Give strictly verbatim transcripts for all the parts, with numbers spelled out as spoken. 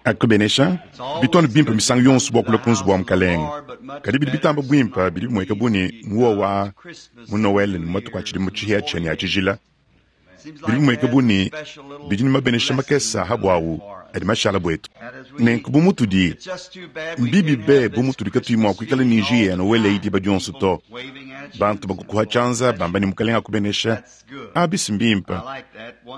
Akubenesha bitone bimpe misangu yonso bua kulua ku nzubu wa Mukalenge. Kadi bidi bitamba buimpe bidi bimueka bu ne muowa wa mu Noël ne mu matuku a tshidimu tshihiatshia ne a tshijila. Bidi bimueka bu ne bidi ne mabenesha makese a buawu adi mashala buetu. Nenku bu mutudi mbibi be bu mutudi katuyi mua kuikala ne njiya ya Noël eyi diba dionso to. Bantu bakukuha tshianza bamba ne Mukalenge akubenesha abisi mbimpe.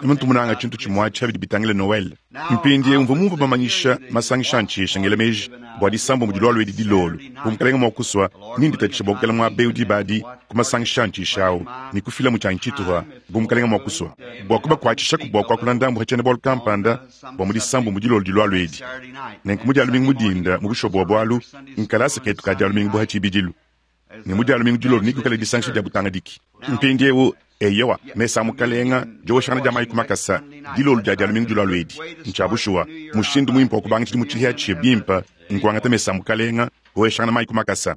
Muntu munanga tshintu tshimue atshi bidi bitangila Noël. Mpindiewu mvua mumvue bamanyisha masangisha a ntshisha ngela meji bua disambombo dilua edi dilolo. Bu Mukalenge mua kusua ninditatshisha bua kukela muaba eu diba adi ku masangisha a ntshisha awu ne kufila mu tshianyi tshituha bu Mukalenge mua kusua bua kubakuatshishaku bua kuakula ndambu ha tshiena-bualu kampanda bua mu disambombo dilolo dilua edi. Nenku mu dia lumingu mu dinda mu bushuwa bua bualu nkalasa ketu ka dia lumingu bu ha tshibidilu. Ne mu dia lumingu dilolo nekuikale disangisha dia butangadiki. Mpindiewu eyowa mesa a Mukalenga dioshangana dia mayi ku makasa dilolo dia dia lumingu dilua edi. Ntshia bushuwa mushindu muimpe wa kubanga tshidimu tshihiatshia bimpe nkuangata mesa a Mukalenga kuoshangana mayi ku makasa.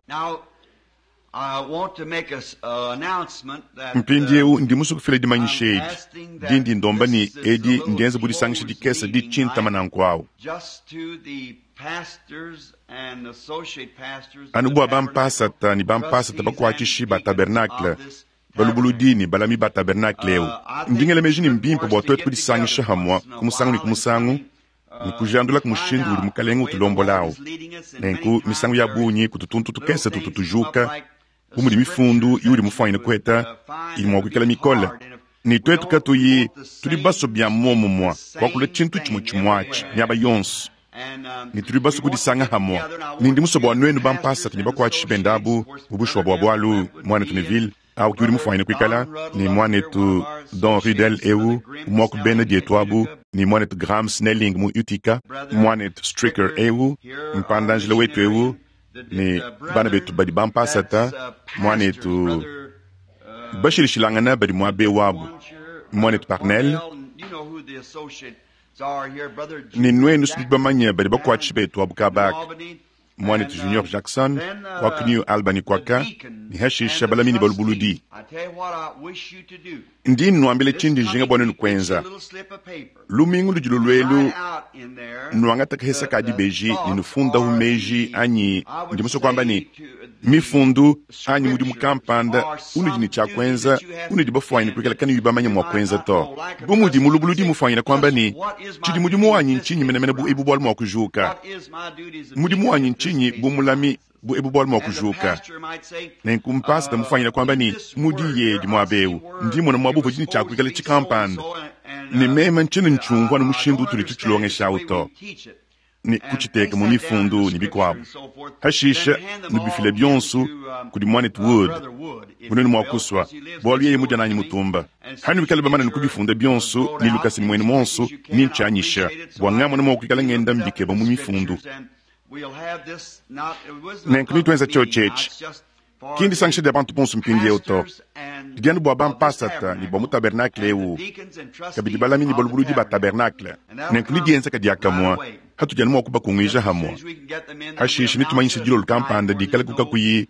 Mpindiewu ndi musue kufila dimanyisha edi dindi ndomba ne edi ndienze bu disangisha dikese ditshintama nanku awu. Anu bua bampasata ne bampasata bakuatshishi ba tabernacle, balubuludi ne balami ba tabernacle eu. Ndi ngela meji ne mbimpe bua tuetu kudisangisha hamua ku musangu ne ku musangu ne kujandula ku mushindu udi Mukalenge utulombola awu. Nenku misangu ya bungi kutu tuntu tukese tutu tujuka bu mudi mifundu iudi mufuanyine kuheta idi mua kuikala mikole. Ne tuetu katuyi tudi basue bia muomumue kuakula tshintu tshimue tshimue atshi miaba yonso. Ne tudi basue kudisanga hamua. Ne ndi musue bua nuenu bampasata ne bakuatshishi bende abu mu bushuwa bua bualu muanetu Neville awu ke udi mufuanyine kuikala ne muanetu Don Ruddell eu umue wa ku bena dietu abu ne muanetu Graham Snelling mu Utica, muanetu Stricker eu mpandanjila wetu eu ne bana betu badi bampasata muanetu bashilishilangana badi muaba eu abu muanetu Parnell ne nuenu nudi bamanye badi bakuatshishi betu abu kabaka muanetu Junior Jackson wa ku New Albany kwaka ne hashisha balami ne balubuludi. Ndi nnuambila tshindi njinga bua nuenu kuenza. Lumingu ludi luluelu nuangata kahesa ka dibeji ne nufundahu meji anyi ndi musue kuamba ne mifundu anyi mudimu kampanda unudi ne tshia kuenza unudi bafuanyine kuikala kanuyi bamanye mua kuenza to. Bu mudi mulubuludi mufuanyine kuamba ne tshidi mudimu wanyi ntshinyi menemene bu ebu bualu mua kujuka. Mudimu wanyi ntshinyi bu mulami bu ebu bualu mua kujuka. Nenku mpasata mufuanyine kuamba ne mudi yedi muaba eu ndi mona muaba uvua ne tshia kuikala tshikampanda ne meme ntshintu ntshiumvua ne mushindu utudi tutshilongesha awu to. Ne kutshiteka mu mifundu ne bikuabu. Hashisha nubifile bionso kudi muanetu Wood bunene mua kusua bualu yeye mudia nanyi mutumba. Hanuikale bamane kubifunda bionso ne lukasa ne muenu monso ne ntshianyisha bua ngamona mua kuikala ngenda mbikeba mu mifundu. Nenku nituenza tshiotshi ki ndisangisha dia bantu bonso mpindiewu to. Didi anu bua bampasata ne bua mu tabernacle eu kabidi balami ne balubuludi ba tabernacle. Nenku nidienzeka diakamua hatudi anu mua kubakunguija hamua. Hashisha nitumanyisha dilolo kampanda dikale ku kakuyi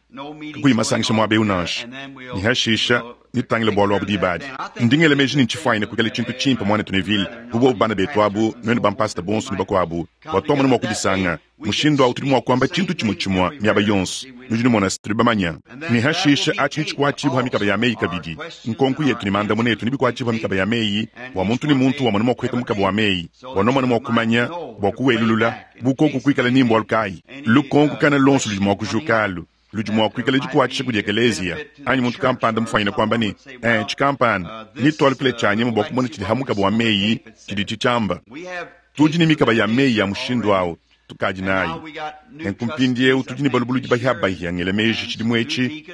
kakuyi masangisha muaba eu nansha. Ne hashisha nitutangile bualu abu diba adi. Ndi ngela meji ne ntshifuanyine kuikala tshintu tshimpe muanetu Neville bu bobu bana betu abu nuenu bampasata bonso ne bakuabu bua tuamone mua kudisanga. Mushindu awu tudi mua kuamba tshintu tshimue tshimue miaba yonso. Nudi numona tudi bamanya. Ne hashisha atshi nitshikuatshibua ha mikaba ya meyi kabidi. Nkonko yetu ne mandamuna etu nebikuatshibua ha mikaba ya meyi bua muntu ne muntu wamone mua kuheta mukaba wa meyi bua nomone mua kumanya bua kuwelulula bu koku kuikala ni mbualu kayi. Lukonko kana lonso ludi mua kujuka alu ludi mua kuikala dikuatshisha kudi ekelezia anyi muntu kampanda mufuanyine kuamba ne eh tshikampanda nitualukile tshianyima bua kumona tshidi ha mukaba wa meyi tshidi tshitshiamba. Tudi ne mikaba ya meyi ya mushindu awu tukadi nayi. Nenku mpindiewu tudi ne balubuludi bahiabahia ngela meji tshidimu etshi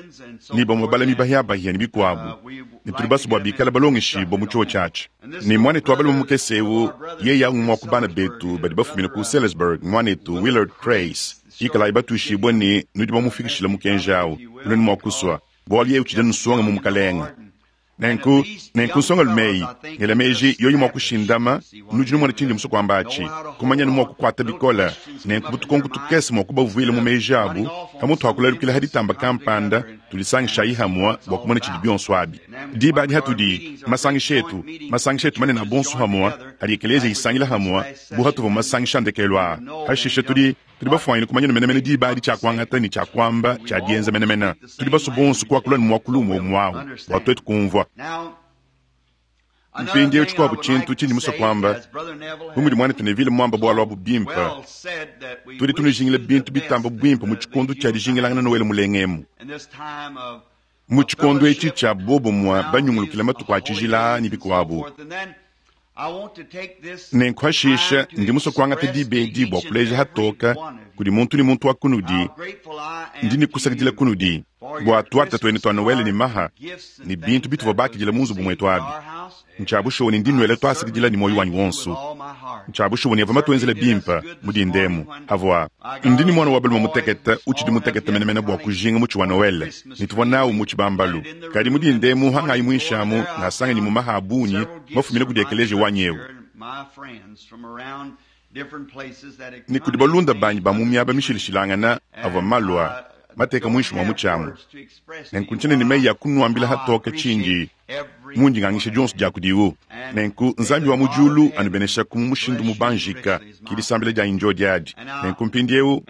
ne bamue balami bahiabahia ne bikuabu ne tudi basue bua bikale balongeshibua mu tshiwo tshiatshi. Ne muanetu wa balume mukese eu yeye awu mua ku bana betu badi bafumine ku Salisbury muanetu Willard Crase ikalayi batuishibue ne nudi bamufikishile mukenji awu nuenu mua kusua bualu yeye utshidi anu nsonga mu Mukalenge. Nenku, nenku nsongalume eyi, ngela meji yoyi mua kushindama, nudi numona tshindi musue kuamba atshi, kumanya ne mua kukuata bikole, nenku butukonko tukese mua kubavuila mu meji abu, pamutu akulalukila ha ditamba kampanda, tulisangishayi hamua bua kumona tshidi bionso abi. Diba adi hatudi, masangisha etu, masangisha etu manene a bonso hamua, hadi ekelezia isangila hamua, bu hatuvua mu masangisha a ndekelu aa. Hashishe tudi, tudi bafuanyine kumanya menemene diba adi tshia kuangata ne tshia kuamba tshia dienza menemene. Tudi basue bonso kuakula ne muakulu umue umue awu, bua tuetu kumvua. Mpindieu tshikuabu tshintu tshindi musue kuamba, bu mudi muanetu Neville muamba bualu abu bimpe, tudi tunujingila bintu bitamba buimpe mu tshikondo tshia dijingilangana Noele mulenga emu. Mu tshikondo etshi tshia bobumue banyungulukila matuku a tshijila ne bikuabu. Nenku hashisha ndi musue kuangata diba edi bua kuleja hatoka kudi muntu ne muntu wa kunudi, ndi ne kusakidila kunudi bua tuarta tuenu tua Noele ne maha ne bintu bituvua bakidila mu nzubu muetu abi. Ntshia bushuwa ne ndi nuela tuasakidila ne muoyo wanyi wonso. Ntshia bushuwa ne avua matuenzele bimpe mu dindemu avua. Ndi ne muana wa balume mutekete utshidi mutekete menemene bua kujinga mutshi wa Noele ne tuvua nawu mu tshibambalu. Kadi mu dindemu hangayi muinshi amu ngasanganyi mu maha a bungi mafumine kudi ekeleziya wanyi eu. Ne kudi balunda banyi ba mu miaba mishilashilangana avua malua mateka muinshi mua mutshi amu. Nenku ntshiena ne meyi a kunuambila hatoka tshindi mundi ngangisha dionso dia kudiwu. Nenku Nzambi wa mu diulu anubeneshaku mu mushindu mubanjika, ki disambila dianyi ndio diadi. Nenku mpindieu,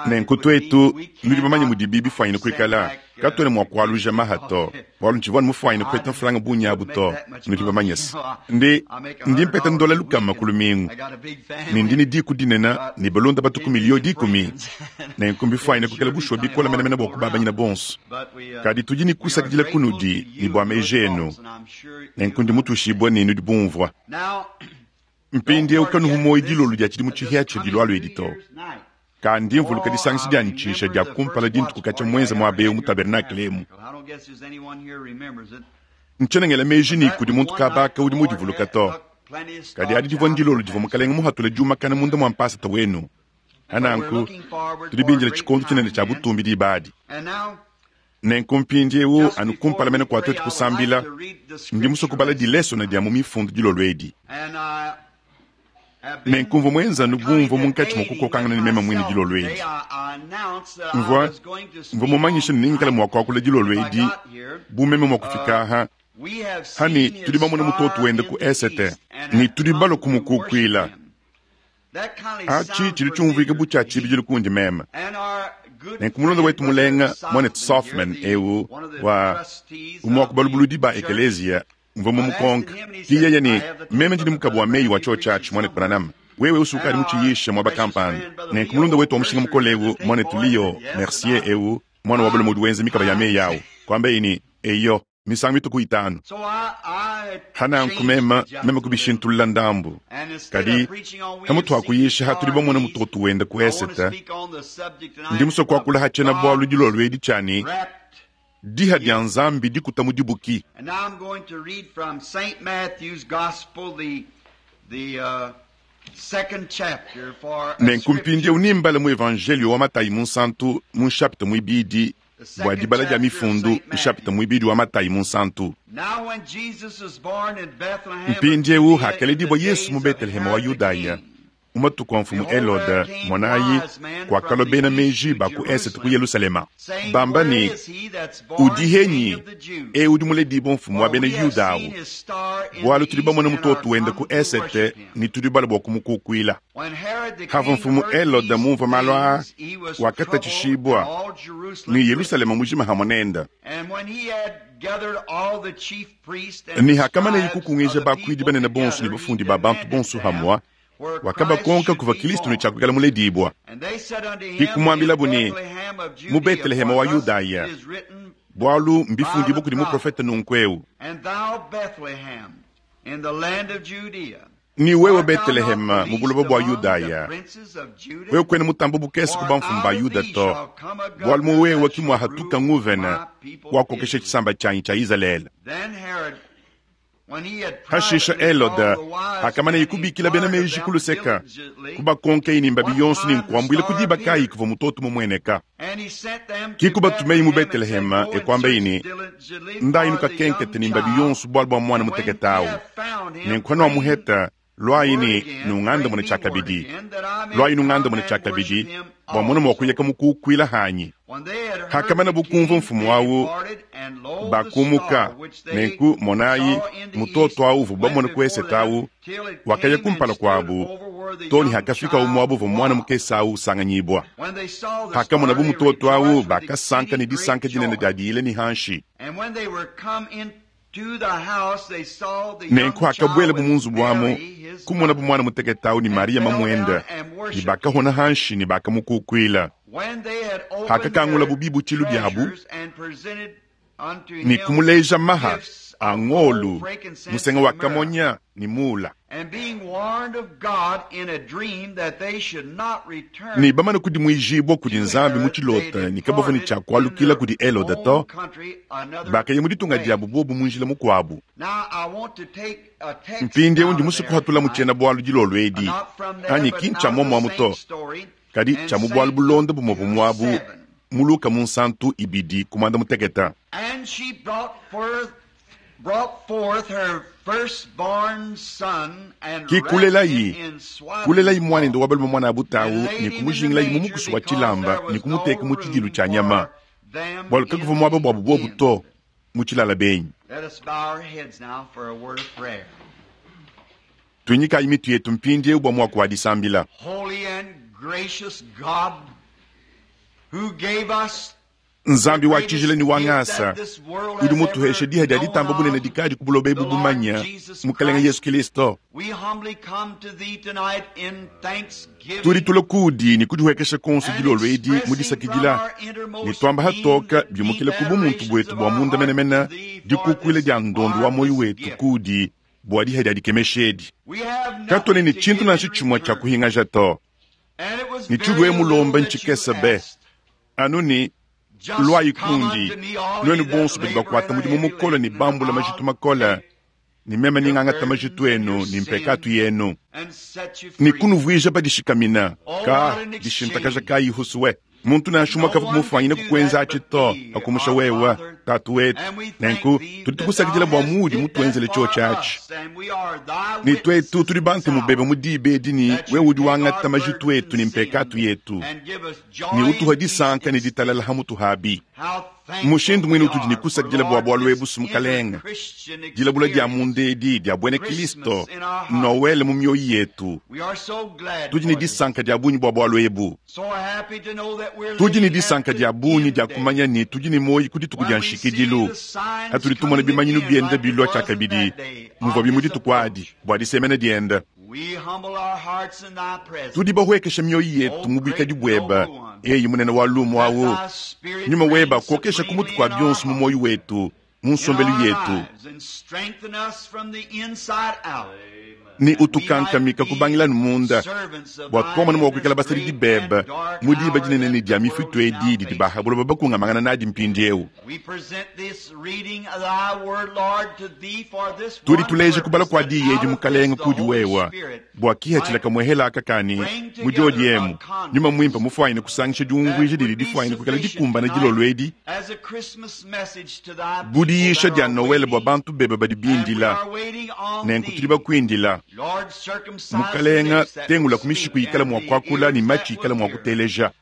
nenku tuetu nudi bamanye mudibi bifuanyine kuikala, katuena mua kualuja maha to, bualu ntshivua mufuanyine kupeta mfranga bungi abu to, nudi bamanye se. Ndi, ndi mpeta ndola lukama ku lumingu, ne ndi ne diku dinene ne balunda batuku miliyo dikumi. Nenku mbifuanyine kuikala bushuwa bikole menemene bua kubabanyina bonso. Kadi tudi ne kusakidila kunudi ne bua meji enu. Nenku ndi mutuishibue ne nudi bumvua. Mpindieu kanuhu muoyo dilolo dia tshidimu tshihia tshidi lualu edi to. Kandi mvuluka disangisha dianyi tshisha dia kumpala dintuku katshia muenza muaba eu mu tabernakle emu. Ntshiena ngela meji ne kudi muntu kabaka udi mudivuluka to. Kadi adi divua ndilolo divua mukalenge muhatule diumakana munda mua mpasata wenu. Hananku, tudi bindila tshikondo tshinene tshia butumbi diba adi. Nenku mpindieu anu kumpala mene kua tuetu kusambila, ndi musue kubala dilesona dia mu mifundu dilolo edi. Nenku mvua muenza bumvua munkatshi mua kukokangana ne meme muine dilolo edi. Mvua, mvua mumanyishe ne ningikala mua kuakula dilolo edi bu meme mua kufika aha, hani tudi bamona mutoto wende ku esete ne tudi balua kumukukuila. Atshi tshidi tshiumvuika bu tshia tshibidilu kundi meme. Nenku mulonda wetu mulenga muanetu Softman eu wa umue wa ku balubuludi ba ekelezia mvua mumukonka. Ki yeye ne meme ndi mukabu wa meyi wa church atshi muanetu Branham. Wewe usukadi mutshiyisha muaba kampanda. Nenku mulunda wetu wa mushinga mukole eu muanetu Leo Mercier eu mwana wa balume udi wenza mikaba ya meyi awu. Kuamba ni eyo misangu mituku itanu. Hananku meme meme kubishintulula ndambu. Kadi pamutu akuyisha hatudi bamona mutoto wenda ku esete, ndi musue kuakula hatshena bualu dilolo edi tshiani diha dia Nzambi dikuta mu dibuki. And now I'm going to read from Saint Matthew's Gospel, the, the uh, second chapter for a Nenku scripture. mpindieu nimbale mu evangelio wa Matayi munsantu mu nshapita muibidi bua dibala dia mifundu nshapita muibidi wa Matayi munsantu. Now when Jesus was born in Bethlehem of Mpindieu Judea in the hakelediwa Yesu mu days of Betelehema wa Herod the Yudaya king, mu matuku a mfumu Helode mwanayi kuakalua bena meji ba ku esete ku Yelusalema saying, bamba Where ne is he that's born udi henyi King of the Jews? eu udi muledibua mfumu wa For bena we have Yuda seen awu his star in bualu the tudi east bamona and mutoto are wende come ku to esete worship him. ne tudi bala bua kumukukuila. When Herod the Hava king mfumu heard Helode these mumvua malu aa, things, he was troubled, wakatatshishibua and all Jerusalem ne with him. Yelusalema mujima hamwe nenda. And when he had gathered all the chief priests and Ne the hakamana scribes of kukungisha the bakuidi people banene bonso ne together, he bafundi ba bantu demanded bonso them hamwa where Christ wakabakonka should kuva be Kristo ne born. tshiakuikala muledibua. And they said unto him, Hikumwambila In bune, Bethlehem of mu Judea, Betelehema for wa thus Yudaya, it is written bualu by mbifundibwa the kudi prophet, muprofeta nunku eu. And thou, Bethlehem, in the land of Judea, Ni wewe art thou not Betelehema the mu least buloba bua among the Yudaya, princes of Judah? wewe kwene mutambo bukese ku For bamfumu ba out of Yuda thee to, shall come a bualu governor mu wewe that ki shall mwahatuka rule nguvena my people wakokesha Israel. tshisamba tshianyi tshia Izalele. Then Herod, Hashisha Helode akamaneye kubikila bena meji ku luseka, kubakonkeyi ne mbabi yonso ne nkuambuila ku diba kayi kuvua mutoto mumueneka. Ki kubatumeye mu Betelehema ekuambeyi ne, ndayi nukakenkete ne mbabi yonso bualu bua mwana mutekete awu. Nenku hanuamuheta, lwayi ne nungandamune tshiakabidi, lwayi nungandamune tshiakabidi, bua mona mua kuyeka mukukuila hanyi. Hakamana bukumva mfumu awu, bakumuka. Nenku monayi mutoto awu uvua bamona ku esete awu wakaya kumpala kuabu too ne hakafika umuabu uvua mwana mukese awu usanganyibua. Hakamonabu mutoto awu, bakasanka ne disanka dinene dia diyila ne hanshi. Nenku hakabuelabu mu nzubu amu, kumonabu mwana mutekete awu ne Mariya mamuende, ne bakahona hanshi ne bakamukukuila. Hakakangulabu bibutshilu biabu ne kumuleja maha a ngolu, musenga wa kamonya ne mula. Ne bamane kudimuijibua kudi Nzambi mu tshilota ne kabavua ne tshia kualukila kudi Helode to, bakaya mu ditunga diabu bobu mu njila mukuabu. Mpindieu ndi musue kuhatula mu tshiena-bualu dilolo edi, anyi ki ntshia muomuamu to, kadi tshia mu bualu bulonda bumue bumuabu mu Luka munsantu ibidi ku muanda mutekete. Ki kulelayi kulelayi muanende wa balume muana abutawu ne kumujingilayi mu mukusu wa tshilamba ne kumuteka mu tshidilu tshia nyama, bualu kakuvua muaba buabu bobu to mu tshilala benyi. Tuinyikayi mitu yetu mpindieu bua muaku wa disambila. Nzambi wa tshijila ne wa ngasa udi mutuheshe diha dia ditamba bunene dikadi ku buloba ebu bumanya, Mukelenge Yesu Kristo. Tudi tula kudi ne kudihuekesha konso dilolo edi mu disakidila ne tuamba hatoka biumukile ku bumuntu buetu bua munda menemene dikukuila dia ndondo wa moyo wetu kudi bua diha dia dikemesha edi. Katuena ne tshintu nansha tshimue tshia kuhingaja to, ne tshilue mulomba ntshikese be anu ne lwayi kundi nuenu bonso badi bakuata mudimu mukole ne bambula majitu makole, ne meme ningangata majitu enu ne mpekatu yenu ne kunuvuija badishikamina ka dishintakaja kayi husuwe. Muntu nansha umue kavua kumufanyina kukuenza atshi to akumusha wewe tatu wetu. Nenku tudi tukusakidila bua muudi mutuenzele tshiotshi atshi, ne tuetu tudi bantemu bebe mu diba edi ne wewe udi wangata majitu etu ne mpekatu yetu ne utuha disanka ne ditalala ha mutu habi. Mushindu mwine utudi ne kusakidila bua bualu ebu Mukelenge, dilabula dia munda edi dia buena Kristo, Noel mu mioyo yetu. Tudi ne disanka dia bungi bua bualu ebu. Tudi ne disanka dia bungi dia kumanya ne tudi ne muoyo ku dituku dia nshikidilu. Hatudi tumona bimanyinu biende bilua tshiakabidi muvua mu dituku adi bua disemena diende. Tudi bahuekesha mioyo yetu mu buikadi bueba, eyi munene wa lumu awu. Nyuma weba akokesha ku mutu kua bionso mu muoyo wetu, mu nsombelu yetu, ne utukankamika kubangila munda bua tuamona mua kuikala basadidi bebe mu diba dinene ne dia mifitu edi didi bahabuloba bakungamangana nadi mpindieu. Tudi tuleja kubala kua diyi edi Mukelenge kudi wewa bua kihatshila kamuehela aka kani mu diodi emu nyuma muimpe mufuanyine kusangisha diunguija didi difuanyine kuikala dikumbana dilolo edi budiyisha dia Noel bua bantu bebe badi bindila. Nenku tudi bakuindila Mukelenge, tengula ku mishiku ikala mua kuakula ne matshi ikala mua kuteleja.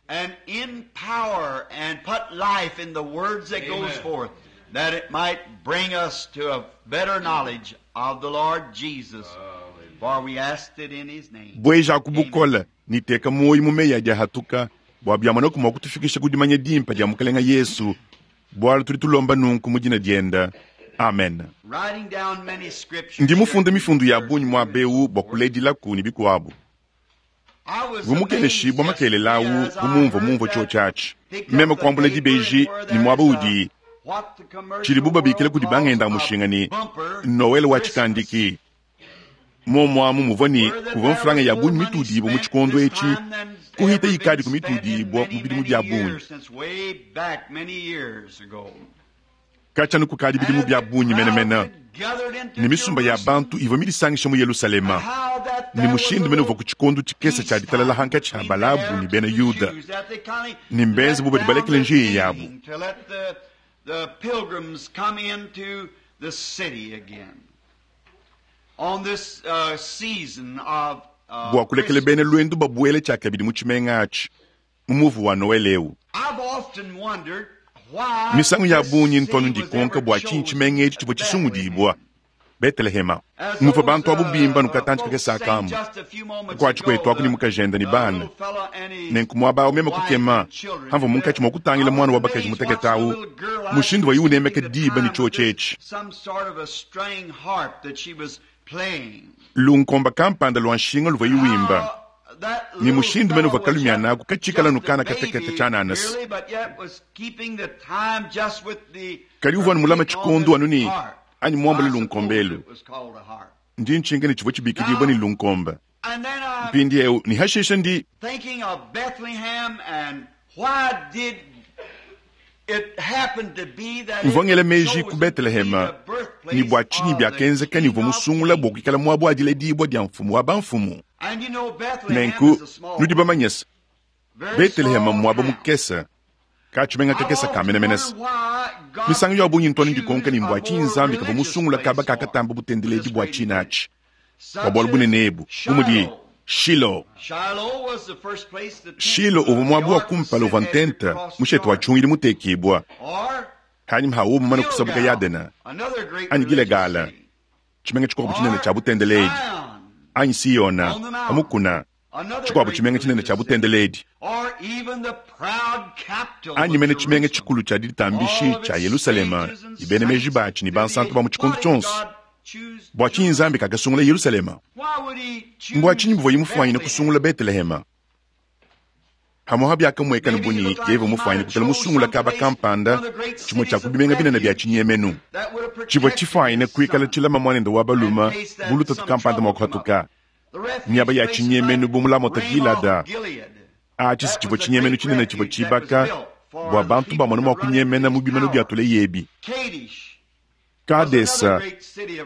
That it might bring us to a better knowledge of the Lord Jesus. For we asked it in his name. Bweja ku bukole ni teka muoyo mu meyi adi ahatuka bua biamona ku mua kutufikisha ku dimanya dimpe dia Mukelenge Yesu, bualu tudi tulomba nunku mu dina diende. Amen. Writing down many scriptures. Ndi mufunde mifundu ya bungi muaba eu bua kuledilaku ne bikuabu. Vumukeleshibua makelela awu vumumvua mumvua tshiotshi atshi. Meme kuambula dibeji ne muaba udi tshidibu babikila kudi bangenda mushinga ne Noel wa tshikandiki. Momuamu muvua ne kuvua mfranga ya bungi mitudibua mu tshikondo etshi kuhita ikadi ku mitudibua mu bidimu bia bungi. Katshia anu kukadi bidimu bia bungi menemene, ne misumba ya bantu ivua midisangishe mu Yelushalema, ne mushindu mene uvuaku tshikondo tshikese tshia ditalala hankatshi ha Balabu ne bena Yuda, ne mbenze bu badi balekele njiya yabu. Bua kulekela bena luendu babuele tshiakabidi mu tshimenga atshi mu muvu wa Noele eu. Misangu ya bungi ntu anu ndikonka bua tshinyi tshimenga etshi tshivua tshisungudibua, Betelehema. Muvua bantu abu bimba nukatantshi kakese akamu kuatshi kuetu aku ne mukajende ne bana. Nenku muaba awu meme kukema hamvua munkatshi mua kutangila muana wa bakaji mutekete awu mushindu wayi unemeka diba ne tshiotshi etshi. Lunkomba kampanda lua nshinga luvuayi wimba, ne mushindu mene uvua kalumiana aku katshikala nukana katekete tshiananasi. Kadi uvua anu mulama tshikondo anu ne anyi muambule lunkombelu. Ndi ntshinka ne tshivua tshibikidibua ne lunkomba. Mpindieu ne hashishe ndi mvua ngela meji ku Betelehema ne bua tshinyi biakenzeka ne uvua musungula bua kuikala muaba wa diledibua dia mfumu wa bamfumu. Nenku nudi bamanye se Betelehema mmuaba mukese, katshimenga kakese ka menemene se. Misangu ya bungi ntu anu ndikonka ne mbua tshinyi Nzambi kavua musungula kaba kakatamba butendeledi bua tshina atshi bua bualu bunene ebu, bu mudi Shilo. Shilo uvua muaba wa kumpala uvua ntenta mushete wa tshihungidi mutekibua hanyima ha uwo mumane kusabuka Yadena, anyi Gilegala, tshimenga tshikuabu tshinene tshia butendeledi, anyi Siyona pa mukuna, tshikuabu tshimenga tshinene tshia butendeledi, anyi mene tshimenga tshikulu tshia ditambishi tshia Yelushalema ne bena meji batshi ne bansantu ba mu tshikondo tshionso. Bua tshinyi Nzambi kakasungula Yelushalema? Mbua tshinyi buvuaye mufuanyine kusungula Betelehema? Hamuha biakamuekana bu ne yeye mufuanyine kuikala musungula kaba kampanda tshimue tshia ku bimenga binene bia tshinyemenu tshivua tshifuanyine kuikala tshilama muanende wa balume bu lutatu kampanda mua kuhatuka miaba ya tshinyemenu bu mu Lamota Gilada. Atshi si tshivua tshinyemenu tshinene tshivua tshibaka bua bantu bamone mua kunyemena mu bimanu bia tuleyebi. Kadesa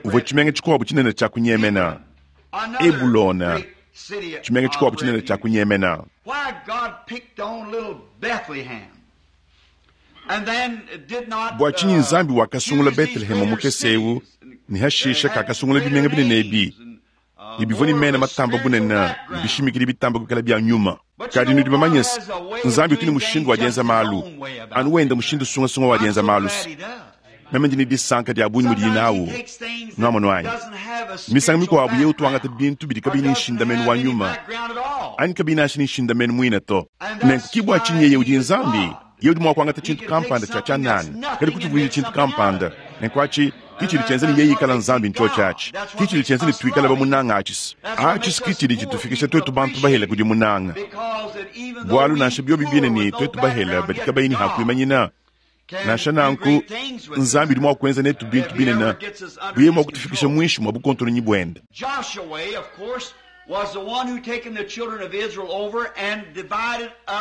uvua tshimenga tshikuabu tshinene tshia kunyemena. Ebulona tshimenga tshikuabu tshinene tshia kunyemena. Bua tshinyi Nzambi wakasungula Betelehema mukese eu ne hashisha kakasungula bimenga binene ebi ne bivua ne mena matamba bunene ne bishimikidi bitamba kuikala bia nyuma? Kadi nudi bamanye se Nzambi utu ne mushindu wa dienza malu anu wenda mushindu sungasunga wa dienza malu. Meme ndi ne disanka dia bungi mudiyi nawu nuamono anyi. Misangu mikuabu yeye utuangata bintu bidi kabiyi ne nshindamenu wa nyuma anyi kabiyi nansha ne nshindamenu muine to. Nenku ki bua tshinyi yeye udi Nzambi, yeye udi mua kuangata tshintu kampanda tshia tshianana kadi kutshivuija tshintu kampanda. Nenku atshi ki tshidi tshienza ne yeye ikala Nzambi ntshiotshi atshi. Ki tshidi tshienza ne tuikale bamunanga atshi. Atshi ki tshidi tshitufikisha tuetu bantu bahele kudi munanga. Bualu nansha biobi bine ne tuetu bahele badi kabayi ne hakuimanyina, nansha nanku Nzambi udi mua kuenza netu bintu binene buye mua kutufikisha muinshi mua bukontononyi buende.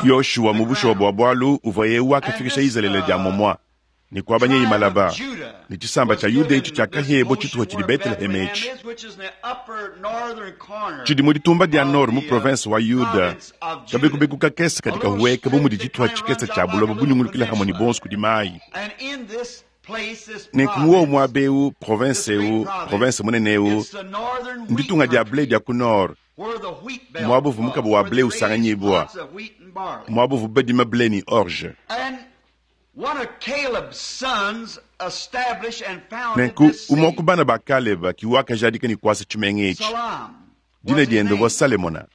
Yoshua mu bushuwa bua bualu uvua yeye wakafikisha Izalele dia momua ne kuabanya imalaba ne tshisamba tshia Yuda etshi tshiakahebua tshituha tshidi Beteleheme etshi tshidi mu ditumba dia nord mu province wa Yuda, kabekubeku kakese kadi kahueka bu mudi tshituha tshikese tshia buloba bunyungulukila hamwe ne bonso kudi mayi. Nenku muowu muaba eu, province eu, province munene eu, nditunga dia ble dia ku nord, muaba uvua mukaba wa ble usanganyibua, muaba uvua badima ble ne orge. Nenku umue ku bana ba Kaleba ki wakajadika ne kuasa tshimenga etshi. Dina diende uvua Salemona.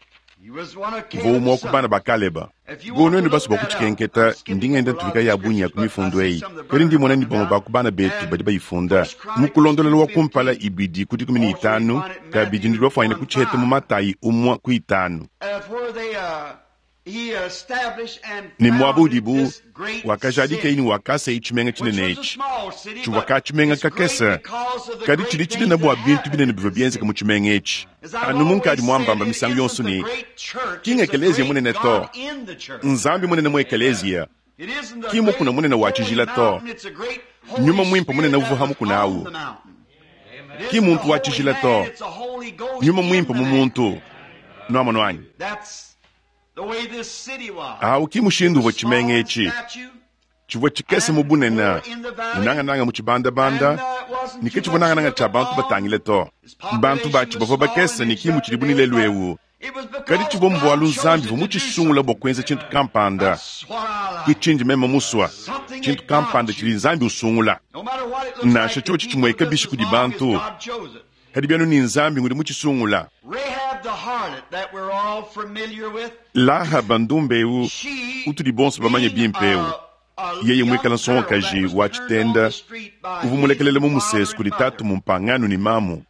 Uvua umue ku bana ba Kaleba. Bu nuenu basu bua kutshikenketa, ndi ngenda ntuvika ya bungi ya ku mifundu eyi. Kadi ndi mona ne bamue ba ku bana betu badi bayifunda mu kulondolola wa kumpala ibidi ku dikumi ne itanu, kabidi ndi bafuanyine kutshiheta mu Matayi umue ku itanu. Ne muaba udibu wakajadika ini wakasa tshimenga tshinene etshi tshivua ka tshimenga kakese, kadi tshidi tshinene bua bintu binene bivua bienzeka mu tshimenga etshi. Anu munkadi muambamba misangu yonso ne ki ng'ekelezia munene to, Nzambi munene mu ekelezia Ki mukuna munene wa tshijila to. Nyuma muimpe munene uvua ha mukuna awu. Ki muntu wa tshijila to. Nyuma muimpe mu muntu. Nuamonu anyi? Awu ki mushindu uvua tshimenga etshi. Tshivua tshikese mu bunene, ne nangananga mu tshibandabanda, ne ke tshivua nangananga tshia bantu batangile to. Bantu batshi bavua bakese ne ki mutshidibu ne lelu eu. Kadi tshivua mbualu Nzambi uvua mutshisungula bua kuenza tshintu kampanda. Ke tshindi meme musua, tshintu kampanda tshidi Nzambi usungula. Nansha tshiotshi tshimueka bishi kudi bantu, kadi bianu ne Nzambi ngudi mutshisungula. Lahaba ndumba eu utudi bonso bamanye bimpe eu, yeye muikala nsongakaji wa tshitenda uvua mulekelele mu musesu kudi tatu mumpangano ne mamu.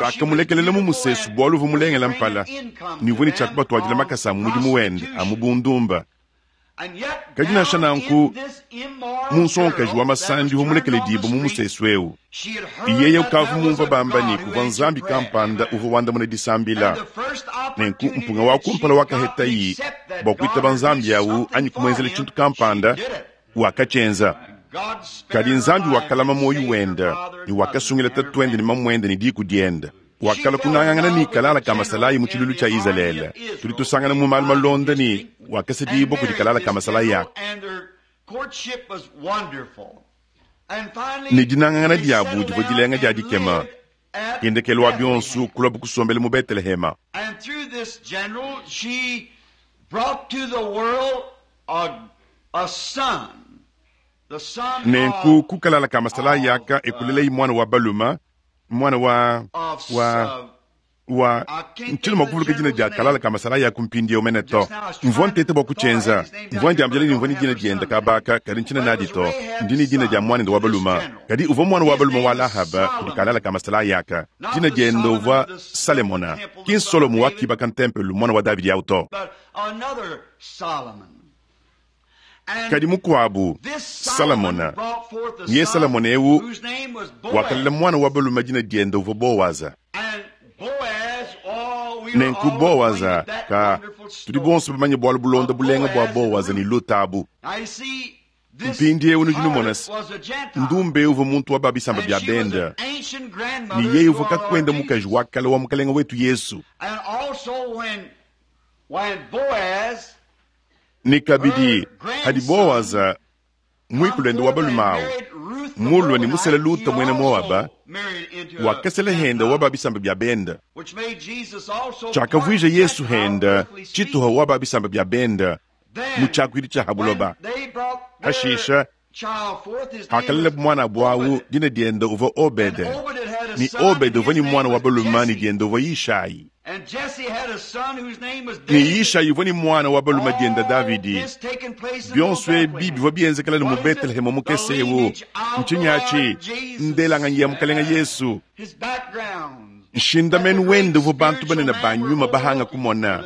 Bakamulekelela mu musesu bualu uvua mulengela mpala ne uvua ne tshia kubatuadila makasa a mu mudimu wende a mu bundumba. Kadi nansha nanku, mu nsongakaji wa masandi uvua mulekeledibue mu musesu eu, yeye ukavua mumvua bamba ne kuvua Nzambi kampanda uvua wandamuna disambila. Nenku mpunga wa kumpala wakahetayi bua kuitaba Nzambi awu anyi kumuenzela tshintu kampanda, wakatshienza. Kadi Nzambi wakalama muoyo wende ne wakasungila tatuende ne mamuende ne diku diende. Wakala kunangangana ne kalala ka masalayi mu tshilulu tshia Izalele. Tudi tusangana mu malu malonda ne wakasedibua kudi kalala ka masalayi aka. Ne dinangangana diabu divua dilenga dia dikema. Kendekelo wa bionso kulua kusombela mu Betelehema. Nenku ku kalala ka masalayi aka ekulelei mwana wa baluma, mwana wa wa wa ntshina mua kuvuluka dina dia kalala ka masalayi aku mpindieu mene to. Mvua ntete bua kutshienza, mvua ndiambila ne mvua ne dina diende kabaka, kadi ntshina nadi to. Ndi ne dina dia muanende wa baluma, kadi uvua mwana wa baluma wa Lahaba kudi kalala ka masalayi aka. Dina diende uvua Salemona, ki Solomo wakibaka ntempelo mwana wa Davidi awu to. Kadi mukuabu Salamona, ye Salamona eu wakalela mwana wa baluma dina diende uvua Boaza. Nenku Boaza ka tudi bonso bamanye bualu bulonda bulenga bua Boaza ne Luta abu. Mpindieu nudi numona se, ndumbe uvua muntu wa babisamba bia benda, ne yeye uvua kakwenda mukaji wa kale wa mukalenga wetu Yesu. Ne kabidi hadi Boaza mwikulende wa balume awu mulwa ne musela Luta mwena Moaba, wakasela henda wa babisamba bia benda. Tshiakavuija Yesu henda tshituha wa babisamba bia benda mu tshiakuidi tshia habuloba. Hashisha hakalela mwana bwawu dina diende uvua Obede, ne Obede uvua ne mwana wa balume ne diende uvua Yishai. Ne Yishai uvua ne mwana wa balume diende Davidi. Bionso ebi bivua bienzekela ne mu Betelehemu mukese eu. Ntshinyi atshi? Ndelanganyi ya mukalenga Yesu. Nshindamenu wende uvua bantu banene ba nyuma bahanga kumona,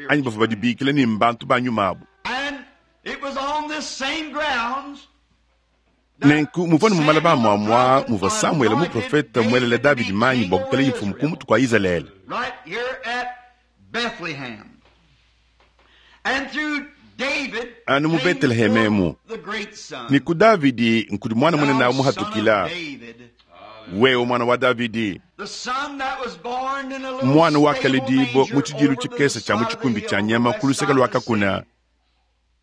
anyi bavua badibikila ne mbantu ba nyuma abu. Nenku muvua ne mumala ba muamua muvua Samuele muprofete muelele Davidi manyi bua kukala imfumu ku mutu kua Izalele. Anu mu Beteleheme emu, ne ku Davidi nkudi mwana munene awu muhatukila. Wewe mwana wa Davidi, mwana wa kaledibo mu tshidilu tshikese tshia mu tshikumbi tshia nyama ku luseke lua kakuna,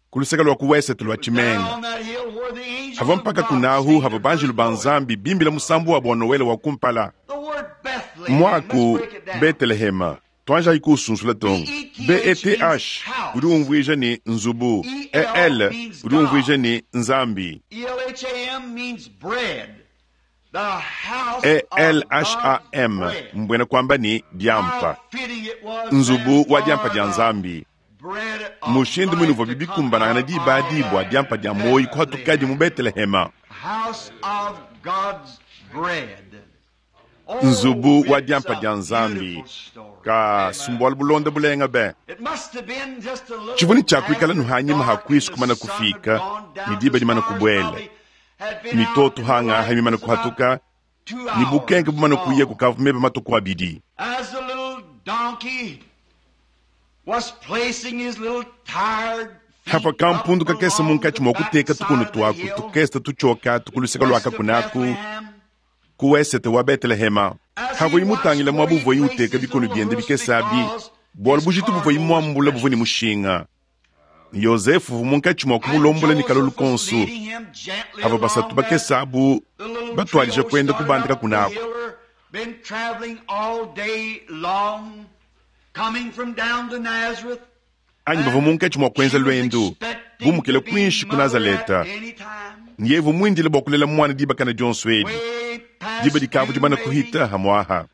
ku luseke lua ku wesete lua tshimenga. Hava mpaka kunahu hava banjelu ba Nzambi bimbila musambu wa bua Noele wa kumpala. Mwaku Betelehema tuanjayi kuusunsula tonga. B E T H udi umvuija ne nzubu, E L udi umvuija ne Nzambi. E L H A M mbwena kwamba ni diampa, nzubu wa diampa dia Nzambi. Mushindu mwene uvua bibikumbanangana diba dibua diampa dia moyi kuhatukadi mu Betelehema. Nzubu wa diampa dia Nzambi ka sumbualu bulonda bulenga be. Tshivua ne tshiakuikala nuhanyima hakuisu kumana kufika ni diba dimana kubwela, mitoto hangaha mimana kuhatuka ni bukenke bumana kuya kukavu mebe matuku abidi. Hapa kampundu kakese munkatshi mua kuteka tukunu tuaku tukese tutshoka tukuluseka lua kakunaku ku wesete wa Betelehema. Havuyi mutangila muaba uvuayi uteka bikono biende bikese abi, bualu bujitu buvuayi muambula buvua ne mushinga. Yozefu uvua munkatshi mua kumulombola ne kalolu konsu. Hava basatu bakese abu batuadija kuenda kubanda kakunaku. Anyi bavua munkatshi mua kuenza luendu bumukile kuinshi ku Nazaleta. Yevu muindile bua kulela muana dibakana dionso edi. Diba dikavu dimana kuhita hamuaha.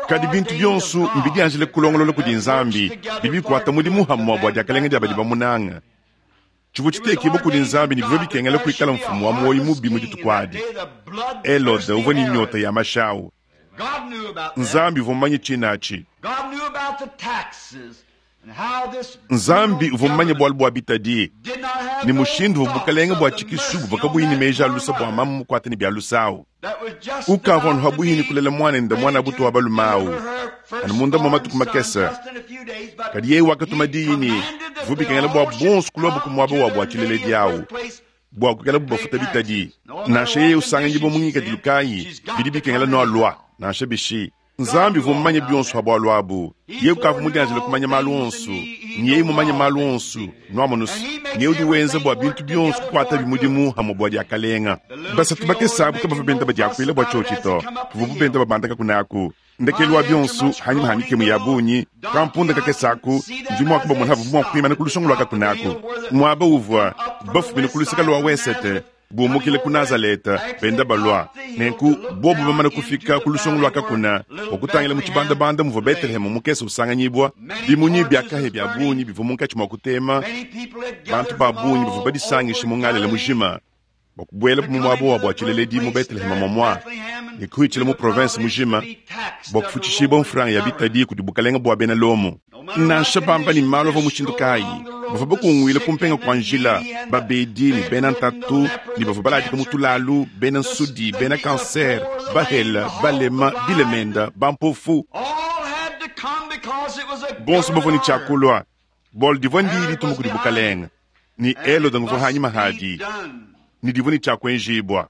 Kadi bintu bionso mbidianjile kulongolola kudi Nzambi, bidi bikuata mudimu hamua bua diakalenga dia badi bamunanga. Tshivua tshitekibua kudi Nzambi ne bivua bikengela kuikala mfumu wa muoyo mubi mu dituku adi. Elode uvua ne nyota ya mashawu. Nzambi uvua mumanye tshinatshi. Nzambi uvua mumanye bualu bua bitadi ne mushindu uvua bukalenge bua tshikisu buvua kabuyi ne meji a lusa bua mamu mukuate ne bia lusawu. Ukavua anu habuyi ne kulela mwanende mwana butu wa balume awu anu munda mua matuku makese. Kadi yeye wakatuma diyi ne bivua bikengela bua bonso kulua ku muaba wa bua tshileledi awu bua kuikala bubafuta bitadi. Nansha yeye usanganyibua mu ngikadilu kayi, bidi bikengela noalua nansha bishi. Nzambi uvua mumanye bionso ha bualu abu. Yeye ukavua mudianjile kumanya malu onso, ne yeye mumanye malu onso nuamonusu. Ne udi wenza bua bintu bionso kukuata bimudimu hamue bua diakalenga. Basatu bakese abu kabavua benda badiakuila bua tshiotshi to, buvua benda babandaka kunaku. Ndekelu wa bionso hanyuma ha mikemu ya bungi kampunda kakese aku ndi mua kubamona havua mua kuimana ku lusongo lua kakunaku. Muaba uvua bafumine ku luseka lua wesete bumukile ku Nazaleta benda balua. Nenku bobu bamana kufika ku lusongo lua kakuna bua kutangila mu tshibandabanda muvua Betelehemu mukese usanganyibua. Bimunyi bia kahe bia bungi bivua munkatshi mua kutema. Bantu ba bungi bavua badisangishe mu ngalela mujima bua kubuela mu muaba wa bua tshileledi mu Betelehema momua ne kuhitshila mu province mujima bua kufutshishibua mfranga ya bitadi kudi bukalenge bua bena Lomo. Nansha bamba ne malu avua mushindu kayi, bavua bakunguile kumpenga kua njila babedi ne bena ntatu ne bavua baladika mu tulalu, bena nsudi, bena kanser, bahela, balema, bilemenda, bampofu. Bonso bavua ne tshiakulua bualu divua ndiyi dituma kudi bukalenge ne Elode nguvua hanyima hadi ne divua ne tshiakuenjibua.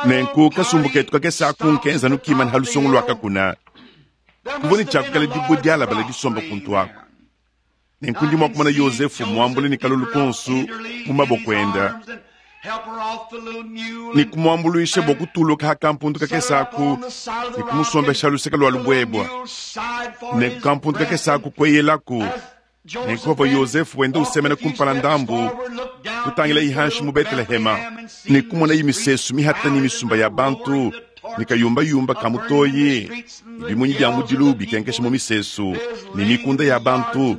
Nenku kasumbu ketu kakese aku nkenza nukimana ha lusongo lua kakuna. Kuvua ne tshiakukala dibue dialabala disomba kuntu aku. Nenku ndi mua kumona Yozefu muambule ne kalolu konsu mu maboko enda ne kumuambuluisha bua kutuluka ha kampundu kakese aku ne kumusombesha luseka lua lubuebua. Nenku kampundu kakese aku kueyelaku. Nenku pavua Yozefu wenda usemena kumpala ndambu kutangila ihanshi mu Betelehema ne kumona imisesu mihata ne misumba ya bantu ne kayumbayumba ka mutoyi, bimunyi bia mudilu bikenkesha mu misesu ne mikunda ya bantu.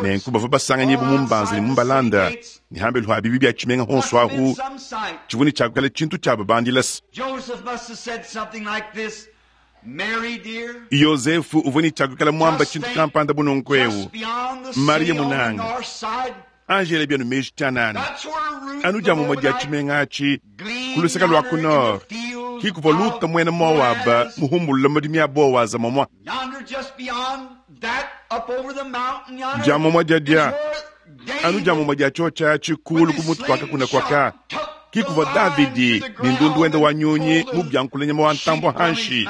Nenku bavua basanganyibua mu mbanza ne mu mbalanda ne hambelu ha bibi bia tshimenga honso ahu tshivua ne tshiakukala tshintu tshia babandilasa. Yozefu uvua ne tshiakukala muamba tshintu kampanda bunonko ewu. Maria munanga Angela bianu meji tshianana anu dia mumue dia tshimenga atshi ku luseka lua ku nord kikuvua Luta muena Moaba muhumbulula madimi a Bowaza momua. Dia mumue dia dia anu dia mumue dia tshiotshi atshi kulu ku mutu kua kakuna kuaka kikuvua Davidi ne ndundu wenda wa nyunyi mu biankula nyama wa ntambua hanshi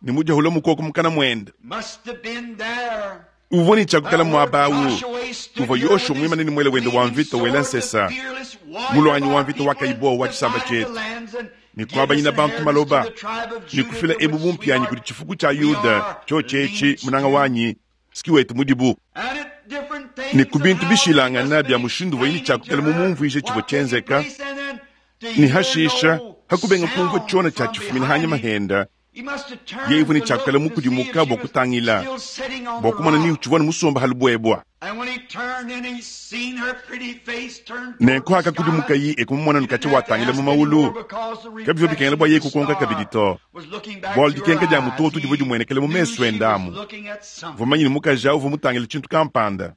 ne mudiahula mukoko mukana muenda. Uvua ne tshiakukala muaba awu uvua Yoshua muimane ne muele wende wa mvita wela nsesa mulwanyi wa mvita wakayibowa wa tshisamba tshietu ne kuabanyina bantu maloba ne kufila ebu bumpianyi kudi tshifuku tshia Yuda tshiotshi munanga wanyi siki wetu mudibu. Ne ku bintu bishilangana bia mushindu uvua ne tshiakukala mumumvuije tshivua tshienzeka ne hashisha hakubenga kumvua tshiona tshia tshifumina hanyima henda. Yeye uvua ne tshiakukala mukudimuka bua kutangila bua kumona ni tshivua ne musomba ha lubuebua. Nenku hakakudimuka yi ekumumona nukatshi watangila mu maulu kabivua bikengela bua yeye kukonka kabidi to, bualu dikenka dia mutoto divua dimuenekele mu mesu enda amu. Uvua manyine mukaji awu uvua mutangila tshintu kampanda.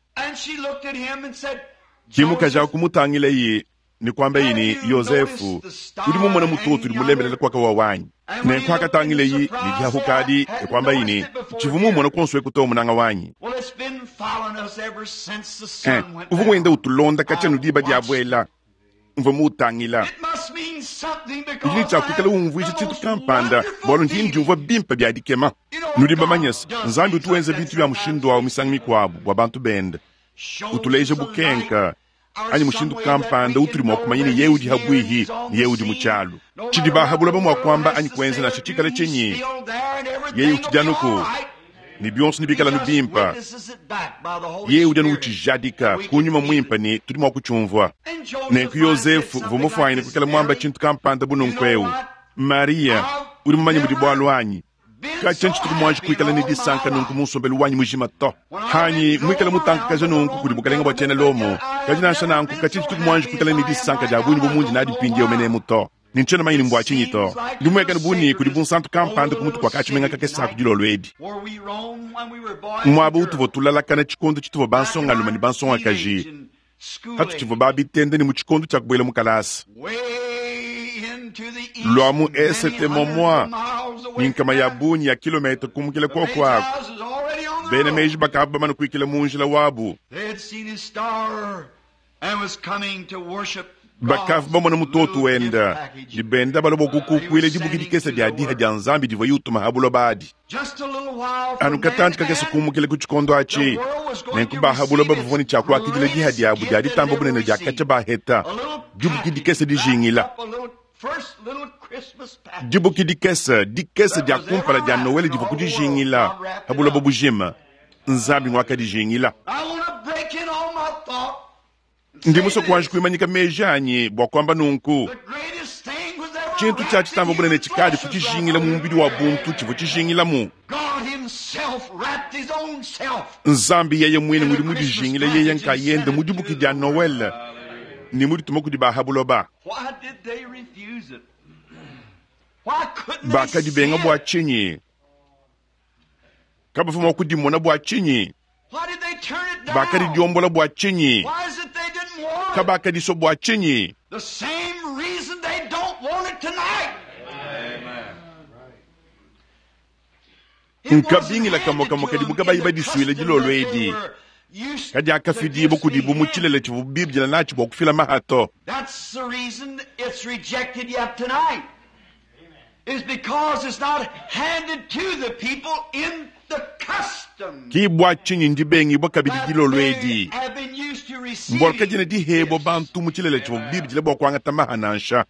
Ki mukaji awu kumutangila yi ne kuamba yi ne Yozefu udi mumona mutoto udi mulembelela kuaka wa wanyi. Nenku hakatangila yi ne diahukadi e kuamba yi ne tshivua mumona konso ekutowa munanga wanyi. Eh, uvua wenda utulonda katshia anu diba diabuela. Mvua muutangila. Udi ne tshia kuikala umvuija tshintu kampanda, bualu ndi ndiumvua bimpe bia dikema. Nudi bamanye se, Nzambi utu wenza bintu bia mushindu awu misangu mikuabu bua bantu bende, utuleja bukenka anyi mushindu kampanda utudi mua kumanya ne yeye udi habuihi ne yeye udi mu tshialu. Tshidi ba buloba mua kuamba anyi kuenza nansha tshikale tshinyi, yeye utshidi anuku ne bionso nebikale anu bimpe. Yeye udi anu utshijadika ku nyuma muimpe ne tudi mua kutshiumvua. Nenku Yozefu uvua mufuanyine kuikala muamba tshintu kampanda bu nunku eu, Mariya, udi mumanye mudi bualu anyi? Katshia ntshituku muanji kuikala ne disanka nunku mu nsombelu wanyi mujima to. Hanyi muikale mutankakaja nunku kudi bukalenge bua tshiena Lomo, kadi nansha nanku katshia ntshituku muanji kuikala ne disanka dia bungi bu mundi nadi mpindieu menemu to. Ne ntshiena manyine mbua tshinyi to. Ndi muekane bu ne kudi bunsantu kampanda ku mutu kua katshimenga kakese aku dilolo edi, muaba utuvua tulalakana tshikondo tshituvua bansongalume ne bansongakaji, patutshivua ba bitende ne mu tshikondo tshia kubuela mu kalasa. Lua mu esete momua ne nkama ya bungi ya kilometa kumukila kuoku aku, bena meji bakavua bamane kuikila mu njila wabu. Bakavua bamona mutoto wenda ne benda balua bua kukukuila dibuki dikese dia diha dia Nzambi divua yutuma ha buloba adi. Anu katantshi kakese kumukila ku tshikondo atshi, nenku ba ha buloba bavua ne tshia kuakidila diha diabu dia ditamba bunene dia katshia baheta, dibuki dikese dijingila. Dibuki dikese dikese dia kumpala dia Noele divua kudijingila ha buloba bujima. Nzambi ngwakadijingila. Ndi musue kuanji kuimanyika meji anyi bua kuamba nunku, tshintu tshia tshitamba bunene tshikadi kutshijingila mu mubidi wa buntu tshivua tshijingilamu. Nzambi yeye mwine ngudi mudijingile yeye nkayende mu dibuki dia Noele ne mudituma kudi ba ha buloba. Bakadibenga bua tshinyi? Kabavua mua kudimona bua tshinyi? Bakadidiombola bua tshinyi? Kabakadisua bua tshinyi? Nkabingila kamue kamue kadibu kabayi badisuile dilolo edi, kadi akafidibua kudibu mu tshilele tshivua bibidila natshi bua kufila mahato. Ki bua tshinyi ndibengibua kabidi dilolo edi, mbualu kadiena dihebua bantu mu tshilele tshivua bibidila bua kuangata maha nansha.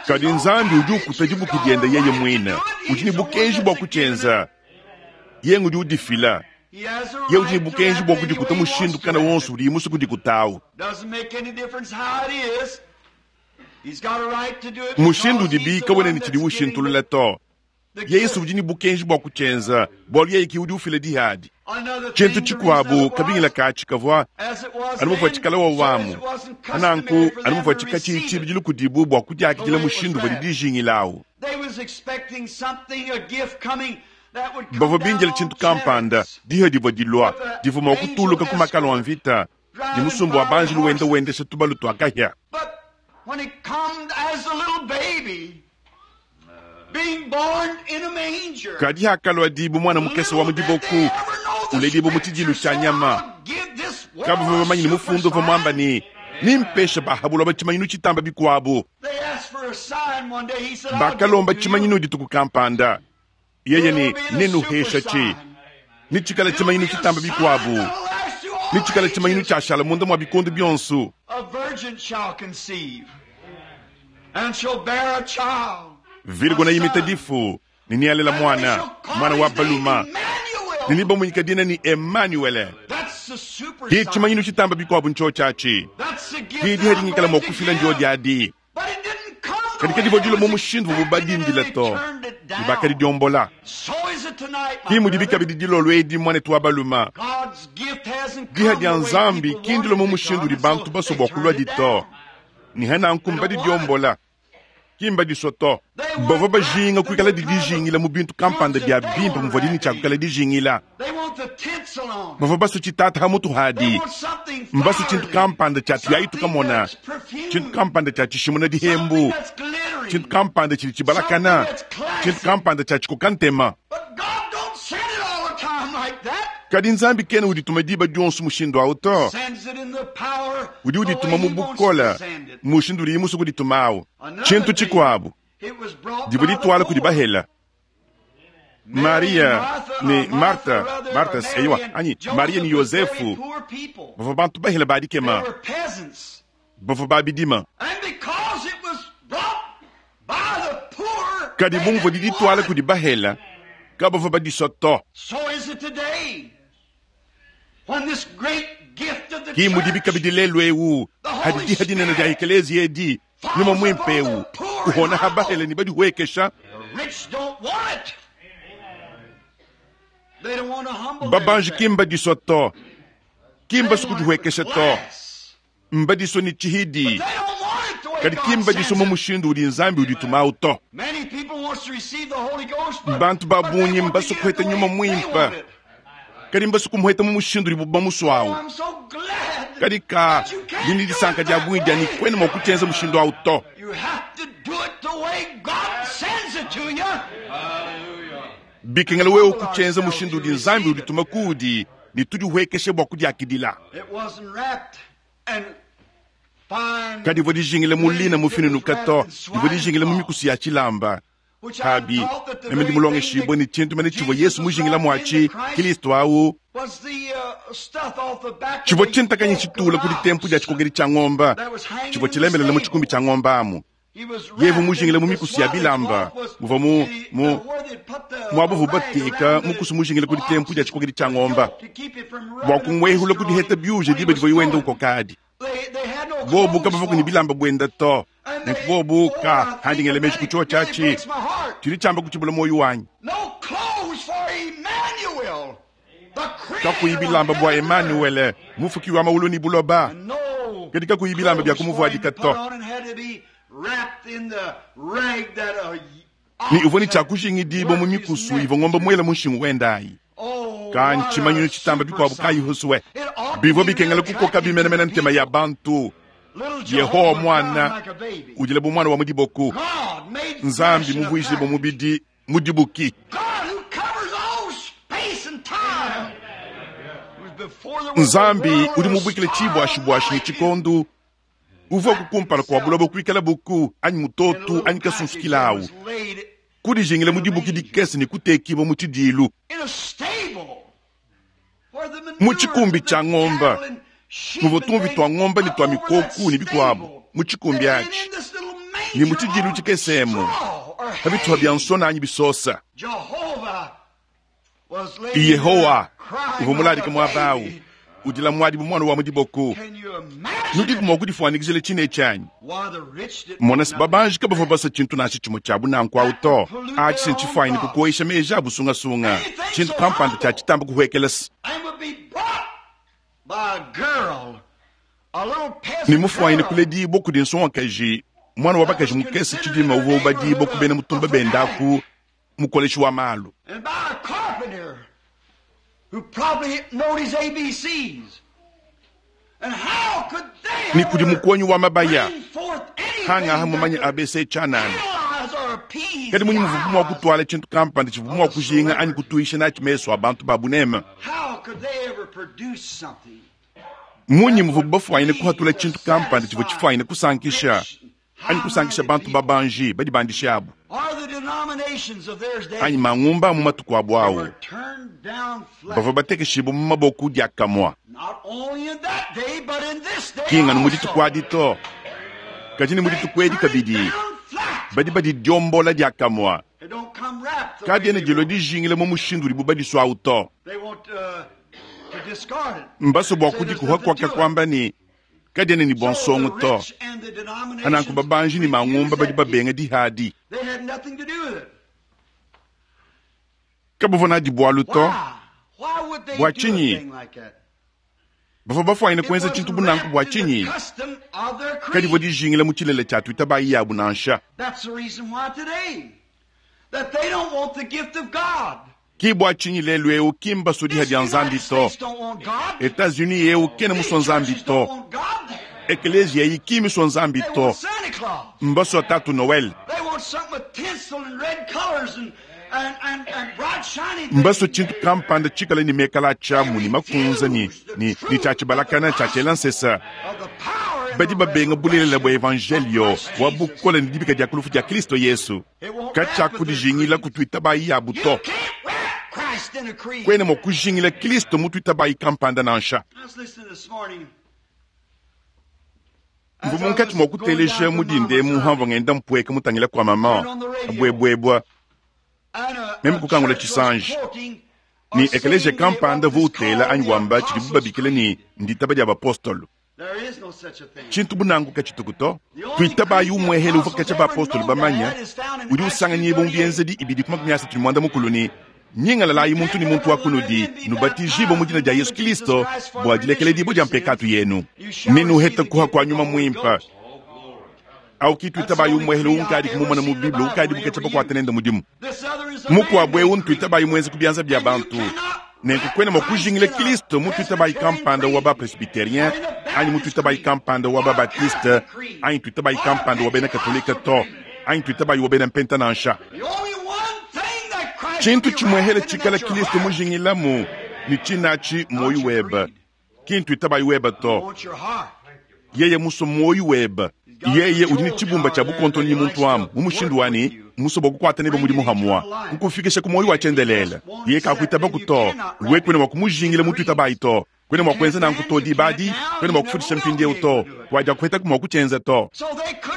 Kadi Nzambi udi ukuta dibuki diende yeye mwine, udi ne bukenji bua kutshienza. Yeye udi udifila. Yeye udi ne bukenji bua kudikuta mushindu kana wonso udi musue kudikutawu. Mushindu udibi kawena ne tshidi ushintulula to. Yesu udi ne bukenji bua kutshienza, bualu yeye ki udi ufila dihadi. Tshintu tshikuabu kabingila katshi kavua anu muvua tshikala wa wamu, nanku anu muvua tshikatshi tshibidilu kudibu bua kudiakidila mushindu uvua dijingilawu. Bavua bindila tshintu kampanda, diha divua dilua, divua mua kutuluka ku makalo a mvita, ne musumba wa banjelu wenda wendesha tubalu tua kahia. Kadi hakalua dibu mwana mukese wa mu diboku, uledibu mu tshidilu tshia nyama. Kabavua bamanye ne mufundu uvua muamba ne, nimpeshe ba ha buloba tshimanyinu tshitamba bikuabu. Bakalomba tshimanyinu dituku kampanda. Yeye ne nenuhesha tshi. Ni tshikala tshimanyinu tshitamba bikuabu. Ni tshikala tshimanyinu tshiashala munda mua bikondo bionso. Virgo yimita difu ni nialela mwana, mwana wa baluma. Ni bamunyika dina ni Emmanuel. Ki tshimanyinu tshitamba bikuabu ntsho tshiatshi. Ki diha dingikala mua kufila ndio diadi. Kadi kadi dilo mu mushindu uvua badindila to, ne bakadidiombola. Ki mudibi kabidi dilolo edi mwanetu wa baluma. Diha dia Nzambi ki ndilo mu mushindu udi bantu basue bua kulua dito. Ne hananku mbadidiombola. Ki mbadisua to. Bavua bajinga kuikala didijingila mu bintu kampanda bia bimpe muvua dini tshia kuikala dijingila. Bavua basue tshitata ha mutu hadi. Mbasu tshintu kampanda tshia tuyayi tukamona. Tshintu kampanda tshia tshishimuna dihembu. Tshintu kampanda tshidi tshibalakana. Tshintu kampanda tshia tshikokantema. Kadi Nzambi kena udituma diba dionso mushindu awu to. Udi udituma mu bukole mushindu udiye musue kudituma awu. Tshintu tshikuabu, divua dituala kudi bahela. Mariya ne Marta, Marta eyiwa, anyi Mariya ne Yozefu bavua bantu bahela ba dikema, bavua ba bidima. Kadi bu muvua didituala kudi bahela, kabavua badisua to. Ki mudibi kabidi lelu eu, hadi diha dinene dia ekeleziya edi, Nyuma Muimpe eu uhona ha bahela ne badihuekesha. Babanji ki mbadisua to, ki mbasue kudihuekesha to, mbadisua ne tshihidi, kadi ki mbadisua mu mushindu udi Nzambi uditumau to. Bantu ba bungi mbasue kuheta Nyuma Muimpe, kadi mbasue kumuheta mu mushindu udibu bamusuawu. Kadi ka ndi ne disanka dia bungi dia ne kuena mua kutshienza mushindu awu to. Bikengela wewe kutshienza mushindu udi Nzambi udituma kuudi, ne tudihuekeshe bua kudiakidila. Kadivua dijingila mu lina mufinunuka to, divua dijingila mu mikusu ya tshilamba. Pabi, meme ndi mulongeshibue ne tshintu mene tshivua Yesu mujingila muatshi, Kristo awu, tshivua tshintakanyi tshitula ku ditempu dia tshikokedi tshia ngomba, tshivua tshilemelela mu tshikumbi tshia ngomba amu. Yevu mujingila mu mikusu ya bilamba, muvua mu, mu, muaba uvua bateka mukusu mujingila ku ditempu dia tshikokedi tshia ngomba, bua kumuehula ku diheta biuje diba divuaye wenda ukokadi. Bobu kabavua ne bilamba buenda to, nenku bobu ka handi ngela meji ku tshiotshi atshi tshidi tshiamba kutshibula muoyo wanyi. Kakuyi bilamba bua Emanuele, mufuki wa mawulu ne buloba, kadi kakuyi bilamba bia kumuvuadika to. Ne uvua ne tshia kujingidibua mu mikusu ivua ngombe muela mu nshingu wenda ayi. Ka ntshimanyinu tshitamba bikuabu kayi husue. Bivua bikengela kukoka bimenemene ntema ya bantu. Yehowa muana udila bu muana wa mu diboku, Nzambi muvuijibue mubidi mu dibuki. Nzambi udi mubuikile tshibuashibuashi ne tshikondu, uvua kumpala kua buloba kuikala buku anyi mutotu anyi kasunsukilawu, kudijingila mu dibuki dikese ne kutekibua mu tshidilu, mu tshikumbi tshia ngomba muvua tumvi tua ngomba ne tua mikoku ne bikuabu mu tshikumbi atshi, ne mu tshidilu tshikesemu pa bituha bia nsona anyi bisosa. Yehowa uvua muladika muaba awu, udila muadi bu muana wa mu diboku. Nudiku mua kudifuanyikijila tshine etshi anyi? Mona se, babanji kabavua basa tshintu nansha tshimue tshia bunanku awu to. Atshi se ntshifuanyine kukoyisha meji a busungasunga, tshintu kampanda tshia tshitamba kuhuekela se ne mufuanyine kuledibua kudi nsongakaji, muana wa bakaji mukese tshidima uvua ubadibua ku bena mutumba bendaku mukoleshi wa malu. Ne kudi mukuonyi wa mabaya hangaha mumanye A B C tshianana. Kadi munyi muvubu mua kutuala tshintu kampanda tshivua mua kujinga anyi kutuisha natshi mesu a bantu ba buneme? Munyi muvubu bafuanyine kuhatula tshintu kampanda tshivua tshifuanyine kusankisha anyi kusankisha bantu babanji badibandishe abu anyi mangumba mu matuku abu awu bavua batekeshibua mu maboko diakamua. Ki nganu mu dituku adi to, kadi ne mu dituku edi kabidi badi badidiombola diakamua. Kadiena dilua dijingila mu mushindu udibu badisuawu to. Mbasue bua kudikuha kuaka kuamba ne kadiena ne bua nsongo to. Ananku babanji ne mangumba badi babenga dihadi. Kabavua nadi bualu to. Bua tshinyi bavua bafuanyine kuenza tshintu bunanku? Bua tshinyi kadivua dijingila mu tshilele tshia tuitabayi yabu nansha? Ki bua tshinyi lelu eu ki mbasue diha dia Nzambi to. Etats-Unis eu kena musua Nzambi to. Ekelezia eyi ki misua Nzambi to. Mbasua Tatu Noel. Mbasue tshintu kampanda tshikale ne mekala a tshiamu ne makunza ne, ne, ne tshia tshibalakana tshia tshiela nsesa. Badi babenga bulelela bua evanjelio wa bukole ne dibika dia ku lufu dia Kristo Yesu. Katshiakudijingila ku tuitabayi yabu to. Kuena mua kujingila Kristo mu tuitabayi kampanda nansha. Mvua munkatshi mua kuteleja mu dinda emu hamvua ngenda mpueka mutangila kua mama abuebuebua. Meme kukangula tshisanji ne ekeleziya kampanda uvua utela anyi wamba tshidibu babikila ne nditaba dia bapostolo. Tshintu bu nanku katshituku to. Tuitabayi umuehele uvua katshia bapostolo bamanya, udi usanganyibua mu Bienzedi ibidi ku makumi asatu ne muanda mukulu ne, Nyingalalayi muntu ne muntu wa kunudi, nubatijibue mu dina dia Yesu Kristo bua dilekeledibua dia mpekatu yenu, ne nuhete kuha kua Nyuma Muimpe. Au ki tuitabayi umuehele unkadi kumumona mu Bible ukadi buketshia bakuata nende mudimu. Mukuabu eu ntuitabayi muenze ku bianza bia bantu. Nenku kuena mua kujingila Kristo mu tuitabayi kampanda wa ba-presbyterien anyi mu tuitabayi kampanda wa ba-baptiste anyi tuitabayi kampanda wa bena katolika to, anyi tuitabayi wa bena mpenta nansha. Tshintu tshimuehele tshikala Kristo mujingilamu ne tshinatshi muoyo webe, ki ntuitabayi webe to. Yeye musue muoyo webe. Yeye udi ne tshibumba tshia bukontonyi muntu amu mu mushindu wa ne musue bua kukuata nebe mudimu hamua, kukufikisha ku muoyo wa tshiendelele. Yeye kakuitabaku to. Wewe kuena mua kumujingila mu tuitabayi to. Kuena mua kuenza nanku to diba adi, kuena mua kufutisha mpindieu to, wadiakuhetaku mua kutshienza to.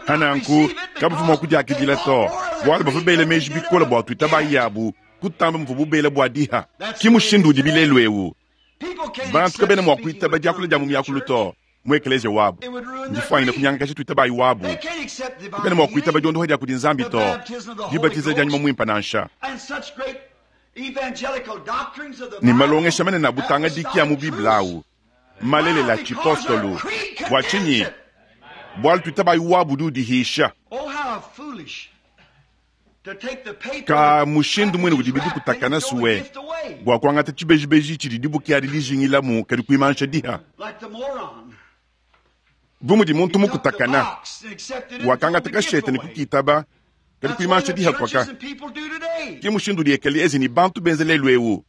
Hananku kabavua mua kudiakidila to, bualu bavua bela meji bikole bua tuitabayi yabu kutamba muvua bubela bua diha. Ki mushindu udi bilelu eu. Bantu kabena mua kuitaba diakula dia mu miakulu to mu ekeleziya wabu. Ndifuanyine kunyangakaja tuitabayi wabu. Kabena mua kuitaba diondoha dia kudi Nzambi to, dibatiza dia Nyuma Muimpe nansha. Ne malongesha manene a butangadiki a mu Bible au malelela tshipostolu. Bua tshinyi? Bualu tuitabayi wabu udi udihisha. Ka mushindu muine udi bidikutakana suwe bua kuangata tshibejibeji tshidi dibuki adi dijingilamu kadi kuimansha diha. Bu mudi muntu mukutakana, wakangata kashete ne kukitaba kadi kuimansha diha kwaka. Ki mushindu udi ekeleziya ne bantu benze lelu eu.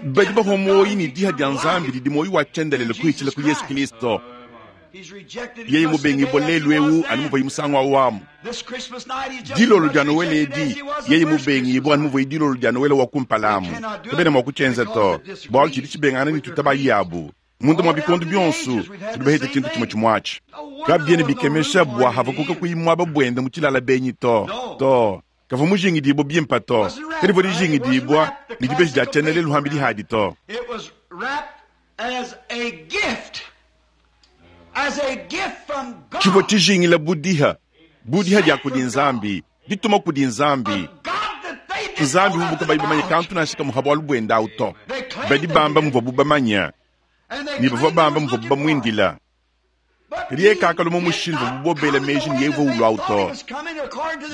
Badi bahua muoyo ne diha dia Nzambi didi muoyo wa tshiendelele kuhitshila ku Yesu Kristo. Yeye mubengibua lelu eu anu muvuaye musangu awu amu. Dilolo dia Noele edi, yeye mubengibua anu muvuaye dilolo dia Noele wa kumpala amu. Kabena mua kutshienza to, bualu tshidi tshibengangana ne tuitabayi yabu. Munda mua bikondo bionso, tudi bahete tshintu tshimue tshimuatshi. Kabiena bikemesha bua Habakuka kuyi muaba buende mu tshilala benyi to. To, kavua mujingidibua bimpe to. Kadivua dijingidibua ne dibeji dia tshiendelele luhambi dihadi to. Tshivua tshijingila budiha, budiha dia kudi Nzambi, dituma kudi Nzambi. Nzambi uvuabu kabayi bamanye kantu nansha kamue ha bualu buende awu to. Badi bamba muvuabu bamanya, ne bavua bamba muvuabu bamuindila. Kadi yeye kakalua mu mushindu uvuabu bobela meji ne yeye uvua ulua awu to.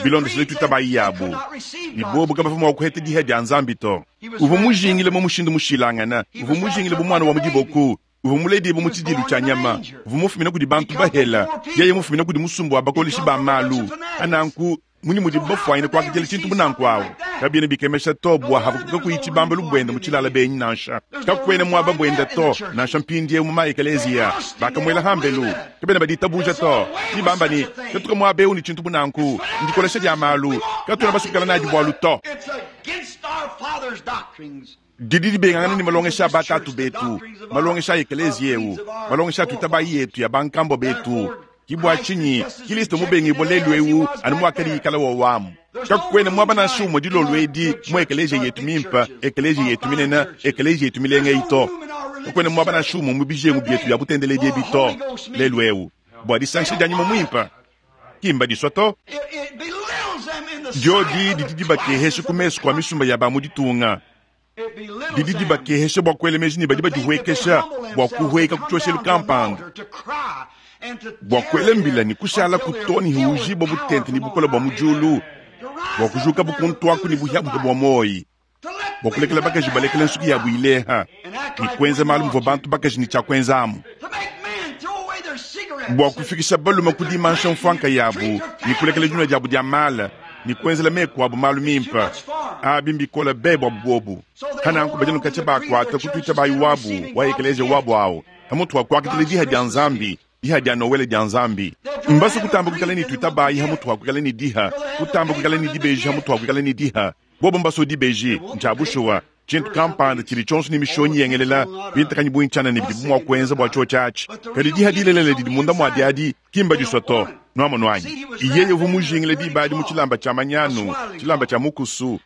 Bilondeshile tuitabayi yabu, ne bobu kabavua mua kuheta diha dia Nzambi to. Uvua mujingile mu mushindu mushilangana, uvua mujingile bu muana wa mu diboku, uvua muledibue mu tshidilu tshia nyama, uvua mufumine kudi bantu bahela, yeye mufumine kudi musumba wa bakoleshi ba malu. Ananku munyi mudibu bafuanyine kuakidila tshintu bu nanku awu? Kabiena bikemesha to bua Habakuka kuyi tshibambalu buende mu tshilala benyi nansha. Kakuena muaba buende to, nansha mpindieu mu maekeleziya. Bakamuela hambelu, kabena baditabuja to. Ni bamba ne, katuka muaba eu ne tshintu bu nanku, ndikolesha dia malu, katuena basukala nadi bualu to. Didi dibengangana ne malongesha a batatu betu, malongesha a ekeleziya eu, malongesha a tuitabayi yetu ya bankambo betu. Ki bua tshinyi Kristo mubengibua lelu eu anu muakadi ikala wawamu. Kakuena muaba nansha umue dilolo edi mu ekeleziya yetu mimpe, ekeleziya yetu minene, ekeleziya yetu milenga eyi to. Kakuena muaba nansha umue mu bijengu bietu bia butendeledi ebi to lelu eu bua disangisha dia Nyuma Muimpe. Ki mbadisua to. Diodi didi dibakehesha ku mesu kua misumba ya ba mu ditunga. Didi dibakehesha bua kuela meji ne badi badihuekesha bua kuhueka ku tshioshelu kampanda, bua kuela mbila ne kushala ku to ne hiujibua butente ne bukole bua mu diulu, bua kujuka bukuntuaku ne buhiabuhia bua muoyi, bua kulekela bakaji balekela nsuki yabu ileha ne kuenza malu muvua bantu bakaji ne tshia kuenzamu, bua kufikisha balume ku dimansha mfuanka yabu ne kulekela dinua diabu dia mala Ne kuenzela meku abu malu mimpe. Abi mbikole be buabu buobu. Pananku badi anu katshia bakuata ku tuitabayi wabu wa ekeleziya wabu awu, pamutu wa kuakidila diha dia Nzambi, diha dia Nowele dia Nzambi. Mbasue kutamba kuikala ne tuitabayi hamutu wa kuikala ne diha, kutamba kuikala ne dibeji hamutu wa kuikala ne diha. Bobu mbasue dibeji, ntshia bushuwa, tshintu kampanda tshidi tshionso ne mishonyi yengelela, bintakanyi bungi tshianana bidibu mua kuenza bua tshiotshi atshi. Kadi diha dilelela didi munda mua diadi ki mbadisua to. Nuamonu anyi? Yeye uvua mujingile diba adi mu tshilamba tshia manyanu, tshilamba tshia mukusu.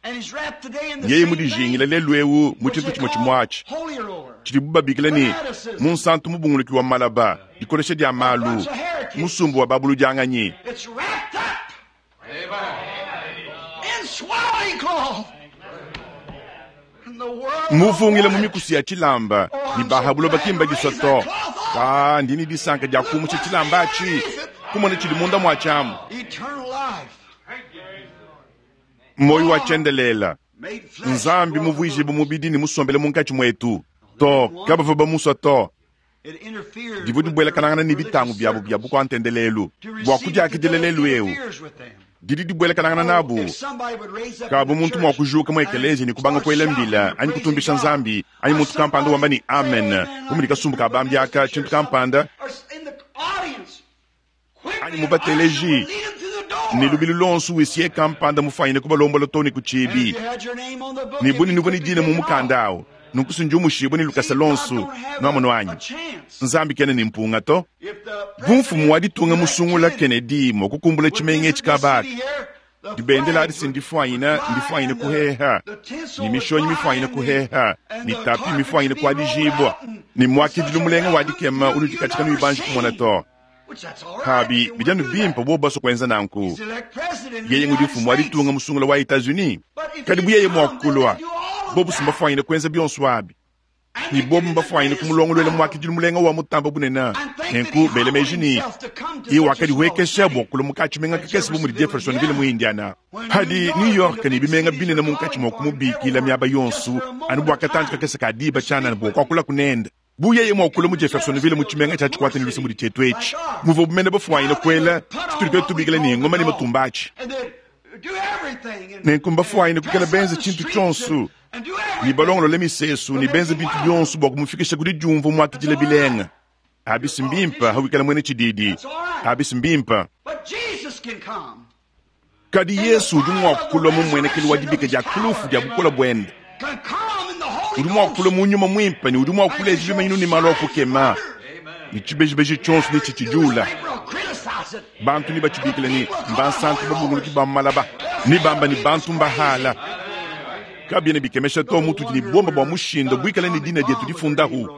Yeye mudijingile lelu'eu mu tshintu tshimue tshimue atshi, tshidibu babikila ne, munsantu mubunguluki wa malaba, dikolesha dia malu, musumba wa babuludianganyi. Muvungila mu mikusu ya tshilamba ne ba buloba ki mbadisua to. Kaa, ndi ne disanka dia kumusha tshilamba atshi, kumona tshidi munda mua tshiamu. Muoyo wa tshiendelele, Nzambi muvuijibue mubidi ne musombele munkatshi muetu. To, kabavua bamusua to. Divua dibuelakanangana ne bitangu biabu bia bukua-ntendelelu bua kudiakidila lelu'eu. Didi dibuelakanangana nabu. Kabu muntu mua kujuka mu ekeleziya ne kubanga kuela mbila anyi kutumbisha Nzambi, anyi muntu kampanda wamba ne amen, bu mudi kasumbu ka bambi aka, tshintu kampanda, anyi mu bateleji, ne lubilu luonso huissier kampanda mufuanyine kubalombola too ne ku tshiibi, ne bu ne nuvua ne dina mu mukanda awu, nunku si ndiumushibue ne lukasa luonso. Nuamonu anyi? Nzambi kena ne mpunga to. Bu mfumu wa ditunga musungula Kennedy mua kukumbula tshimenga etshi kaba aka, dibendela adi si ndifuanyine, ndifuanyine kuheha, ne mishonyi mifuanyine kuheha, ne tapi mifuanyine kuadijibua, ne muakidilu mulenga wa dikema unudi katshia kanuyi banji kumona to. Pabi, bidi anu bimpe bobu basue kuenza nanku. Yeye ngudi mfumu wa ditunga musungula wa Etats-Unis. Kadi bu yeye mua kulua, bobu si mbafuanyine kuenza bionso abi. Ne bobu mbafuanyine kumulongoluela muakidilu mulenga wa mutamba bunene. Nenku bela meji ne, yeye wakadihuekesha bua kulua mu katshimenga kakese bu mudi Jeffersonville mu Indiana. Padi New York ne bimenga binene munkatshi mua kumubikila miaba yonso anu bua katantshi kakese ka diba tshianana bua kuakulaku nende. Bu yeye mua kulua mu Jeffersonville mu tshimenga tshia tshikuate ne luse mudi tshietu etshi, muvuabu mene bafuanyine kuela tshitudi tuetu tubikila ne, ngoma ne matumba atshi. Nenku mbafuanyine kuikala benze tshintu tshionso ne balongolole misesu ne benze bintu bionso bua kumufikisha ku didiumvua muakidila bilenga. Abi si mbimpe hawikala muena tshididi. Abi si mbimpe. Kadi Yesu udi mua kulua mu mmuenekelu wa dibika dia ku lufu dia bukole buende. Udi mua kulua mu nyuma muimpe ne udi mua kuleja bimanyinu ne malu a kukema, ne tshibejibeji tshionso netshitshidiula. Bantu nebatshibikile ne, mbansantu babunguluki ba mu malaba, nebambe ne, bantu mbahala. Kabiena bikemesha to mutudi ne buomba bua mushinda buikale ne dina dietu difundahu.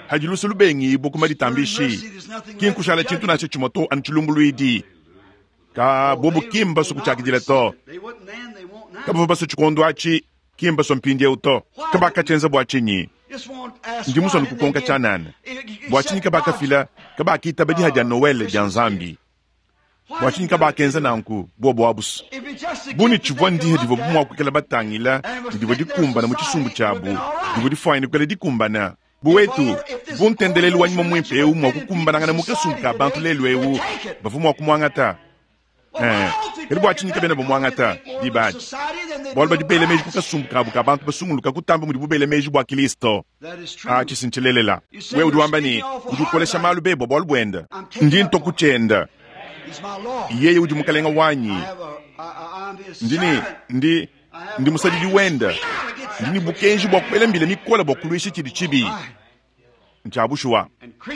Hadi luse lubengibua ku maditambishi, ki nkushala tshintu nansha tshimue to anu tshilumbuluidi. Ka bobu ki mbasue kutshiakidila to. Kabavua basue tshikondo atshi, ki mbasue mpindieu to. Kabakatshienza bua tshinyi? Ndi musue anu kukonka tshianana. Bua tshinyi kabakafila, kabakitaba diha dia Nowele dia Nzambi? Bua tshinyi kabakenza nanku bobu abusu? Bu ne tshivua ndiha divuabu mua kuikala batangila ne divua dikumbana mu tshisumbu tshiabu, divua difuanyine kuikala dikumbana. Buwetu, bu ntendelelu wa nyuma muimpe eu mua kukumbanangana mu kasumbu ka bantu lelu eu, bavua mua kumuangata. Eh, kadi bua tshinyi kabena bamuangata diba adi? Bualu badi bela meji ku kasumbu kabu ka bantu basunguluka kutamba mudibu bela meji bua Kilisto. Atshi si ntshilelela. Wewe udi wamba ne, udi ukolesha malu be bua bualu buende. Ndi ntua ku tshiende. Yeye udi Mukalenga wanyi. Ndi ne, ndi, ndi musadidi wende. Ndi ne bukenji bua kuela mbila mikole bua kuluisha tshidi tshibi. Ntshia bushuwa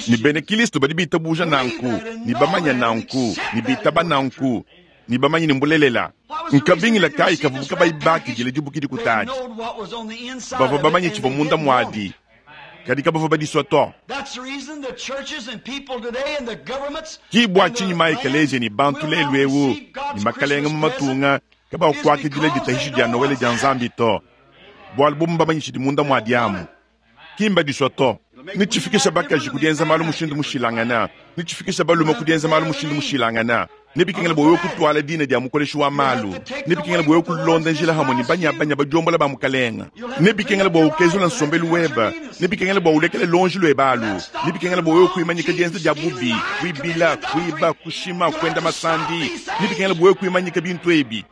ne, bena Kristo badi bitabuja nanku ne bamanya nanku ne bitaba nanku ne bamanye ne mbulelela. Nkabingila kayi kavuabu kabayi bakidile dibuki dikutadi? Bavua bamanye tshivua munda muadi, kadi kabavua badisua to. Ki bua tshinyi ma-ekeleziya ne bantu lelu'eu ne makalenge mu matunga kabakuakidila ditahishi dia Nowele dia Nzambi to, bualu bobu mbamanye tshidi munda muadi amu. Ki mbadisua to. Netshifikisha bakaji ku dienza malu mushindu mushilangane, netshifikisha balume ku dienza malu mushindu mushilangane, Nebikengela bua wewe kutuala dina dia mukoleshi wa malu. Nebikengela bua wewe kulonda njila hamwe ne banyabanya badiombola ba mukalenga. Nebikengela bua ukezula nsombelu weba. Nebikengela bua ulekele lonji lweba alu. Nebikengela bua wewe kuimanyika dienza dia bubi, kuibila, kuiba, kushima, kuenda masandi. Nebikengela bua wewe kuimanyika bintu ebi.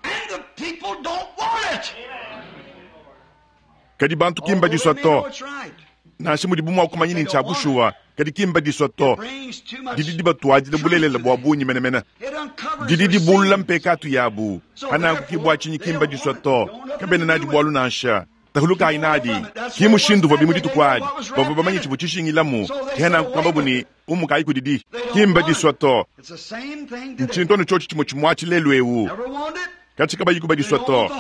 Kadi bantu ki mbadisua to. Nansha mudibu mua kumanya ne ntshia bushuwa, kadi ki mbadisua to. Didi dibatuadila bulelela bua bungi menemene. Didi dibulula mpekatu yabu. Pananku ki bua tshinyi ki mbadisua to. Kabena nadi bualu nansha. Tahulukayi nadi. Ki mushindu uvua bimu dituku adi. Bavua bamanye tshivua tshishingilamu. Ke nanku kuambabu ne, umukayi kudidi. Ki mbadisua to. Ntshintu anu tshiotshi tshimue tshimuatshi lelu eu. Katshi kabayi kubadisua to.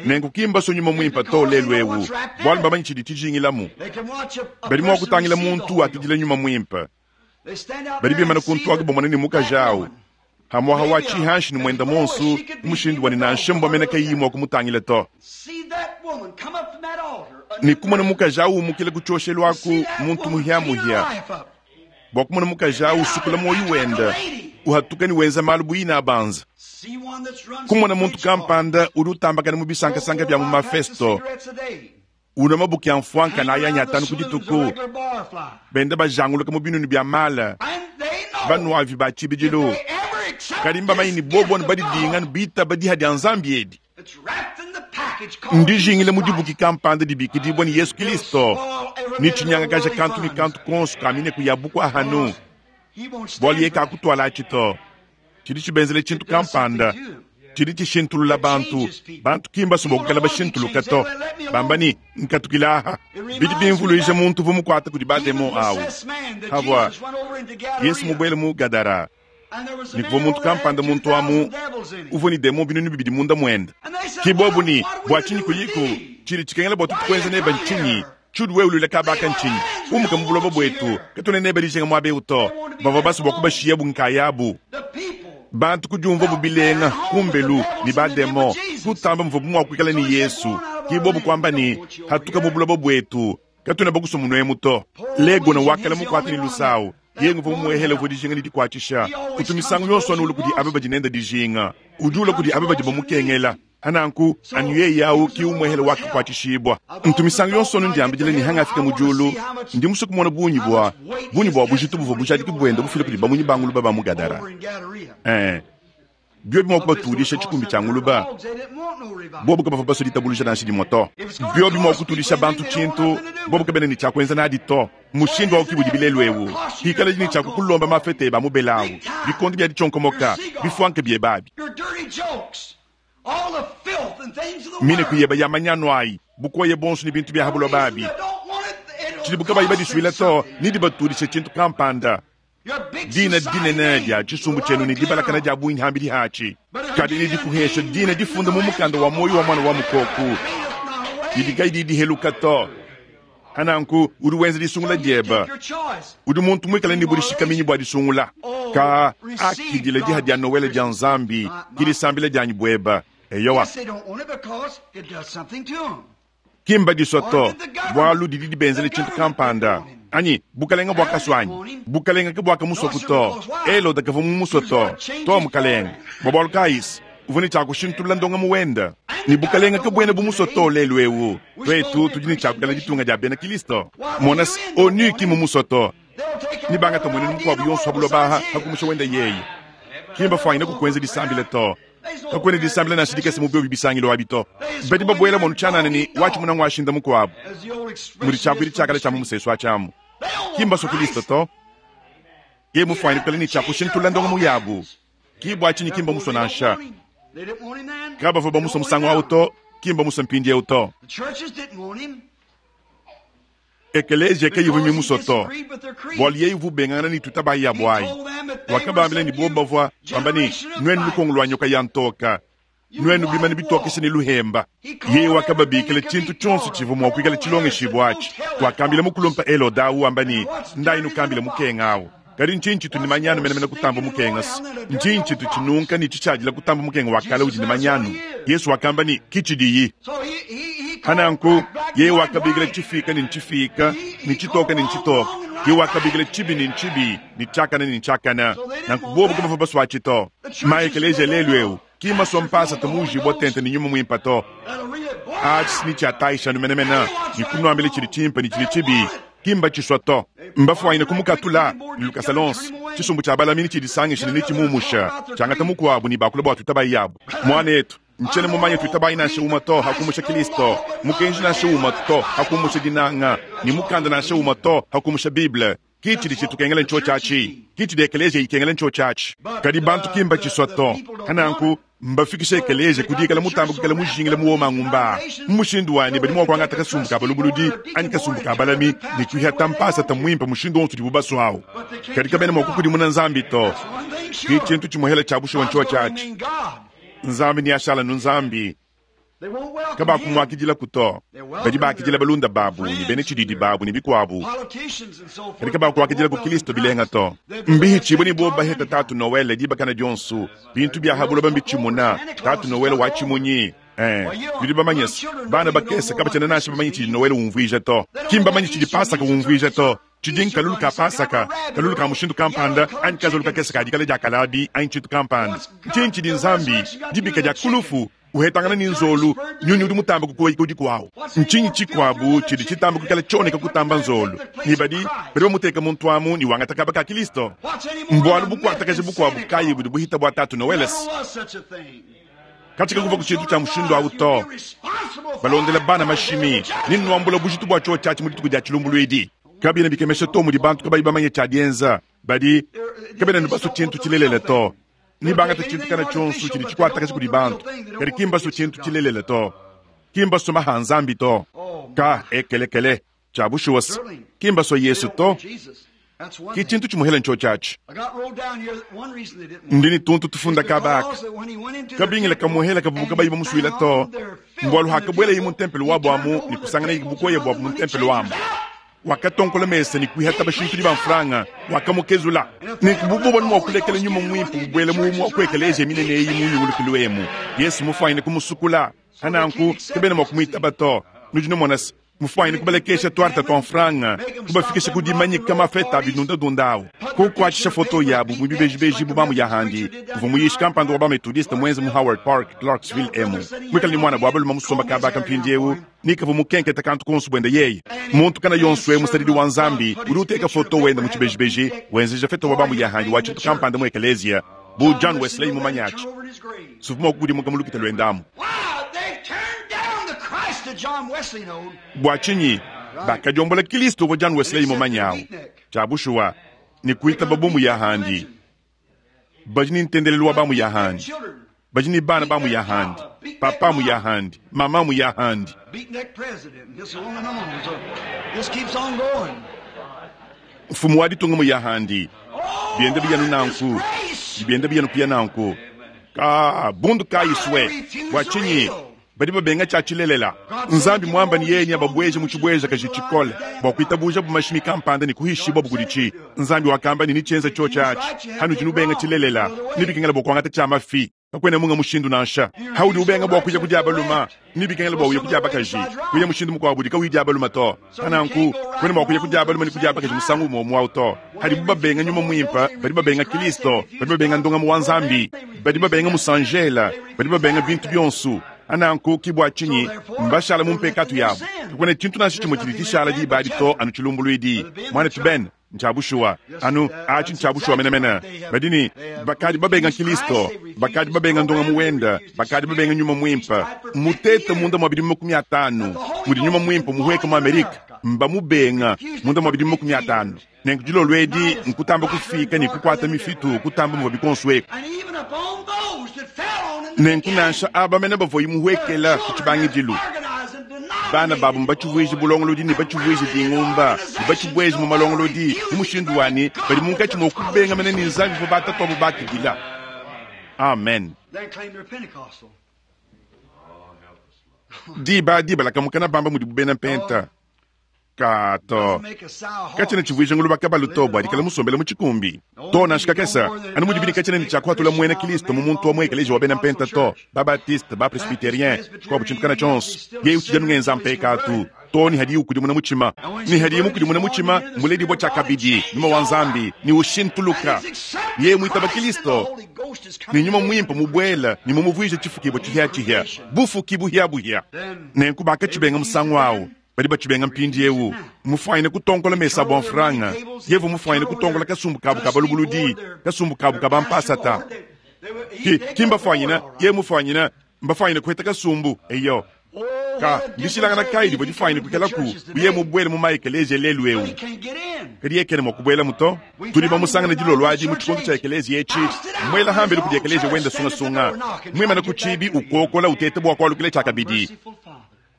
Nenku ki mbasue nyuma muimpe to lelu eu, bualu mbamanyi tshidi tshijingilamu. Badi mua kutangila muntu wakidila nyuma muimpe. Badi bimana kuntu aku bamona ne mukaji awu hamuaha wa tshihanshi ne muenda monsu mu mushindu wa ne nansha mbua mene kayiyi mua kumutangila to. Ne kumona mukaji awu umukila ku tshioshelu aku muntu muhiamuhia, bua kumona mukaji awu usukula muoyo wenda, uhatuka ne wenza malu bu ina abanza. Kumona muntu kampanda udi utambakana mu bisankasanka bia mu mafesto, unwa mabuki a mfuanka na ayanyi atanu ku dituku, benda bajanguluka mu binunu bia mala, banuavi ba tshibidilu. Kadi mbamanyi ne bobo ne badidinga ne bitaba diha dia Nzambi edi. Ndijingile mu dibuki kampanda dibikidibua ne Yesu Kristo, ne tshinyangakaja kantu ne kantu konso ka mineku ya bukua hanu. Bualu ye kakutuala atshi to. Tshidi tshibenzele tshintu kampanda tshidi tshishintulula bantu. Bantu ki mbasue bua kukala bashintuluka to. Bamba ne, nkatukila aha. Bidi bimvuluija muntu uvua mukuata kudi bademon awu. Havua Yesu mubuele mu Gadara, ne kuvua muntu kampanda muntu amu uvua ne demon binunu bibidi munda muende. Ki bobu ne, bua tshinyi kuyiku? Tshidi tshikengela bua tutu kuenza neba ntshinyi? Tshiudi wewe uluila kabaka ntshinyi? Umuka mu buloba buetu, katuena neba dijinga muaba eu to. Bavua basue bua kubashiyabu nkayabu. Bantu kudiumvua bu bilenga kumbelu ne bademon, kutamba muvuabu mua kuikala ne Yesu. Ki bobu kuamba ne, hatuka mu buloba buetu, katuena bakusua munuemu to. Legona wakala mukuate ne lusawu. Yeye uvua mumuehele uvua dijinga ne dikuatshisha. Kutu misangu yonso anu ulu kudi aba badi nende dijinga. Udi ula kudi aba badi bamukengela. Hananku anu yeye awu ki umuehele wakakuatshishibua. Ntu misangu yonso anu ndiambidila ne hangafika mu diulu, ndi musue kumona bungi bua bungi bua bujitu buvua bujadiki buenda bufila kudi bamunyi ba nguluba ba mu Gadara. Eh, biobi mua kubatudisha tshikumbi tshia nguluba, bobu kabavua basue ditabuluja nansha dimue to. Biobi mua kutudisha bantu tshintu, bobu kabena ne tshia kuenza nadi to. Mushindu wawu ki budi bilelu ewu. Pikala ne tshia kukulomba mafete ba mubelawu, bikondo bia ditshionkomoka, bifuanke biebabi. Mine kuyeba ya manyanu ayi, bukoya bonso ne bintu bia habuloba abi. Tshidibu kabayi badisuila to, ne dibatudisha tshintu kampanda. Dina dinene dia tshisumbu tshienu ne dibalakana dia bungi hambidi hatshi. Kadi ne dikuhesha dina difunda mu mukanda wa muoyo wa mwana wa mukoku. Didi kayi diheluka to. Hananku udi wenza disungula dieba. Udi muntu muikale ne budishikaminyi bua disungula. Ka akidila diha dia Noele dia Nzambi, ki disambila dianyi bueba. Eyowa. Ki mbadisua to, bualu didi dibenzele tshintu kampanda. Anyi bukalenga bua kasuanyi, bukalenga ke buakamusua to. Elode kavua mumusue to, to mukalenga. Bua bualu kayisi, uvua ne tshia kushintulula ndongamu wenda. Ne bukalenga ke buena bumusue to lelu eu. Tuetu tudi ne tshia kukala ditunga dia bena Kristo. Mona se, onu ki mumusue to. Ne bangata muenenu mukuabu yonso ha buloba aha hakumusha wenda yeye. Ki mbafuanyine kukuenza disambila to. Kakuena disambila nansha dikese mu biobi bisangilo abi to. Badi babuela monu tshianana ne watshimuna ngwashinda mukuabu. Mudi tshiakuidi tshiakala tshia mu musesu atshiamu. Ki mbasue Kristo to. Ye mufuanyine kukala ne tshia kushintulula ndongamu yabu. Ki bua tshinyi ki mbamusue nansha. Kabavua bamusue musangu awu to, ki mbamusue mpindieu to. Ekelezia kayivua mimusue to, bualu yeye uvua ubengangana ne tutabayi yabu ayi. Wakabambila ne bobu bavua bamba ne, nuenu lukongo lua nyoka ya ntoka, nuenu bimane bitokesha ne luhemba. Yeye wakababikila tshintu tshionso tshivua mua kuikala tshilongeshibua atshi. Wakambila mukulumpa Elode awu wamba ne, ndayi nukambile mukenga awu. Kadi ntshinyi tshitu ne manyanu menemene kutamba mukenga se? Ntshinyi tshitu tshinunka ne tshitshadila kutamba mukenga wa kale udi ne manyanu? Yesu wakamba ne, ki tshidiyi. Pananku yeye wakabikila tshifika ne ntshifika ne tshitoka ne ntshitoka, yeye wakabikila tshibi ne ntshibi ne tshiakana ne ntshiakana. Nanku bobu kabavua basua to. Maekeleziya lelu eu ki masua mpasata muujibua tente ne nyuma muimpe to. Atshi ni tshiatayishanu menemene ne kunuambila tshidi tshimpe ne tshidi tshibi ki mbatshisua to. Mbafuanyine kumukatula ne lukasa lonso. Tshisumbu tshia balamini tshidisangisha ne netshimumusha tshiangata mukuabu ne bakula bua tuitabayi yabu. Muanetu, ntshiena mumanye tuitabayi nansha umue to hakumusha Kristo, mukenji nansha umue to hakumusha dinanga, ne mukanda nansha umue to hakumusha Bible. Ki tshidi tshitukengela ntsho tshiatshi, ki tshidi ekeleziya ikengela ntsho tshiatshi. Kadi bantu ki mbatshisua to. Hananku mbafikishe ekeleziya ku dikala mutambe kukala mujingila mu womangumba. Mu mushindu wani badi mua kuangata kasumbu ka balubuludi anyi kasumbu ka balami ne kuihata mpasata muimpe mushindu wonso udibu basua awu. Kadi kabena mua kukudimuna Nzambi to. Ki tshintu tshimuhela tshia bushuwa ntsho tshiatshi. Nzambi ni ashala nu Nzambi. Kabakumwakidila kuto. Badi bakidila balunda babu ne bena tshididi babu ne bikuabu. Kadi kabakuakidila ku Kristo bilenga to. Mbihi tshibwe ne bo baheta tatu Noel dibakana dionso. Bintu bia habuloba mbitshimuna. Tatu Noel wa tshimunyi. Eh, bidi bamanyese. Bana bakese kabatshena nansha bamanyi tshidi Noel umvuija to. Ki mbamanyi tshidi Pasaka umvuija to. Tshidi nkalulu ka Pasaka, kalulu ka mushindu kampanda, anyi kazolu kakese ka dikala dia kalabi, anyi tshintu kampanda. Ntshinyi tshidi Nzambi, dibika dia kulufu, uhetangana ne nzolu, nyunyi udi mutamba kukoyika udi kuawu. Ntshinyi tshikuabu tshidi tshitamba kukala tshioneka kutamba nzolu. Ne badi, badi bamuteka muntu amu ne wangata kaba ka Kristo. Mbualu bukuatakaje bukuabu kayi budi buhita bua tatu Noeles. Katika kuva ku tshintu tshia mushindu awu to. Balondela bana mashimi, ne nuambula bujitu bua tsho tshiatshi mu dituku dia tshilumbuluidi. Kabina bikemesha to mudi bantu kabayi bamanye tshia dienza. Badi kabena ne basu tshintu tshilelela to. Ni bangata tshintu kana tshionso tshidi tshikuatakaje kudi bantu. Kadi ki mbasu tshintu tshilelela to. Ki mbasu maha Nzambi to. Ka ekelekele tshia bushuwa se. Ki mbasu Yesu to. Ki tshintu tshimuhela ntsho tshiatshi. Ndi ne tuntu tufunda kabaka. Kabingila kamuhela kavubuka bayi bamusuila to. Mbualu hakabuelaye mu ntempelo wabu amu ne kusangana bukoya buabu mu ntempelo wamu. Wakatonkola mesa ne kuihata bashintudi ba mfranga, wakamukezula. Ne kubububa mua kulekela nyuma muimpe bubwela mu mua kuekeleziya minene eyi mu nyungulukilu emu. Yesu mufuanyine kumusukula. Hananku kabena mua kumuitaba to. Nudi numona se mufuanyine kubalekesha tuarta tua mfranga, kubafikisha ku dimanyika mafeta abidundadunda awu. Kukuatshisha foto yabu mu bibejibeji bu bamu ya handi. Uvua muyishi kampanda wa bametodiste muenze mu Howard Park, Clarksville emu. Mwikala ni mwana bua balume musomba kabaka mpindiewu, nikavu mukenketa kantu konso bwenda yeye. Muntu kana yonso e musadidi wa Nzambi, udi uteka foto wenda mu tshibejibeji, wenzeja feta wa bamu ya handi wa tshintu kampanda mu ekeleziya, bu John Wesley mumanyachi. Suvu mua kukudimuka mu lukita lwendamu. Bua tshinyi bakadiombola Kristo wa John Wesley mumanyawu. Tshia bushuwa ne kuitaba bomu ya handi. Badi ne ntendelelu wa bamu ya handi. Badi ne bana bamu ya handi. Papa mu ya handi, mama mu ya handi. Mfumu wa ditunga mu ya handi. Biende biyanu nanku. Biende biyanu kuya nanku. Ka bundu kayiswe. Bua tshinyi badi babenga tshia tshilelela. Nzambi mwamba ni yeye ababweje mu tshibweja kaji tshikole bua kuitabuja bu mashimi kampanda ne kuhishibwa bukuditshi. Nzambi wakamba ni nitshienza tsho tshiatshi. Hanu dinu benga tshilelela nibikengela bua kuangata tshia mafi. Kakwena munga mushindu nansha. Haudi ubenga bua kuya kudia baluma, nibikengela bua uya kudia bakaji. Kuya mushindu mukuabu udi kauyi dia baluma to. Hananku kwena bua kuya kudia baluma ni kudia bakaji musangu umwe umwe to. Hadi babenga nyuma muimpe, badi babenga Kristo, badi babenga ndongamu wa Nzambi, badi babenga musanjela, badi babenga bintu bionso. Ananku kibwa chinyi mbashala mumpekatu yabo. Kakwena tshintu nansha tshimwe tshidi tshishala diba to anu tshilumbuluidi. Mwana tuben ntshabushuwa anu atshi ntshabushuwa menemene. Badini bakadi babenga Kristo, bakadi babenga ndongamu wenda, bakadi babenga nyuma muimpe. Mutete munda mwa bidimu makumi atanu, mudi nyuma muimpe muhweka mu Amerika, mbamubenga munda mwa bidimu makumi atanu. Nenku dilolo edi nkutamba kufika ne kukwata mifitu kutamba muvua bikonsweka. Nenku nansha aba mene bavua muhwekela ku tshibangidilu. Bana babu mbatshivuije bulongolodi ne batshivuije dingumba, ne batshibueje mu malongolodi, mu mushindu wani badi munkatshi mua kubenga mene ne Nzambi bavua batatu abo bakidila. Amen. Diba diba lakamukana bamba mudi bubena mpenta. Kato katshiena tshivuija nguluba kabalu to bua dikala musombele mu tshikumbi to nansha kakese anu mudi bidi katshiena ne tshiakuhatula muena Kristo mu muntu wa mu ekeleziya wa bena mpenta to babatiste bapresbiterien tshikuabu tshintu kana tshionso yeye utshidi anu ngenza mpekatu to ni hadiye ukudimuna mutshima ni hadiye mukudimuna mutshima muledibua tshiakabidi nyuma wa Nzambi ni ushintuluka yeye muitaba Kristo ni nyuma mwimpe mubuela ni mumuvuije tshifukibua tshihiatshihia bufuki buhiabuhia nenku bakatshibenga musangu awu badi batshibenga mpindiewu mufwanyine kutonkola mesa bua mfranga yevu mufwanyine kutonkola kasumbu kabu ka balubuludi kasumbu kabu ka bampasata ki kimbafwanyina ye mufwanyina mbafwanyine kuheta kasumbu eyo ka ndishilangana kayi divua difwanyine kukelaku uye mubuele mu maekeleziya lelu ewu kadi yekene mua kubuela muto tudi bamusangana dilolo adi mu tshikondo tshia ekeleziya etshi muela hambelu kudi ekeleziya wenda sungasunga muimana ku tshibi ukokola utete bua kualukila tshiakabidi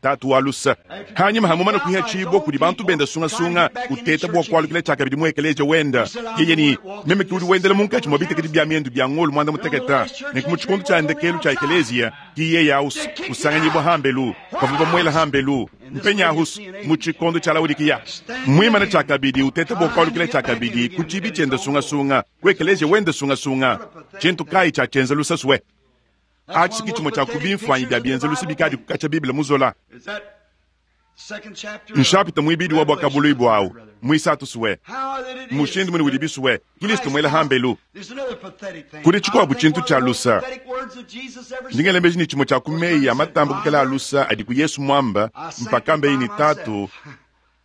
tatu wa lusa hanyima hamumana kuiha tshibua kudi bantu benda sungasunga uteta bua kualukila tshiakabidi mu ekeleziya wenda yeye ni meme ki udi wendela munkatshi mua bitekedi bia miendu bia ngolu muanda muteketa nenku mu tshikondo tshia ndekelu tshia ekeleziya ki yeye ausu usanganyibua hambelu bavua bamuela hambelu mpenyahusu mu tshikondo tshia Laodikiya muimana tshiakabidi uteta bua kualukila tshiakabidi ku tshibi tshienda sungasunga ku ekeleziya wenda sungasunga tshintu kayi tshiatshienza lusasue atshi tshimue tshia ku bimfuanyi bia bienza bikadi kukatsha Bible muzola nshapita muibidi wa bwakabului bwawu muisatu suwe mushindu muni udi bisuwe Kristo muela hambelu kuli tshikuabu tshintu tshia lusa ndingelembeji ni tshimue tshia ku meyi ya matamba kukela a lusa adi ku Yesu mwamba mpaka mbeyi ni tatu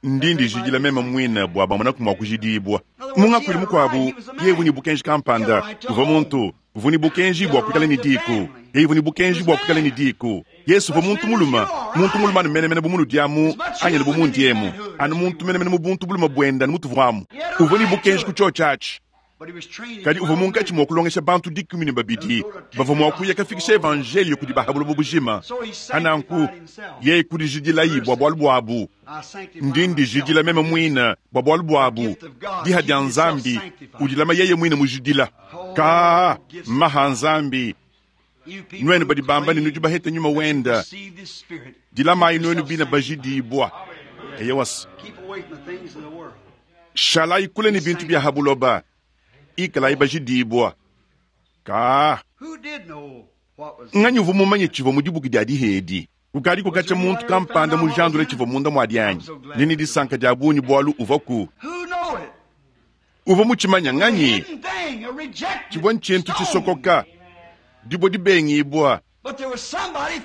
ndindi jidila meme mwina bua bamona kumua kujidibua mungakwili mukuabu yevu ni bukenji kampanda uva muntu uvu ni bukenji bua kuikala ni diku yeivu ni bukenji bua kuikala ni diku Yesu uva muntu muluma muntu muluma anu menemene bu diamu anyele bu mundiemu anu muntu menemene mu buntu buluma buenda anu mutuvuamu uva ni bukenji ku tshio tshiatshi kadi uva munkatshi mua kulongesha bantu dikumi ne babidi bavua mua kuya kafikisha evanjelio kudi bahabulobo bujima ananku yeye kudijidilayi bua bualu buabu ndi ndijidila meme muina bua bualu buabu diha dia Nzambi udilama yeye muine mujidila ka maha Nzambi nuenu badi bamba ne nudi bahete nyuma wenda dilamayi nuenu bina bajidibua eyewasa shalayi kule ni bintu bia habuloba ikalayi bajidibua ka nganyi uvu mumanye tshivua mu dibuki dia dihedi kukadi kukatsha muntu kampanda mujandula tshivua munda mua dianyi nini disanka dia bungi bualu uva ku uva mutshimanya nganyi tshivua ntshintu tshisokoka dibua dibengibua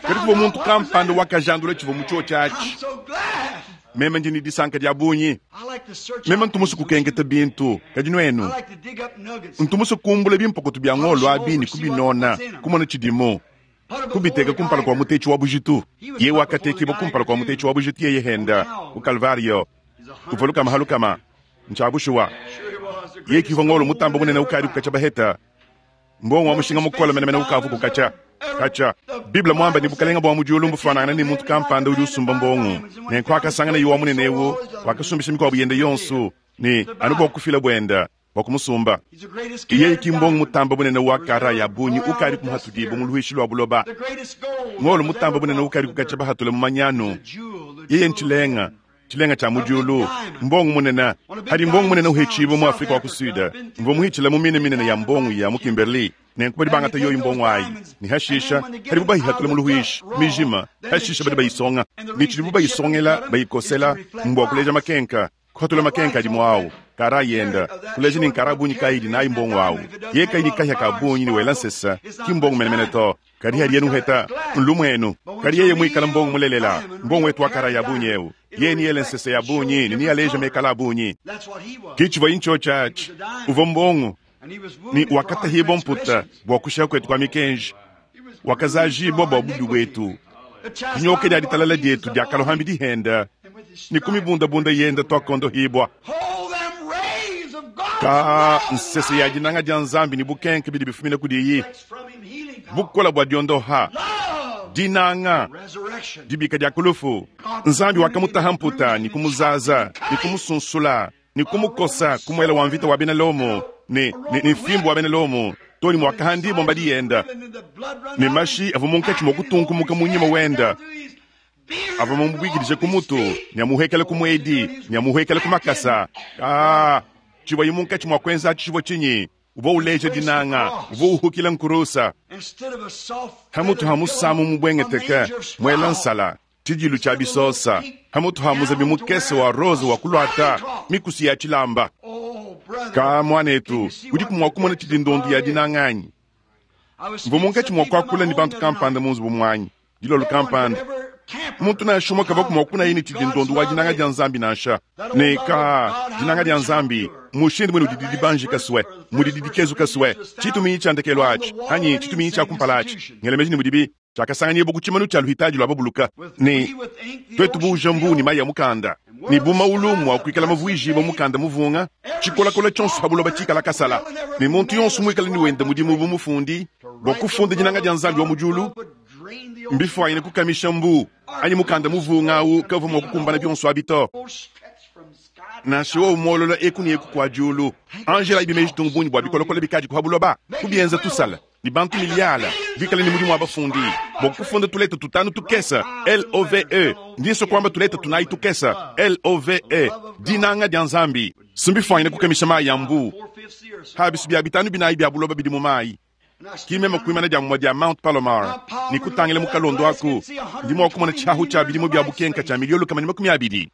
kadi kuvua muntu kampanda wakajandula tshivua mu tshio tshiatshi meme ndi ni disanka dia bungi meme ntumusu kukenketa bintu kadi nuenu ntumusu kumbula bimpokoto bia ngolo abi ni kubinona kumona tshidimu kubiteka kumpala kua mutetshi wa bujitu ye wakatekibua kumpala kua mutetshi wa bujitu yeye henda ku Kalvario uvua lukama halukama ntshiabushuwa ye kivua ngolo mutamba munene ukadi kukatsha baheta mbongo wa mushinga mukola menemene ukavu kukatsha katsha Biblia mwamba ni bukalenga bua mudiulu mbufanangana ni muntu kampanda udi usumba mbongo nenku akasangana yiwa munene ewu wakasumbisha mikuabu yende yonso ni anu bua kufila buenda bua kumusumba yeye ki mbongo mutamba bunene wa kara ya bunyi ukadi kumuhatudibu mu luhishi lua buloba ngolo mutamba bunene ukadi kukatsha bahatule mu manyanu yeye ntshilenga tshilenga tshia mudiulu mbongo munene hadi mbongo munene uhetshibu mu Afrika wa kusuda mvua muhitshila mu mine minene ya mbongo ya mu Kimberley nenku badi bangata yoyi mbongo ayi ni hashisha hadibu bayihatula mu luhuishi mijima hashisha badi bayisonga ni tshidibu bayisongela bayikosela mbua kuleja makenka kuhatula makenka adi muawu kara yenda kuleja ni nkara bunyi kaidi nayi mbongo awu ye kaidi kahya ka bunyi ni wela nsesa ki mbongo menemene to kadi hadi yenu heta nlumwenu kadi yeye muikala mbongo mulelela mbongo wetu wa kara ya bunyi ewu ye ni yele nsesa ya bunyi ni niyaleja mekala bunyi kichivua incho chachi uva mbongo ni wakatahibwa mputa bua kushia kwetu kwa mikenji wakazajibwa bua bubi bwetu dinyoka dia ditalala dietu diakalohambi dihenda ni kumibundabunda yenda twakondohibwa ka nsese ya dinanga dia Nzambi ni bukenke bidi bifumina kudiyi bukola bua diondoha dinanga dibika dia kulufu Nzambi wakamutaha mputa ni kumuzaza ni kumusunsula ni kumukosa kumuela wa mvita wa bena Lomo ni, ni, ni fimbu wa bena Lomo toni mwakahandibwa mbadi yenda ni mashi avua munkatshi mua kutunkumuka munyima wenda Avua mumubuikidije ku mutu ne amuhekele ku muedi ne amuhekele ku makasa. Aa, tshivua munkatshi mua kuenza atshi tshivua tshinyi? Uvua uleja dinanga, uvua uhukila nkurusa. Hamutu ha musamu mubwengeteke mwela nsala tshidilu tshia bisosa. Hamutu ha muzabi mukese wa rose wa kuluata mikusu ya tshilamba. Ka mwanetu, udiku mua kumona tshidi ndondu ya dinanga anyi? Mvua munkatshi mua kuakula ne bantu kampanda mu nzubu muanyi dilolo kampanda. Muntu nansha umue kavua mua kunaye ne tshidi ndondu wa dinanga dia Nzambi nansha. Ne ka dinanga dia Nzambi mushindu mwene udi dibanjika swe, mudi dikezuka swe, tshituminyi tshia ndekelu atshi anyi tshituminyi tshia kumpala atshi. Ngela meji ne mudibi tshiakasanganyibua ku tshimanu tshia luhitaji lua babuluka. Ne twetu buuja mbu ne mayi ya mukanda ne bu maulu mua kuikala mavuijibua mukanda muvunga, tshikolakola tshionso pa buloba tshikala kasala. Ne muntu yonso muikale ne wenda mudimu bu mufundi bua kufunda dinanga dia Nzambi wa mu diulu, mbifwanyine kukamisha mbu anyi mukanda muvunga awu kavua mua kukumbana bionso abi to. Nansha wowu muolola eku ne eku kua diulu, Angela ibi meji tungu bungi bua bikolokola bikadi ku buloba kubienza tusala ne bantu miliala bikale ne mudimu wa bafundi bua kufunda tuleta tutanu tukesa L O V E, ndiso kwamba tuleta tunayi tukesa L O V E, dinanga dia Nzambi. Simbifwanyine kukamisha mayi ya mbu habisu bia bitanu binayi bia buloba bidi mu mayi. Kimema kuimana dia mumua dia Mount Palomar ni kutangila mu kalondo aku ndi mua kumona tshiahu tshia bidimu bia bukenka tshia miliyo lukama ne makumi abidi.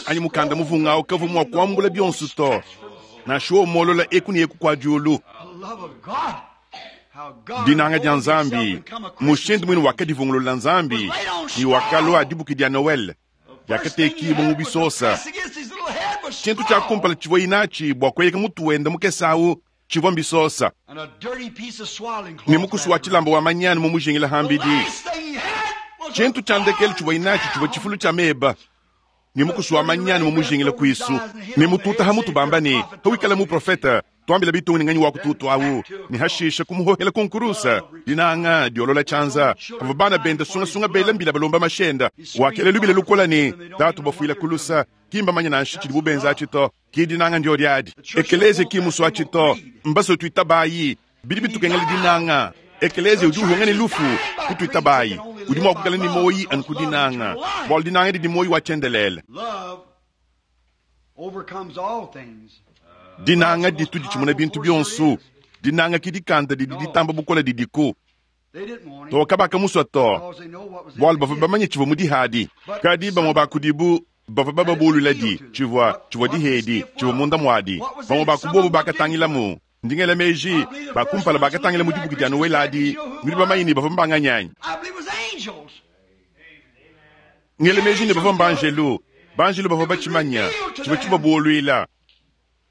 Anyi mukanda muvunga awu kavua mua kuambula bionso to. Nansha wowu muolola eku ne eku kua diulu. Dinanga dia Nzambi mushindu mwine wakadivungulula Nzambi ni wakalua dibuki dia Noel diakatekibua mu bisosa. Tshintu tshia kumpala tshivua inatshi bua kueyeka mutu wenda mukese awu tshivua mbisosa. Ne mukusu wa tshilamba wa manyanu mu mujingila hambidi. Tshintu tshia ndekelu tshivua inatshi tshivua tshifulu tshia meba. Ne mukusu wa manyanu mu mujingila kuisu. Ne mututa ha mutu bamba ne hawikala mu profeta tuambila bitungu ni nganyi wa kututu awu. Ne hashisha kumuhohela kunkurusa. Dinanga diolola tshianza. Ava bana benda sungasunga bela mbila balomba mashenda. Wakele lubila lukola ne tatu bafuila kulusa. Kimba manya nansha tshidi bubenza atshi to. Ki dinanga ndio diadi. Ekeleze ki musu atshi to. Mbaso tuitabayi. Bidi bitukengela dinanga. Ekeleze udi uhonga ne lufu kutuitabayi. Udi mua kukala ni moyi anu ku dinanga. Bua dinanga didi moyi wa tshiendelele. Love overcomes all things. Dinanga ditu ditshimuna bintu bionso. Dinanga ki dikanda didi ditamba bukola didiku. They didn't want him To kabaka muswa to. because they know what was in Bualu the bavua gift. bamanye tshivua mu dihadi. Kadi bamue ba kudibu bavua bababulula di tshivua tshivua dihedi tshivua munda muadi. Bamue ba kubobu bakatangilamu. Ndingela meji ba kumpala bakatangila mu dibuki dia Noel adi. Nudi bamanye ne bavua mbanganyanyi. I believe it was angels. Ngela meji ne bavua mbanjelu. Banjelu bavua batshimanya tshivua tshibabuluila.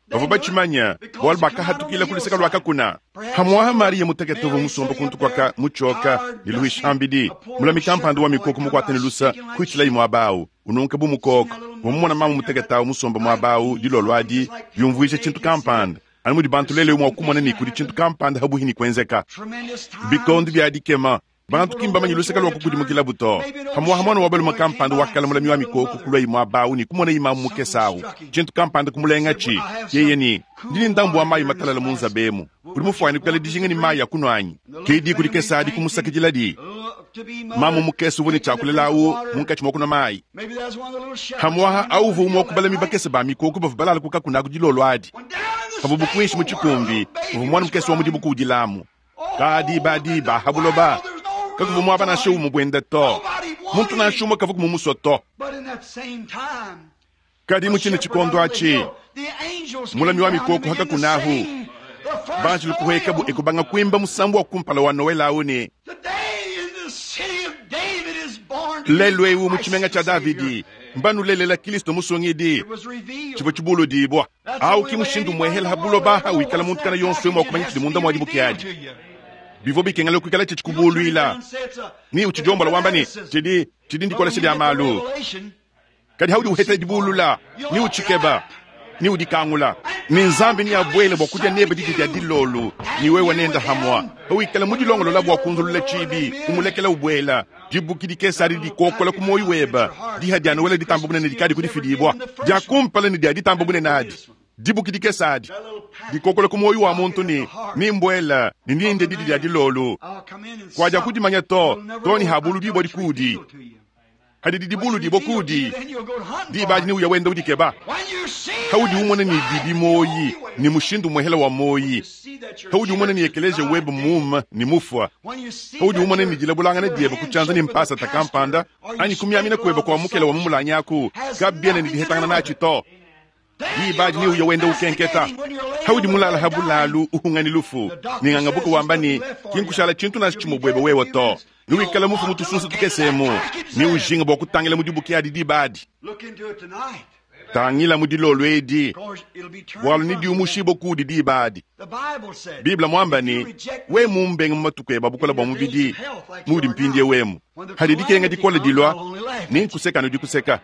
Bavua batshimanya bualu bakahatukila ku luseke lua kakuna. Hamwaha Maria mutekete uvua musomba kuntu kwaka mutshoka ne luhisha mbidi. Mulami kampanda wa mikoko mukwate ne lusa kuitshilayi muaba awu ununka bu mukoko. Wamumona mama mutekete awu musomba muaba awu dilolo adi yumvuija tshintu kampanda. Anu mudi bantu lele mua kumona ne kudi tshintu kampanda habuhi ni kuenzeka. Tremendous times. Bikondo bia dikema. Bantu kimba manyi luseke lua kukudimukila buto. Hamwaha mwana wa balume kampanda wakala mulami wa mikoko kulwa imwe abawu ni kumona imamu mukese awu. Tshintu kampanda kumulenga tshi. Yeye ni ndini ndambu wa mayi matalala mu nzabemu. Udi mufuane kukala dijinga ni mayi ya kunwa anyi. Ke diku dikese adi kumusakidila di. Uh, to be mother, Mamu mukese uvua ne tshiakulela awu munkatshi mua kunwa mayi. Maybe that's one of the little shepherds. Hamwaha awu uvua umue wa kubala mibakese ba mikoko bavua balala ku kakuna ku dilolo adi. When down in the Pavua bukuinshi mu stable, tshikumbi, where the uvua mwana mukese wa mudimu kuudilamu. Kadi badi ba habuloba. Kakuvua muaba nansha umue buenda to. Muntu nansha umue kavua kumumusua to. But in that same time, Kadi mu tshine tshikondo atshi, mulami wa mikoko hakakunahu. Banjelu kuhekabu ekubanga kuimba musambu wa kumpala wa Noel awu ne lelu ewu mu tshimenga tshia Davidi mbanulelela Kristo musungidi tshivua tshibuludibua. Awu ki mushindu muehela habuloba wikala muntu kana yonso mua kumanya tshidi munda mua dibuki adi. Bivua bikengela kuikala tshitshi kubuluila. Ni utshijombola wamba ne tshidi tshidi ndikolesha dia malu. Kadi haudi uheta dibulula ni utshikeba ni udikangula ni Nzambi ni abwele bua kudia nebe didi dia dilolo ni wewe nenda hamwa hawikala mudilongolola bua kunzulula tshibi kumulekela ubwela dibuki dikese adi dikokola ku moyi weba diha dia Noel ditamba bunene dikadi kudifidibua dia kumpala ne dia ditamba bunene adi dibuki dikese adi dikokola ku moyi wa muntu ni ni mbwela ni ninde didi dia dilolo kwadia kudimanya to to ni habulu dibua dikudi. Hadidi dibuludibua kuudi, diba adi neuya wenda udikeba. Haudi umona ne didi moyi ne mushindu muhela wa moyi, haudi umona ne ekeleziya webe muuma ne mufua, haudi umona ne dilabulangana diebe ku tshianza ne mpasata kampanda anyi kumiamina kuebe kua mukela wa mu mulangi aku kabiena ne dihetangana natshi to. Diba adi neuya wenda ukenketa. Haudi mulala ha bulalu uhunga ne lufu, ne ngangabuka wamba ne ki nkushala tshintu nansha tshimue buebe wewe to. Newikale mufu mu tusunsa tukese emu, neujinga bua kutangila mu dibuki adi diba adi. Tangila mu dilolo edi, bualu nediumushibue kuudi diba adi. Bible muamba ne, we mumbenga mu matuku ebe a bukole bua mubidi, muudi mpindiewu emu. Hadi dikenga dikole dilua, nenkuseka anu dikuseka.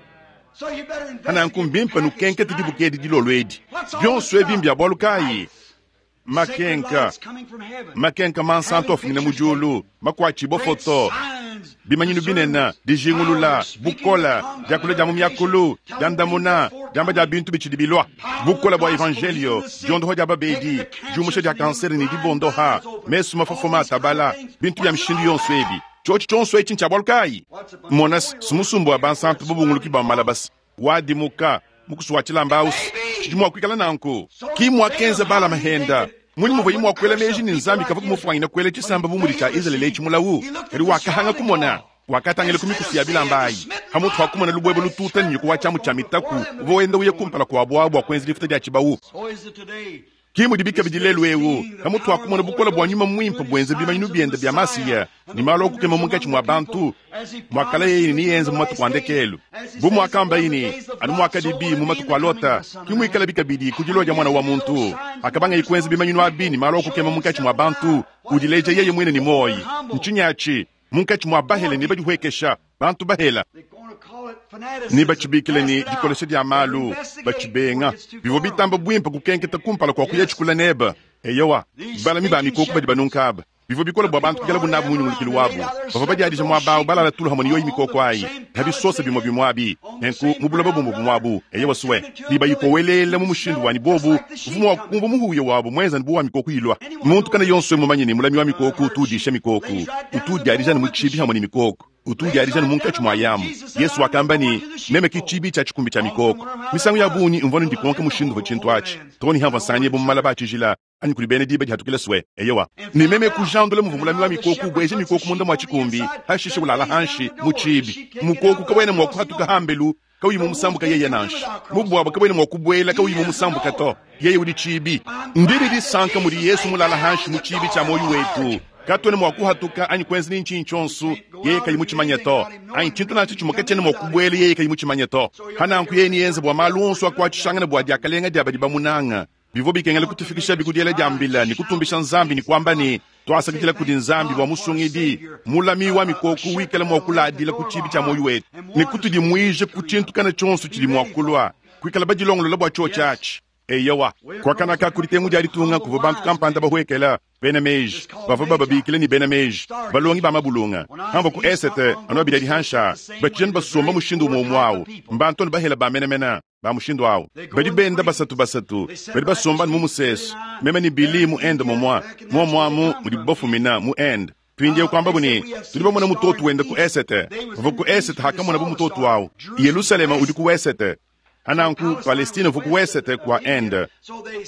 Hananku mbimpe nukenkete dibuki edi dilolo edi. Bionso ebi mbia bualu kayi? Makenka, makenka mansantu afumina mu diulu, makuatshibua foto, bimanyinu binene, dijingulula, bukola, diakula dia mu miakulu, diandamuna, diamba dia bintu bitshidi bilua, bukola bua evangelio, diondoha dia babedi, diumusha dia kansere ne dibondoha, mesu mafofoma atabala, bintu bia mishindu yonso ebi. Tshiotshi tshionso etshi ntshia bualu kayi? Mona simusumbu wa bansantu bubunguluki bua malabasi, wadimuka, mukusu wa tshilamba ausi, tshidi mua kuikala nanku. Ki muakenza Balama henda, munyi muvua mua kuela meji ne Nzambi kavua kumufuanyina kuela tshisamba bu mudi tshia Izalele etshi mulawu, kadi wakahanga kumona. Wakatangila ku mikusu ya bilamba ayi, hamutu ha kumona lubwebe lututa ne nyuku wa tshiamu tshia mitaku uvua wenda uya kumpala kua buabu bua kuenza difuta dia tshibawu. Ki mudi bikabidi lelu ewu, hamutu ha kumona bukole bua nyuma muimpe buenza bimanyinu biende bia Masiya ne malu a kukema munkatshi mua bantu, muakala yeye ne niyenza mu matuku a ndekelu. Bu muakamba yini, anu muakadibi mu matuku a Lota, ki muikala bikabidi ku dilua dia mwana wa muntu. Akabangaye kuenza bimanyinu abi ne malu a kukema munkatshi mua bantu, udileja yeye muine ne moyi. Ntshinyi atshi? Munkatshi mua bahele ne badihuekesha, bantu bahela. Ne batshibikile ne dikolesha dia malu, batshibenga. Bivua bitamba buimpe kukenketa kumpala kua kuya tshikula neba. Eyowa, balami ba mikoko badi banunka aba. Bivua bikole bua bantu kuikalabu nabu mu nyungulukilu wabu. Bavua badiadija muaba awu balala tulu hamue ne yoyi mikoko ayi, ha bisosa bimue bimue abi. Nenku mu buloba bumue bumue abu, eyowa sue, ne bayikoweleela mu mushindu wanyi bobu, uvua mua kumvua muhuya wabu muenza ne bu wa mikoko ilua. Muntu kana yonso mumanye ne mulami wa mikoko utu udisha mikoko, utu udiadija ne mu tshibi hamue ne mikoko, utu udiadija ne munkatshi mua yamu. Yesu wakamba ne, meme ki tshibi tshia tshikumbi tshia mikoko. Misangu ya bungi mvua ndikonka mushindu uvua tshintu atshi. Too ne hamvua nsanganyibua mu malaba a tshijila, anyi kudi bena diba dihatukila sue. Eyowa, ne meme kujandula muvua mulami wa mikoko ubueja mikoko munda mua tshikumbi, hashishe ulala hanshi mu tshibi. Mukoko kawena mua kuhatuka hambelu kauyi mu musambuka yeye nansha. Mubuabo kawena mua kubuela kauyi mu musambuka to. Yeye udi tshibi. Ndidi disanka mudi Yesu mulala hanshi mu tshibi tshia moyo wetu. Katuena mua kuhatuka anyi kuenza ni ntshinyi tshionso yeye kayi mutshimanye to, anyi tshintu nansha tshimue katshiena mua kubuela yeye kayi mutshimanye to. Hananku yeye niyenze bua malu onso akuatshishangana bua diakalenga dia badi bamunanga. Bivua bikengela kutufikisha bikudiela dia mbila ne kutumbisha Nzambi ne kuamba ne twasakidila kudi Nzambi bua musungidi mulami wa mikoko wikala mua kuladila ku tshibi tshia moyo wetu ne kutudimuija ku tshintu kana tshionso tshidi mua kulua kuikala badilongolola bua tshiotshi atshi. Eyowa, kuakanaka kudi tengu dia ditunga kuvua bantu kampanda bahuekela bena meji, bavua bababikila ne bena meji, balongi ba mabulunga. Hamvua ku esete anu abidi adi hansha, batshijani basomba mushindu umue umue awu, mbantu anu bahela ba menemene ba mushindu awu. Badi benda basatu basatu, badi basomba mu musesu, meme ne Billy mu Ende momua, momua mu mudibu bafumina mu Ende. Mpindieu kuambabu ne, tudi bamona mutoto wenda ku esete. Bavua ku esete hakamona bu mutoto awu. Yerusalema udi ku esete. Hananku Palestine uvua ku esete kua Ende.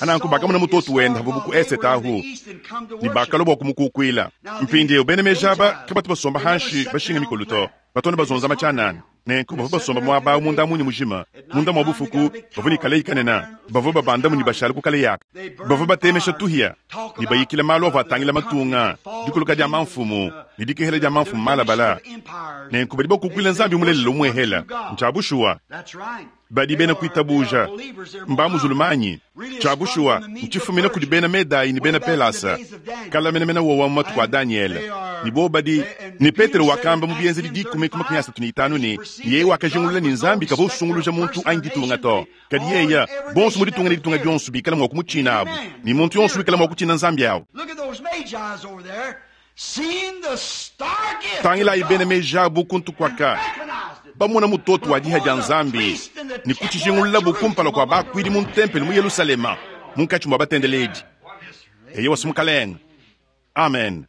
Hananku bakamona mutoto wenda havua ku esete ahu, ne bakalua bua kumukukuila. Mpindieu bena meji aba kabatu basomba hanshi bashinga mikolo to, batona bazonza matshianana. Nenku bavua basomba muaba awu munda munyi mujima, munda mua bufuku, bavua ne kaleyi kanene, bavua babandamu ne bashala ku kaleyi aka. Bavua batemesha tuhia ne bayikila malu avua atangila matunga, dikuluka dia mamfumu ne dikehela dia mamfumu malabala. Nenku badi bakukuila Nzambi mulelela umuehela. Ntshia bushuwa. Badi bena kuitabuja mba muzulumanyi. Tshia bushuwa ntshifumina kudi bena Medayi ne bena Pelasa, kala menemene wowa mu matuku a Daniele. Ne bo badi ne Petelo wakamba mu bienzedi dikumi ku makumi asatu ne itanu ne yeye wakajingulula ne Nzambi kavua usunguluja muntu anyi ditunga to, kadi yeye bonso mu ditunga ne ditunga dionso bikala mua kumutshina abu, ne muntu yonso wikala mua kutshina Nzambi awu. Tangilayi bena meji abu kuntu kuaka, bamona mutoto wa diha dia Nzambi ne kutshijingululabu kumpala kua bakuidi mu ntempelo mu Yerusalema, munkatshi mua batendeledi. Eye wasi mukalenga. Amen.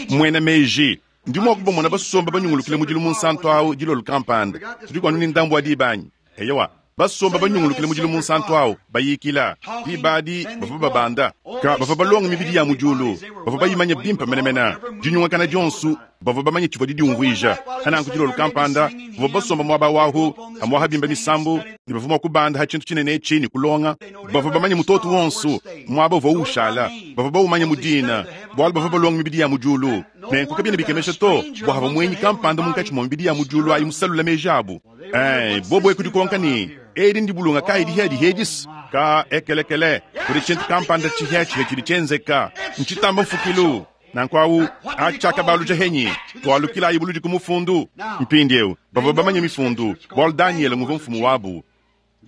Muena meji Ndi mua kubamona basomba banyungulukile mudilu munsantu awu dilolo kampanda. Tudi kuanu ne ndambu wa diba anyi? Eyowa. Basomba banyungulukile mudilu munsantu awu, bayikila. Diba adi bavua babanda. Ka bavua balonga mibidi ya mu diulu, bavua bayimanye bimpe menemene. Dinyungakana dionso bavua bamanye tshivua didiumvuija. Hananku dilolo kampanda bavua basomba muaba wahu, amuaha bimba misambu, ne bavua mua kubanda ha tshintu tshinene etshi ne kulonga. Bavua bamanye mutoto wonso muaba uvua ushala, bavua bawumanye mu dina, bualu bavua balonga mibidi ya mu diulu. Nenku kabiena bikemesha to bua havua muenyi kampanda munkatshi mua mibidi ya mu diulu ayi musalula meji abu. Eh, bobo ekudikonka ne edi ndibulunga kayi dihia dihedisi ka ekelekele kudi tshintu kampanda tshihia tshihia tshidi tshienzeka ntshitamba mfukilu. Nanku awu atshakabaluja henyi twalukila ibuludi ku mufundu. Mpindiewu bavua bamanye mifundu bualu Daniel nguvua mfumu wabu.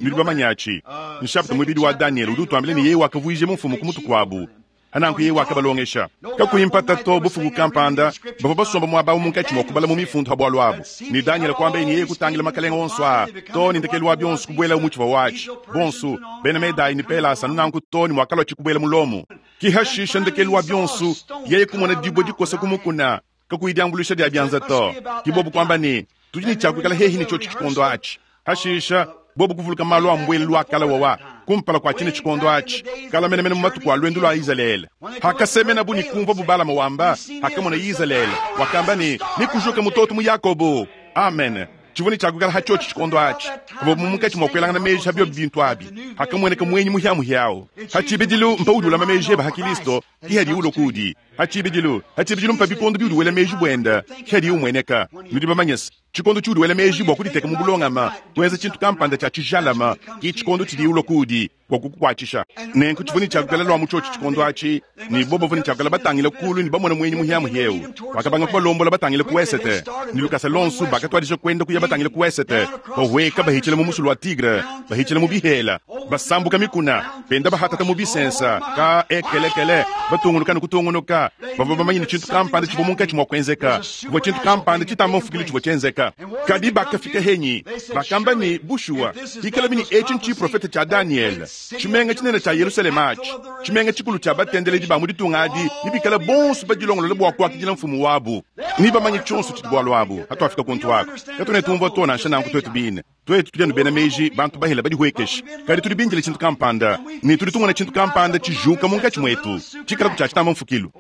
Nudi bamanye atshi nshapita muibidi wa Daniel udi utuambila ne yeye wakavuije mfumu ku mutu kuabu. Ananku yeye wakabalongesha kakuyi mpata to bufuku kampanda bavua basomba muaba munkatshi mua kubala mu mifundu ha bualu abu. Ne Daniel kuamba ne yeye kutangila makalenga onso a to ne ndekelu wa bionso kubuela mu tshivua watshi bonso bena Medai ne Pelasa nanku to ne mwakalua tshikubuela mu Lomo. Kihashisha ndekelu wa bionso yeye kumona dibue dikosa ku mukuna kakuyi diambuluisha dia bianza to. Kibobu kuamba ne tudi ne tshiakuikala hehi ne tshiotshi tshikondo atshi. Hashisha bobu kuvuluka malu a mbwele lwa kala wawa kumpala kwa chine chikondo achi kala menemene mu matuku a lwendo lwa Izalele. Hakasemena bu ni kumva bubalama wamba hakamona Izalele wakamba ne nikujuka mutoto mu Yakobo. Amen. Tshivua ne tshiakukala hatshiotshi tshikondo atshi bobu munkatshi mua kuelangana meji habio bintu abi hakamweneka mwenyi muhiamuhiawo. Hatshibidilu mpa udi ulama meji eba ha Kristo kihadi ulo kudi. Hatshibidilu hatshibidilu mpa bikondo biudi wela meji bwenda kihadi umweneka. Nudi bamanyese tshikondo tshiudi wela meji bua kuditeka mu bulongama kuenza tshintu kampanda tshia tshijalama ki tshikondo tshidi ulo kudi bua kukukuatshisha. Nenku tshivua ne tshiakukala lwa mu tshiotshi tshikondo atshi ne bobo bavua ne tshiakukala batangila kulu ne bamona mwenyi muhiamuhieu. Bakabanga kubalombola batangila ku esete ne lukasa lonso bakatuadija kuenda kuya batangila ku esete bahweka bahitshila mu musulu wa Tigre bahitshila mu bihela basambuka mikuna benda bahatata mu bisensa ka ekelekele batunguluka ne kutungunuka. Bavua bamanye ne tshintu kampanda tshivua munkatshi mua kuenzeka, kuvua tshintu kampanda tshitamba mfukili tshivua tshienzeka. Kadi bakafika henyi bakamba ne bushuwa hikala bini etshi ntshiprofete tshia Daniel tshimenga tshinene tshia Yerusalema atshi tshimenga tshikulu tshia batendeledi ba mu ditunga adi nibikala bonso badilongolola bua kuakidila mfumu wabu. Nibamanye tshionso tshidi bualu abu hatuafika kuntu wako katune tumvua to nansha nanku twetu bine twetu tudi anu bena meji bantu bahela badihwekesha kadi tudi bindile tshintu kampanda ne tudi tumona tshintu kampanda tshijuka munkatshi mwetu tshikala kutshia tshitamba mfukilu.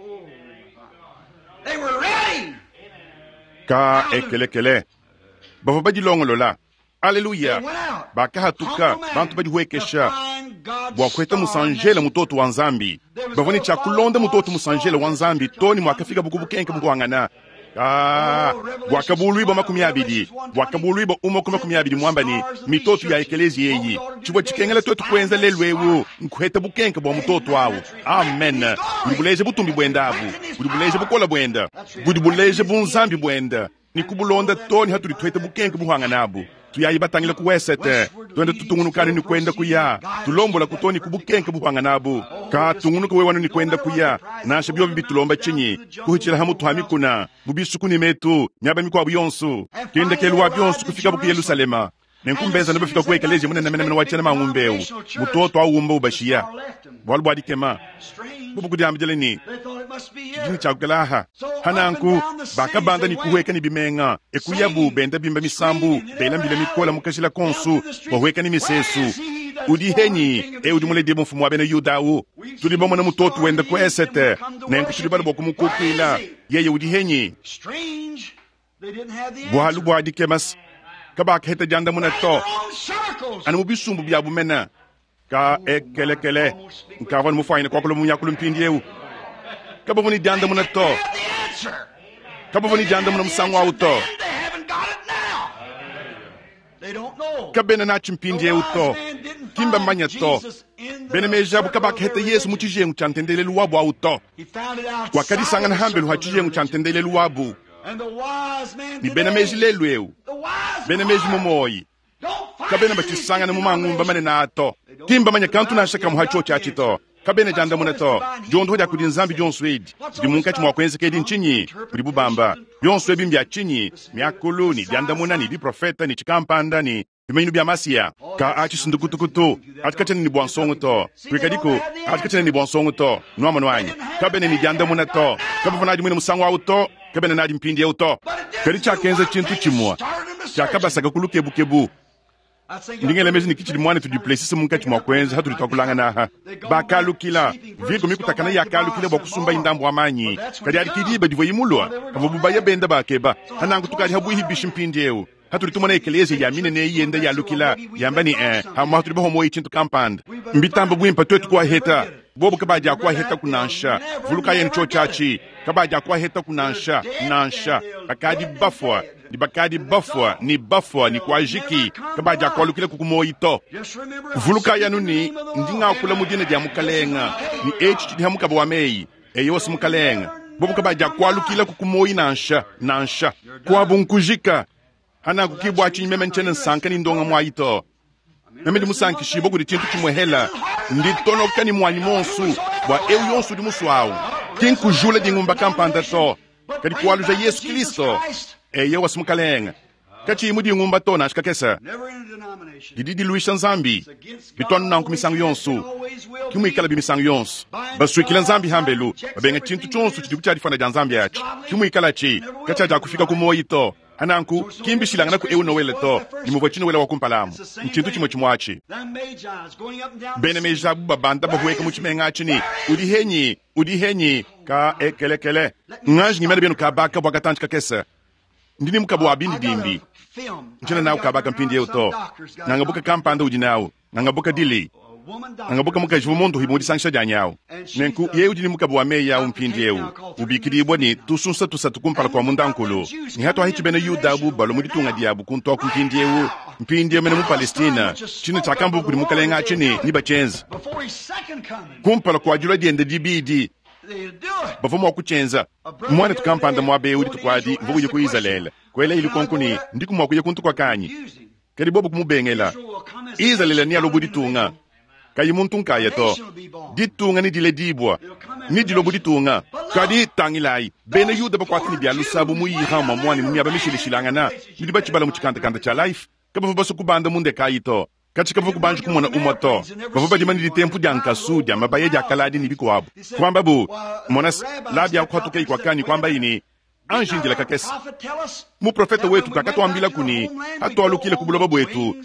Ka ekelekele bavua badilongolola. Aleluya. Bakahatuka bantu badihwekesha bua kuheta musanjela mutoto wa Nzambi. Bavua ne tshia kulonda mutoto musanjela wa Nzambi to ne mwakafika bukubukenke bukuangana. Ah, bwakabulwibwa makumi abidi bwakabulwibwa umwe ku makumi abidi mwamba ni mitoto ya ekelezi yeyi tshivua tshikengela twetu kuenza lelu ewu nkuheta bukenke bua mutoto awu. Amen. Budi buleja butumbi bwenda abu, budi buleja bukola bwenda, budi buleja bunzambi bwenda ni kubulonda to ni hatuli tuheta bukenke buhangana abu. Tuyayi batangila ku wesete twende tutungunukani ni kwenda kuya tulombola kutoni kubukenke buhangana abu ka tungunuka wewanu ni kwenda kuya nansha byobi bitulomba tshinyi kuhitshila ha mutu ha mikuna mu bisuku ni metu miaba mikwabu yonso kendekelu wa byonso kufika bu ku Yerusalema. Nenkumbeza nabafika ku ekelezia munene menemene wa tshiena mangumbeu mutoto awumba ubashiya bualu bua dikema bubu kudiambila ni tshidini tshiakukela hananku bakabanda ni kuhweka ni bimenga ekuyabu benda bimba misambu bela mbila mikola mukashila konsu bahweka ni misesu udi henyi e udi muledi mfumu wa bena Yudawu tudi bamona mutoto wenda ku esete nenku tudi bala bua kumukukuila yeye udi henyi bualu bua dikemasi kabakaheta diandamuna to anu mu bisumbu bia bumena ka ekelekele nkavua ne mufuanyine kuakula munyakulu mpindiewu kabavua ne diandamuna to kabavua ne diandamuna musangu awu to kabena natshi mpindiewu to kimba mmanya to bena meji abu kabakaheta Yesu mu tshijengu tshia ntendelelu wabu awu to wakadisangana hambelu ha tshijengu tshia ntendelelu wabu ni bena meji lelu ewu bena meji mumoyi kabena batshisangana mu mangumba manene ato kimba manya kantu nansha kamwe ha tshiotshi atshi to kabena diandamuna to diondoho dia kudi Nzambi dionso edi didi munkatshi mua kuenzeka edi ntshinyi budi bubamba bionso ebi mbia tshinyi miakulu ni diandamuna ni biprofeta ni tshikampanda ni bimanyinu bia masiya ka atshi sindukutukutu atshi katshiena ni bua nsongo to kuikadiku atshi katshiena ni bua nsongo to nuamanu anyi kabena ni diandamuna to kabavua nadi muine musangu awu to Kabena nadi mpindieu to. Kadi tshiakenza tshintu tshimue tshiakabasaka ku lukebukebu. Ndi ngela meji ne kitshidi muanetu Duplessis munkatshi mua kuenza hatudi tuakulangana aha. Bakalukila, virgo mikutakana yakalukila bua kusumba indambu wa manyi. Kadi adi ki diba divua imulua, kavua bubaya benda bakeba. Hananku tukadi habuihi bishi mpindieu. Hatudi tumona ekelezia ya minene yenda yalukila, yamba ni eh, hamwa hatudi bahomoyi tshintu kampanda. Mbitamba bwimpa twetu kuaheta. Bobo kabadi akuaheta kunansha. Vuluka yenu cho chachi. Kabadi akuaheta kunansha, nansha. Bakadi bafwa, ni bakadi bafwa, ni bafwa, ni kuajiki. Kabadi akualukila kukumoyi to. Vuluka yanu ni ndi ngakula mu dina dia mukalenga. Ni echi chidi hamukaba wa meyi. Eyo wasi mukalenga. Bobo kabadi akualukila kukumoyi nansha, nansha. Kuabu nkujika. Hana kukibwa chinyi meme nchene nsanka ni ndonga mwayi to. Meme ndi musankishibwa kudi tshintu tshimwehela. Ndi tonoka ni mwanyi monsu bua eu yonsu udi muswawu. Ki nkujula dingumba kampanda to. Kadi kualuja Yesu Kristo. Eye wasi mukalenga. Kachi mu dingumba to nansha kakesa. Never in a denomination. Didi diluisha Nzambi. Bitwanu nanku misangu yonsu. Kimuikala bimisangu yonsu. Baswikila Nzambi hambelu. Babenga tshintu tshonsu tshidi kutshiadifana dia Nzambi atshi. Kimuikala tshi. Katshiadia kufika ku moyi to. Hananku kimbishilangana ku eu Noele to. Ni muvua tshinoele wa kumpalamu. Ntshintu tshimwe tshimwe Them Magi's going up and down the Bena meji abu babanda bahueka mu tshimenga atshi ni udi henyi udi henyi ka ekelekele nganji ngimene benu kabaka bua katantshi kakese. Ndini mukabu wa bindi dimbi. film. Ntshina nawu kabaka mpindi to. Nangabuka kampanda udi nawu. Nangabuka dili. A woman doctor. Nangabuka mukaji vumondu himu disangisha dia nyawu. Nenku ye udi ni mukabu wa meyi awu mpindi eu. Ubikidibwa ni tusunsa tusatu kumpala kwa mundankulu. Ni hatu ahichi bena Yuda abu balo mu ditunga diabu kuntu aku mpindi eu. Mpindi eu mene mu Palestina. Tshina tshiakambu kudi mukalenga atshi ni ni bachenza. Before his second coming, Kumpala kwa dilua diende dibidi. they'll do it. Bavua mua kutshenza. Mwana tukampanda muaba eu dituku adi mvua kuya ku Izalele. Kwela ili konkuni ndiku mua kuya kuntu kwa kanyi. Use him. Kadi bobu kumubengela. Israel will come as a Izalele ni nation alobu out in the ditunga. middle. Kayi muntu nkaya to. Ditunga ni dile dibwa. Ni dilobu ditunga. Kadi tangilayi. Bena Yuda bakwatini bya lusabu mu Iran mwani mu miaba mishilishilangana. Nidi bachibala mu chikandakanda cha life. Kabavu baso kubanda munde kayi to. Kachi kabavu kubanja kumona umwa to. Bavu badima ni ditempu dia nkasu dia mabaya dia kaladi ni bikuabu. Kwamba bu monas labia kwatuka ikwakani kwamba ini anjindila kakese. Prophet tell us Muprofeta wetu kakatwambila kuni hatwalukile ku buloba bwetu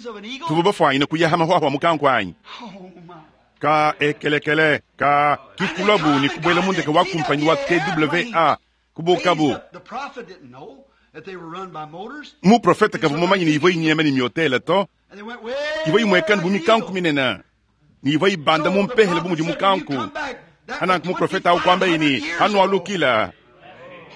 tuvu bafwanyine kuyaha mahwahwa mukankwanyi Oh my. ka ekelekele ka kikulabu ni kubwela mundeke wa kumpanyi wa T W A kubukabu The prophet didn't know that they were run by motors. muprofeta kavu mumanyi ni ivo inyema ni myotela to And they went way ivo imwekani bu mikanku down minene ni ivo ibanda mumpehele bu mudi mukanku hananku muprofeta awu kwamba ini hanu alukila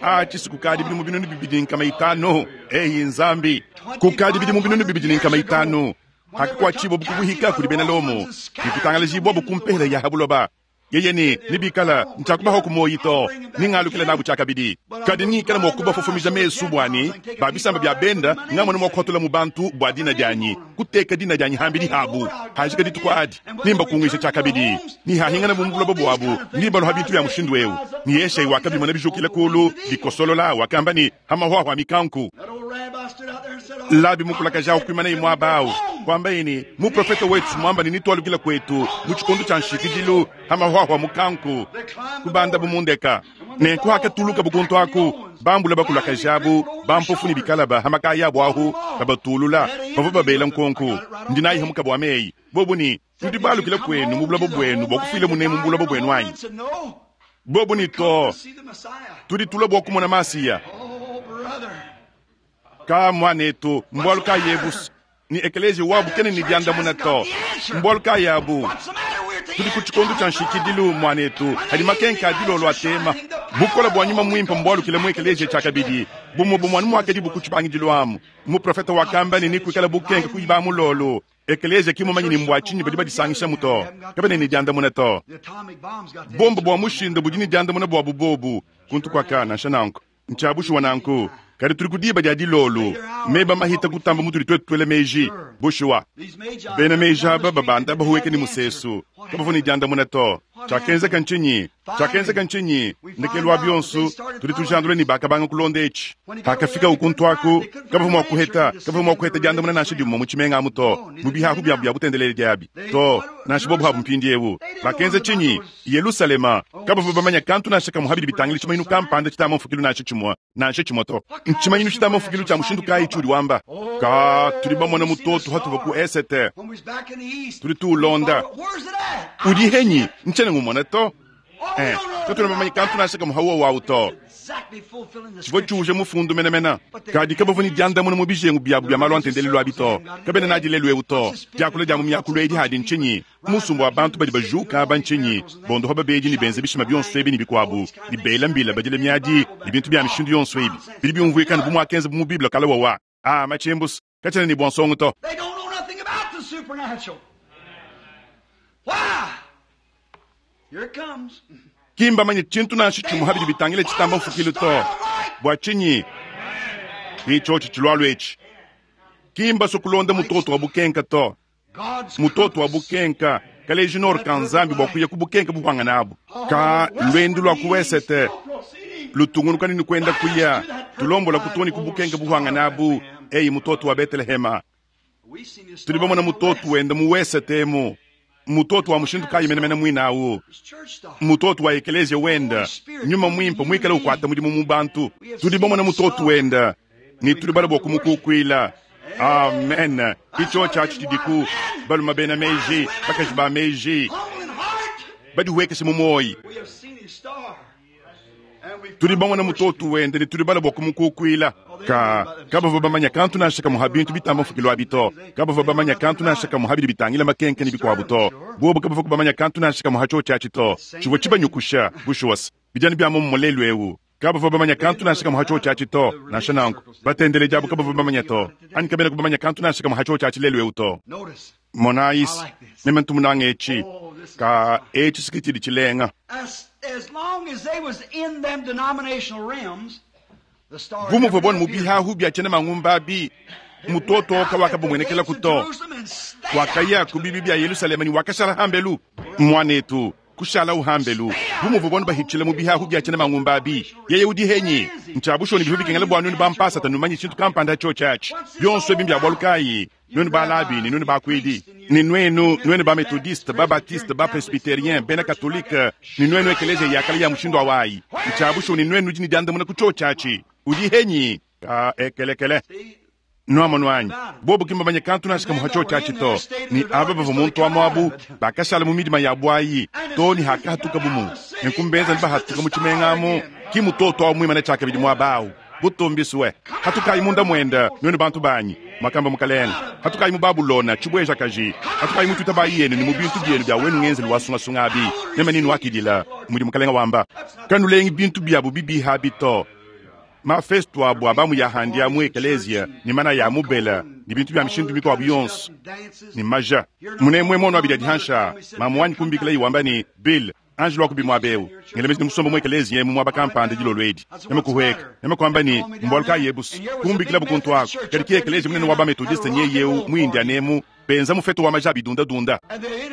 a chisi kukadi bidimu binunu bibidi nkama itano eyi nzambi kukadi bidimu binunu bibidi nkama itano hakakwachibwa bukubuhika kuli bena lomo nikutangalajibwa bukumpehela ya habuloba yeye ni nibikala nchakubaho kumoyi to ningalukila nabu chakabidi kadi nikala mwakuba fofomija mesu bwani babisamba bya benda ngamwana mwakuhatola mu bantu bwa dina dyanyi kuteka dina dyanyi hambili habu hajika dituku adi nimba kungisha chakabidi nihahingana bumbulobo bwabu nibaluha bintu bya mushindu eu ni yeshai wakabimona bijukila kulu bikosolola wakamba ni hamahwahwa mikanku That old rabbi stood out there and said, oh, labi mukulakaja ukwimana imwaba awu kwamba ini muprofeta wetu mwamba ni nitwalukila kwetu mu tshikondo tshia nshikidilu hamahwahwa mukanku kubanda bumundeka nenku hakatuluka bukuntu aku bambula bakulakajabu bampofu ni bikalaba hamakaya abu ahu babatulula bavua babela nkonku ndinayiha mukabo wa meyi bobu ni tudi balukila kwenu mu bulabo bwenu bwakufile munemu mu bulabo bwenu anyi said, no. bobu ni to See the Messiah. tudi tula bwa kumona masiya Oh, brother. ka mwanetu mbwalu ka yebusi ni ekelezi wabu kene ni diandamuna to mbwalu ka yabu What's the matter? We're at the tuli end ku tshikondo tshia nshikidilu mwanetu hadi makenka adilolo atema bukola bwa nyuma mwimpa mbwalukile mu ekelezia tshiakabidi bumwe bumwanu mwakadi buku tshibangidilu amu muprofeta wakamba ni nikuikala bukenke kuiba mulolo ekelezia kimumanyi ni mbwa tshinyi badi badisangisha muto kabene ni diandamuna to The atomic bomb's got the bomba bwa mushinda budi ni diandamuna bwa bubobu kuntu kwaka nansha nanku ntshiabushuwa nanku kadi tuli kudiba dia dilolo meba mahita kutamba mutuli twetu twele meji bushuwa These magi bena meji aba babanda bahuweke ni musesu kabavua ni diandamuna to Tshiakenzeka ntshinyi? Tshiakenzeka ntshinyi? Ndekelu wa bionso, tudi tujandula ne bakabanga kulonda etshi. Hakafika ukuntu aku, kabavua mua kuheta, kabavua mua kuheta diandamuna nansha dimue mu tshimenga amu to, mu bihahu biabu bia butendeledi diabi to, nansha bobu habu mpindiewu. Bakenza tshinyi? Yelusalema, kabavua bamanya kantu nansha kamue habidi bitangila tshimanyinu kampanda tshitamba mfukilu nansha tshimue, nansha tshimue to. Ntshimanyinu tshitamba mfukilu tshia mushindu kayi tshiudi wamba? Ka tudi bamona mutoto hatuvua ku esete, tudi tuulonda. Udi henyi ntshiena ngumona to. Eh, katuena bamanye kantu nansha kamue hawa wawu to. Tshivua tshiuje mufundu menemene. Kadi kabavua ne diandamuna mu bijengu biabu bia malu a ntendelelu abi to. Kabena nadi lelu eu to. Diakula dia mu miakulu edi hadi ntshinyi? Musumba wa bantu badi bajuka aba ntshinyi? Bondopa babedi ne benza bishima bionso ebi ne bikuabu, ne bela mbila badila miadi ne bintu bia mishindu yonso ebi. Bidi biumvuika anu bu muakenza bu mu Bible kale wawa. Ah, matshimbusu, katshiena ne bua nsongo to. They don't know nothing about the supernatural. Why? Here it comes. Ki mbamanye tshintu nansha tshimue habidi bitangila tshitamba mfukilu to. Bua tshinyi? Ki tshiotshi tshilualu etshi. Ki mbasue kulonda mutoto wa bukenka to. God's Mutoto wa bukenka kaleji nor ka Nzambi bua kuya ku bukenka buhwangana abu. Ka lwendu lua ku wesete lutungunuka ni kwenda kuya tulombola kutoni ku bukenka buhwangana abu. Eyi mutoto wa Betlehema. We seen his Tudi bamona mutoto wenda mu wesete emu. Mutoto wa mushindu kayi menemene muina awu. church star. Mutoto wa ekelezia wenda nyuma mwimpe mwikale ukwata mudimu mu bantu. Tudi bamona mutoto wenda ni tudi bala bua kumukukuila. Amen. Icho tshiatshi tshidiku baluma bena meji bakaji ba meji Humble in heart, badihuekeshe mu moyi. we have seen his star. And we've Tudi bamona mutoto wenda ni tudi bala bua kumukukuila. Ka kabavua bamanya kantu nansha kamue ha bintu bitamba mfukilu abi to. Kabavua bamanya kantu nansha kamue ha bidi bitangila makenke ne bikuabu to. Bobu kabavua kubamanya kantu nansha kamue ha tshiotshi atshi to. Tshivua tshibanyukusha bushuwasa bidianu bia momumue lelu eu. Kabavua bamanya kantu nansha kamue ha tshiotshi atshi to. Nansha nanku batendeleji abu kabavua bamanya to. Anyi kabena kubamanya kantu nansha kamue ha tshiotshi atshi lelu eu to. Notice, Monayisi meme ntumunanga etshi ka etshi sikitshidi tshilenga. as, as long as they was in them denominational realms, the star Bu muvua bonu mu never appeared. bihahu bia tshiena mangumba abi mutoto kawakabumuenekela kuto. Wakaya ku bibi bia Yerusalema ni wakashala hambelu. Mwanetu kushala uhambelu. Bu muvua bonu bahitshila mu bihahu bia tshiena mangumba abi. Yeye udi henyi ntshiabushoni bihu bikengela bua nwenu bampasa tanumanyi tshintu kampanda tshiotshi atshi. Bionso ebi mbia bualu kayi? Nwenu balabi ni nwenu bakuidi ni nwenu nwenu ba methodiste ba baptiste ba presbyterien bena katolike ni nwenu ekelezia yakala ya mushindu awayi. Ntshiabushoni nwenu udi ne diandamuna ku tshiotshi atshi. Udi henyi ka ekelekele. Nuamonu anyi bobu ki mbamanye kantu nansha kamue ha tshiotshi atshi to. Ni aba bavua muntu wa muabu bakashala mu midima ya bwayi to ni hakahatuka bumu. Nenkumbenza ni bahatuka mu tshimenga amu ki mutoto awu muimane tshiakabidi muaba awu. Butumbiswe hatukayi munda mwenda nwenu bantu banyi makamba mukalenga. Hatukayi mu Babulona tshibweja kaji. Hatukayi mu tuta bayi yenu ni mu bintu bienu bia wenu ngenzelu wasungasunga abi. Meme ninu wakidila mudi mukalenga wamba. Kanulengi bintu biabu bibiha abi to. Mafesto abu abamu ya handi ya mu ekelezia ni mana ya mubela ni bintu bia mishindu mikuabu yonso ni maja munemwe mono abidi adihansha mamu wanyi kumbikila iwamba ni Bill Angelo wakubi mwabeu ngelemezi ni musomba mu ekelezia mu mwaba kampanda dilolo edi neme kuhweka neme kuamba ni mbwalu ka yebusu kumbikila bukuntu ako kadi ki ekelezia munene wa ba metodiste nye yeu mu indianemu benza mufeto wa maja abidundadunda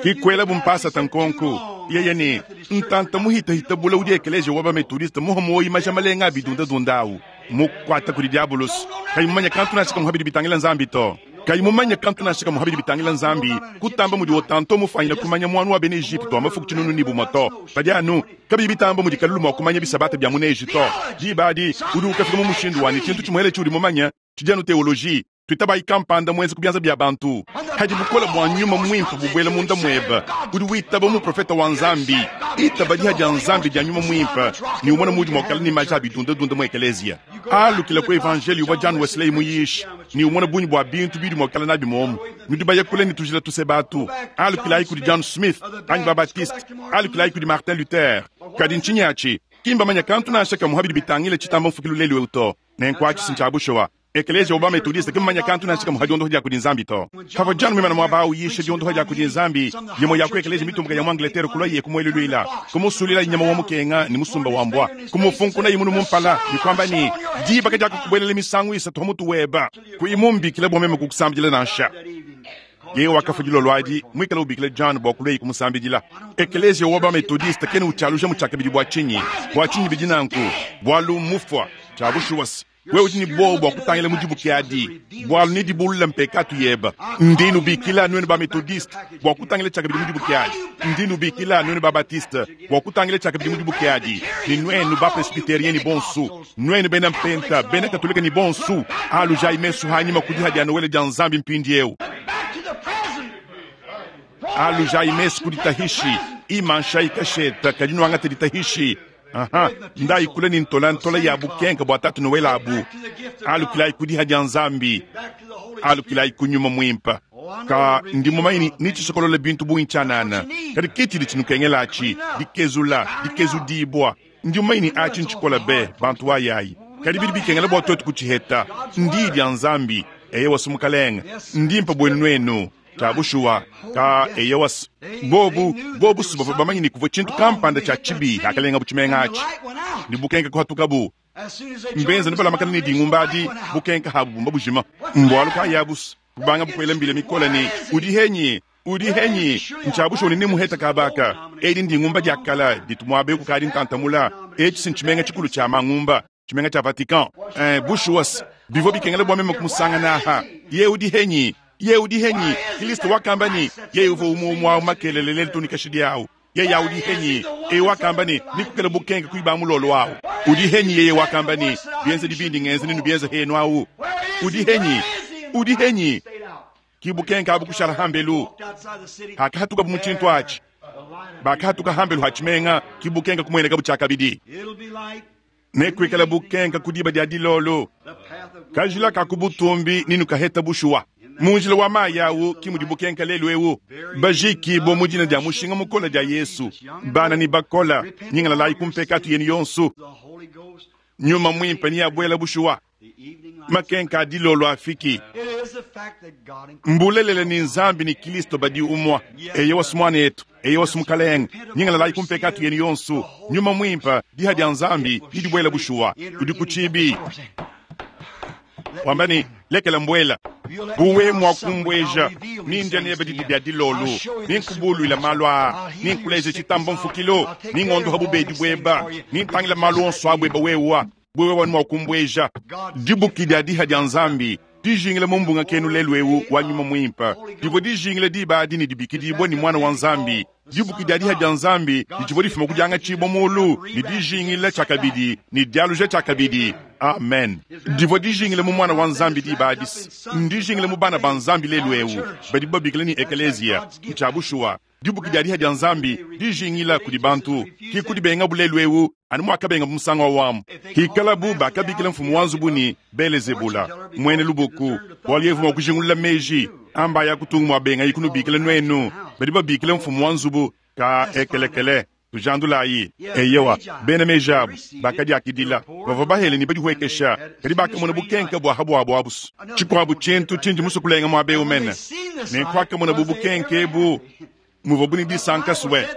kikwela bumpasa tankonku yeye ni ntanta muhitahita bula udi ekelezia wa ba metodiste muho moyi maja malenga abidundadunda awu mukwata kudi diabulus kayi mumanya kantu nansha kamue habidi bitangila Nzambi to. Kayi mumanya kantu nansha kamue habidi bitangila Nzambi kutamba mudi otanto mufanyila kumanya mwanu wa bena Egypte wa mafuku tshinunu ni bumue to. Padi anu kabiyi bitamba mudi kalulu mua kumanya bisabata bia muna Egypte. Diba adi udi ukafika mu mushindu wani tshintu tshimuele tshiudi mumanya tshidi anu teologie. Tuitabayi kampanda mwenze ku bianza bia bantu. Hadi bukola bua nyuma mwimpe bubwela munda mweba. Udi witaba mu profeta wa Nzambi. Itaba diha dia Nzambi dia nyuma mwimpe. Ni umona mudi mua kukala ni maja abidundadunda mu ekelezia. Alukila ku evangelio wa John Wesley muyishi. Ni umona bunyi bua bintu bidi mua kukala nabi momu. Nudi baya kule ni tujila tuse batu. Alukilayi kudi John Smith, anyi ba Baptiste. Alukilayi kudi Martin Luther. Kadi ntshinyi atshi? Kimba manya kantu nansha kamue habidi bitangila tshitamba mfukilu lelu eu to. Nenku atshi sintshiabushuwa. Ekelezia wa ba metodiste ki mmanya kantu nansha kamue ha diondoha dia kudi Nzambi to. Pavua John muimana muaba awu yisha diondoha dia kudi Nzambi, yimue ya ku ekelezia mitumbuka ya mu Angleterre kulua ye kumueluluila, kumusulila nyama wa mukenga ni musumba wa mbwa, kumufunkuna imunu mumpala, ni kwamba ni diba ka dia kukubuelela misangu isatu ha mutu weba, kuimumbikila bua meme kukusambila nansha. That evening. Yeye wakafua dilolo adi, muikale ubikila John bua kulua kumusambidila. Ekeleziya wa ba-Methodiste kena utshialuja mu tshiakabidi bua tshinyi? Bua tshinyi bidi nanku? Bualu mmufua. Tshia bushuwa se, wewe udi ne buowa bua kutangila mu dibuki adi, bualu nedibulule mpekatu yebe. Ndi nubikila nuenu ba-Methodiste bua kutangila tshiakabidi mu dibuki adi. Ndi nubikila nuenu ba-Baptiste bua kutangila tshiakabidi mu dibuki adi. Ne nuenu ba-Presbyteriens ne bonsu, nuenu bena Mpenta, bena Katolika ne bonsu, alujayi mesu hanyima ku diha dia Noele dia Nzambi mpindieu. Back to the present. Alujayi mesu ku ditahishi, imanshayi kasheta kadi nuangate ditahishi. Aha, ndayi kule ne ntolantola ya bukenka bua tatu Noele abu. Alukilayi ku diha dia Nzambi, Back to the Holy alukilayi ku nyuma muimpe. Ka ndi mumanyi ni tshisokolola bintu bungi tshianana, kadi ke tshidi tshinukengela atshi, dikezula, dikezudibua. Ndi mumanyi ni atshi ntshikola be bantu wayayi, kadi bidi bikengela bua tuetu kutshiheta. Ndi dia Nzambi, eye wasu mukalenge, ndimpe buenu nuenu. Tshia bushuwa ka eye wasu bobu bobu su bavua bamanyi ni kuvua tshintu kampanda tshia tshibi akalenga bu tshimenga atshi. Ni bukenka kuhatukabu mbenza nibalamakana ne dingumba adi, bukenka habu bumba bujima. Mbualu kayabusu kubanga bukwela mbila mikole ne udi henyi, udi henyi, ntshiabushuwa ne muheta kabaka. Edi ndingumba dia kala ditu muabe kukadi ntantamula. Etshi si ntshimenga tshikulu tshia mangumba, tshimenga tshia Vatican. Eh, bushuwa se, bivua bikengela bua meme kumusangana aha. Ye udi henyi, ye udi henyi. Kristo wakamba ni ye uvua umwe umwe awu makelele lelu tunikashidi awu. Ye ya udi henyi, e wakamba ni nikukela bukenka kuiba mulolo awu. Udi henyi yeye wakamba ni bienze dibindi ngenze ninu bienze henu awu. Udi henyi, udi henyi. Kibukenka abu kushala hambelu. Walked outside the city. Hakahatuka bu mutshintu atshi. Bakahatuka hambelu hatshimenga, kibukenka kumueneka bu tshiakabidi. It'll be light. Nekuikala bukenka ku diba dia dilolo. The path of Kajila ka kubutumbi ninu kaheta bushuwa. Munjila wa mayi awu kimudi bukenka lelu ewu. Bajiki bo mu dina dia mushinga mukola dia Yesu. Bana ni bakola, nyingalalayi kumpekatu yenu yonsu. the Holy Ghost. Nyuma mwimpe ni abwela bushuwa. The evening light. Makenka adilolo afiki. It is the fact that God and Mbulelele ni Nzambi ni Kristo badi umwa. Eye wasu mwana yetu, eye wasu mukalenge. Nyingalalayi kumpekatu yenu yonsu. Nyuma mwimpe diha dia Nzambi didibwela bushuwa. Udi kuchibi. Wamba ni lekela mbwela. Buwe mwa kumbweja ninja nebe didi dia dilolo ninkubulwila malu aa ninkuleze tshitambo mfukilo ningondoha bubedi bweba nintangila malu onso abweba wewa bwewe wanu mwa kumbweja. Dibuki dia diha dia Nzambi dijingile mu mbunga kenu lelu ewu wa nyuma mwimpe. Divua dijingile diba adi ni dibikidibwa ni mwana wa Nzambi. Dibuki dia diha dia Nzambi ditshivua difuma ku diangatshibwa mulu ni dijingile tshiakabidi ni dialuja tshiakabidi. Amen. Divua dijingile mu mwana wa Nzambi diba adi, ndijingile mu bana ba Nzambi lelu ewu badi babikila ni ekeleziya. Ntshia bushuwa dibuki dia diha dia Nzambi dijingila kudi bantu ki kudibenga bulelu ewu anu muakabenga bu musango wa wamu. Hikalabu bakabikila mfumu wa nzubu ni Belezebula mwene lubuku, bualu yevu mua kujingulula meji amba ya kutunga mua benga ikunubikila nuenu badi babikila mfumu wa nzubu ka ekelekele. Tujandulayi eyewa bena meji abu bakadiakidila bavua bahele ni badihuekesha kadi bakamona bukenka bua habuabu abusu. Tshikuabu tshintu tshindi musu kulenga muaba ewu mene nenkuakamona bu bukenka ebu muvua buni disanka suwe.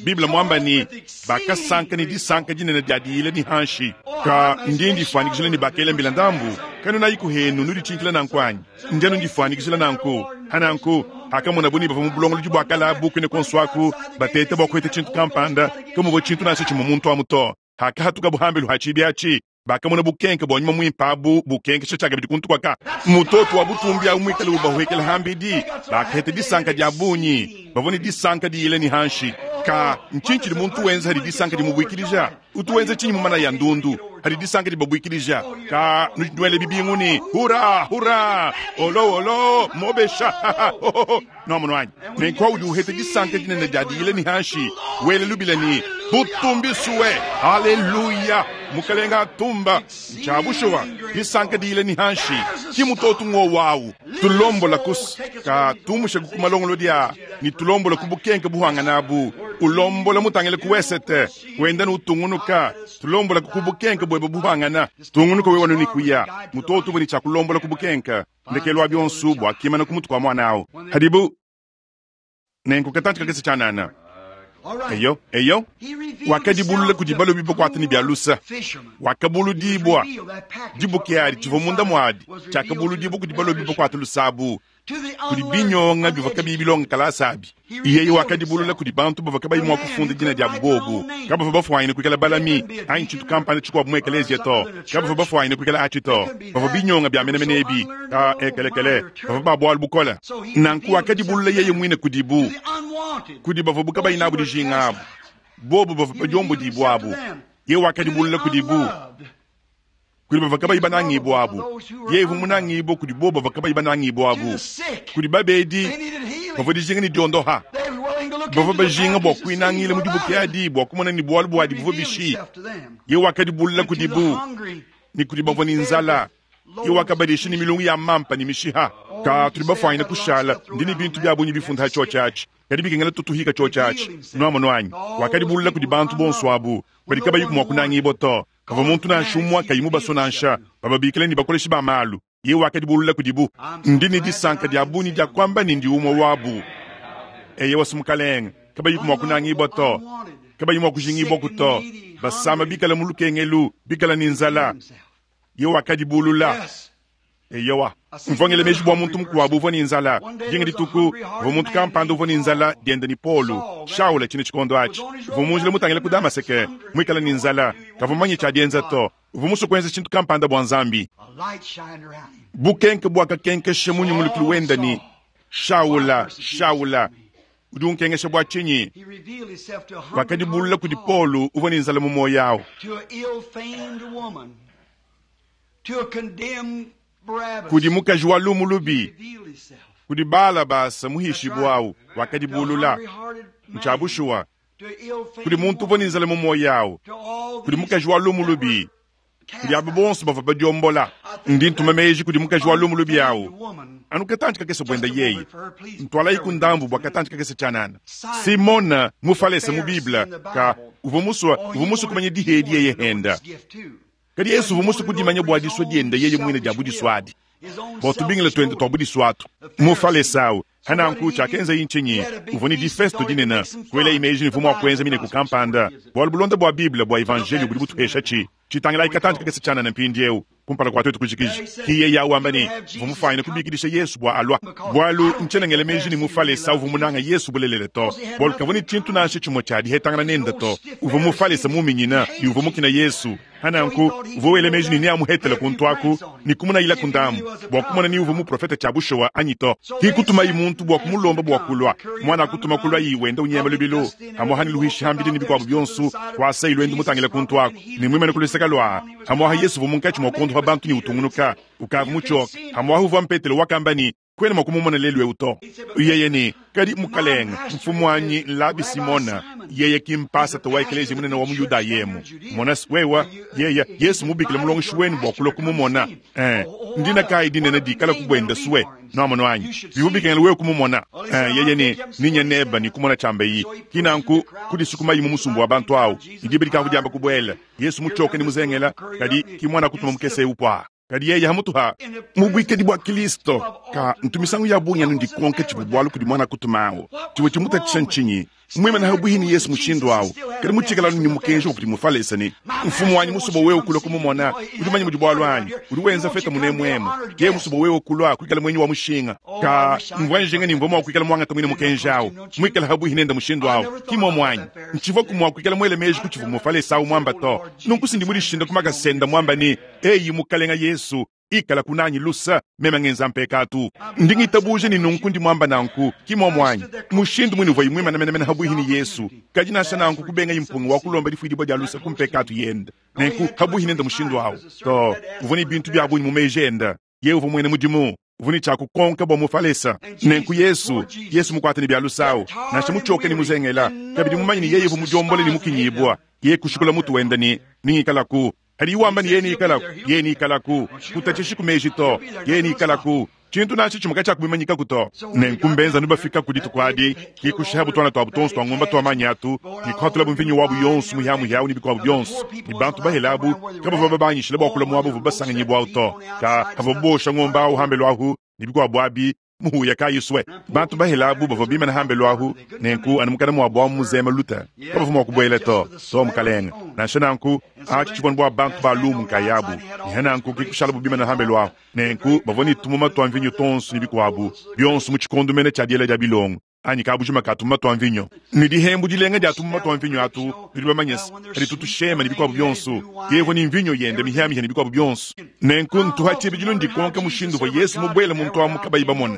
Biblia mwamba ni bakasanka ni disanka dinene dia diyila ni hanshi. Ka ndi ndifuanyikijila ni bakela mbila ndambu kanu nayi kuhenu nuditshinkila nanku anyi? Ndi anu ndifuanyikijila nanku hananku akamona buni bavua mu bulongolodi bua kala bu kwene konso aku batete bua kuheta tshintu kampanda kamuvua tshintu nansha tshimue muntu amu to. Hakahatuka buhambelu ha tshibi atshi bakamona bukenke bua nyuma mwimpe abu bukenkesha tshiakabidi kuntu kwaka. Mutoto wa butumbi awu muikale ubahuekela hambidi bakaheta disanka dia bungi bavua ni disanka diyila ni hanshi. Ka ntshintshidi muntu wenza hadi disanka dimubuikilija utu wenza tshinyi mu mana ya ndundu hadi disanka dibabuikilija. Ka nudwele bibinguni hura hura olo olo mobesha nomono wanyi nenkwa udi uheta disanka dinene dia diyila ni hanshi wele lubila ni butumbisuwe haleluya mukalenga atumba nchabushuwa disanka diyila ni hanshi kimutoto ng'o wawu tulombola kusi ka tumusha kukumalongolo dia ni tulombola kubukenke buhangana abu ulombola mutangile kuwesete wenda nutungunuka tulombola kubukenke bwebe buhangana tungunuka wewe ni kuya mutoto buni chakulombola kubukenke ndekelwa byonsu bwa kimana kumutu kwa mwana awo hadibu nenkukatantika kakese chanana eyo eyo wakadibulula kudi balobi bakwata ni bya lusa wakabuludibwa dibuke adi tshivua munda muadi tshiakabuludibwa kudi balobi bakwata lusabu Kudi binyonga bivua kabiyi bilonga kalasa abi. Yeye wakadibulula kudi bantu bavua kabayi mua kufunda dina diabu bobu. Kabavua bafuanyine kuikala balami anyi tshintu kampanda tshikuabu mu ekeleziya to. Kabavua bafuanyine kuikala atshi to. Bavua binyonga bia menemene ebi ka ekelekele, bavua ba bualu bukole. Nanku wakadibulula yeye muine kudibu, kudi bavua bu kabayi nabu dijinga abu, bobu bavua badiombodibua abu. Yeye wakadibulula kudibu, kudi bavua kabayi banangibua abu. Yeye uvua munangibua kudi bobu bavua kabayi banangibua abu. Kudi babedi bavua dijinga ne diondoha, bavua bajinga bua kuinangila mu dibuki adi bua kumona ne bualu buadi buvua bishi. Yeye wakadibulula kudibu ne kudi bavua ne nzala. Yeye wakabadisha ne milungu ya mampa ne mishiha. Ka tudi bafuanyine kushala ndi ne bintu bia bungi bifunda tshiotshi atshi, kadi bikengela tutuhika tshiotshi atshi. Nuamono anyi? Wakadibulula kudi bantu bonso abu badi kabayi mua kunangibua to. Kavua muntu nansha umue kayi mubaso nansha, bababikila ne bakoleshi ba malu. Yeye wakadibulula kudibu. Ndi ne disanka dia bungi dia kuamba ne ndi umue wabu. Eye wasu mukalenge, kabayi mua kunangibua to, kabayi mua kujingibua to, basama bikala mu lukengelu, bikala ne nzala. Yeye wakadibulula. Eyowa, mvua ngela meji bua muntu mukuabu uvua ne nzala. Dinga dituku uvua muntu kampanda uvua ne nzala diende ni Polu Shaula tshine tshikondo atshi. Uvua mu njila mutangila ku Damaseke, muikala ne nzala, kavua mumanye tshia dienza to. Uvua musue kuenza tshintu kampanda bua Nzambi. Bukenke buakakenkesha munyungulukilu wenda ni Shaula, Shaula, udi unkengesha bua tshinyi? Wakadibulula kudi Polu uvua ne nzala mu moyo awu. Kudi mukaji wa lumu lubi, kudi Balabasa muhishibua awu, wakadibulula. Ntsha bushuwa, kudi muntu uvua ne nzala mu moyo awu, kudi mukaji wa lumu lubi, kudi abo bonso bavua badiombola. Ndi ntuma meji kudi mukaji wa lumu lubi awu, anu katanji kakese buenda yeye, ntwalayi ku ndambu bua katanji kakese tshianana. Simona mufalese mu Bible ka uvua musue uvua musue kumanya dihedi yeye henda. Kadi Yesu uvua musue kudimanya bua disua diende yeye muine dia budisuadi, bua tubingile tuende tua budisuatu. Mufalese awu hananku tshiakenza ntshinyi? Uvua ne difesto dinene, kuela imeji ne uvua mua kuenza mineku kampanda, bualu bulonda bua Bible bua evanjeliyo budi butuhesha tshi. Tshitangila katanji kakese tshianana mpindieu kumpala kua tuetu kujikija. Ki yeye awu wamba ne uvua mufuanyine kubikidisha Yesu bua alua, bualu ntshiena meji ne mufalese uvua munanga Yesu bulelele to, bualu kavua ne tshintu nansha tshimue tshia dihetangana nende to. Uvua mufalese muminyina ne uvua mukina Yesu. Hananku uvua wela meji ne neamuhetele kuntu aku ne kumunayila ku ndambu bua kumona ni uvua muprofeta tshia bushuwa anyi to. Ki kutumayi muntu bua kumulomba bua kulua, mwana akutuma kulua yi wenda unyema lubilu amuha ne luhishi hambidi ne bikuabu bionso kwasa ilwenda mutangila kuntu aku ne mwimene kuluseka lua amuha Yesu uvua munkatshi mua kondoha bantu ne utungunuka ukavu mutshoka. Amuha uvua mpetelo wakamba ni kwena mua kumumona lelu eu to. Yeye ni kadi mukalenge mfumu wanyi Labi Simona, yeye kimpasa to ekeleziya munene wa mu Yuda yemu. Mona wewa yeye Yesu mubikile mulongeshi wenu bua kulua kumumona. Eh, ndina kai dinene dikala kubwenda suwe noamono anyi bivubikengela wewe kumumona. Eh, yeye ni ninya neba ni kumona chamba iyi kinanku kudisukumayi mu musumbu wa bantu awu idibidika kudiamba kubwela. Yesu muchoke ni muzengela kadi kimwana kutuma mukese upwa. Kadi yeye hamutuha mubwikedi bwa Kristo ka ntumisangu ya bungi anu ndikonke tshibu bualu kudi mwana kutumawo tshiwe tshimutatshisha ntshinyi mwimene habuhi ni Yesu mushindu awu kadi mutshikala ni mukenji wa kudi mufalesa ni mfumu wanyi musubo wewe kulua kumumona udi manya mudi bualu anyi udi wenza feta munemwemu ye musubo wewe kulua kuikala mwenyi wa mushinga ka mvua njinga ni mvua mua kuikala mwangata mwine mukenji awu mwikala habuhi nenda mushindu awu kimomwanyi ntshiva kumua kuikala mwele meji kutshivu mufalesa awu mwamba to nunku sindi mudishinda kumakasenda mwamba ni eyi mukalenga Yesu ikala kunanyi lusa meme ngenza mpekatu ndingitabuje ni nunku ndi mwamba nanku kimomwanyi mushindu mwini uvua imwimana menemene habuhi ni Yesu kadi nansha nanku kubenga impungu wa kulomba difuidibua dia lusa kumpekatu yenda nenku habuhi nenda mushindu awu to uvua ni bintu bia bungi mu meji enda ye uvua mwene mudimu uvua ni tshia kukonka bua mufalesa nenku Yesu Yesu mukwate ni bia lusa awu nansha mutshoke ni muzengela kabidi mumanye ni yeye uvua mudiombole ni mukinyibua ye kushikula mutu wenda ni ningikalaku hadi iwamba ni yeni ikalaku yeni ikalaku kutatshishi kumeji to yeni ikalaku tshintu nansha tshimue tshia kumimanyikaku to nenku mbenza nubafika kudi tukuadi kikushaha butwana twabu tonso twa ngomba twa manyatu nikuhatula bumvinyo wabu yonso muhiamuhiawu ni bikuabu bionso ni bantu bahelabu kabavua babanyishile bua kula muabu buvua basanganyibwawu to ka kavua bosha ngomba awu hambelu ahu ni bikuabu abi Muhuya kayi swe. Bantu bahela abu bavua bimana hambelu ahu, nenku anu mukana muabu amu muzema luta. Kabavua mua kubuela to, to mukalenga. Nansha nanku, atshi tshivua bua bantu ba lumu nkayabu. Ne nanku ke kushalabu bimana hambelu ahu. Nenku bavua ne tumuma tua mvinyo tonso ne bikuabu, bionso mu tshikondo mene tshia diela dia bilongo. Anyi kabujima ka tumuma tua mvinyo. Ne dihembu dilenga dia tumuma tua mvinyo atu, tudi bamanye se, kadi tutushema ne bikuabu bionso. Yevua ne mvinyo yende mihiamihia ne bikuabu bionso. Nenku ntuha tshibidilu ndikonka mushindu uvua Yesu mubuele muntu amu kabayi bamona.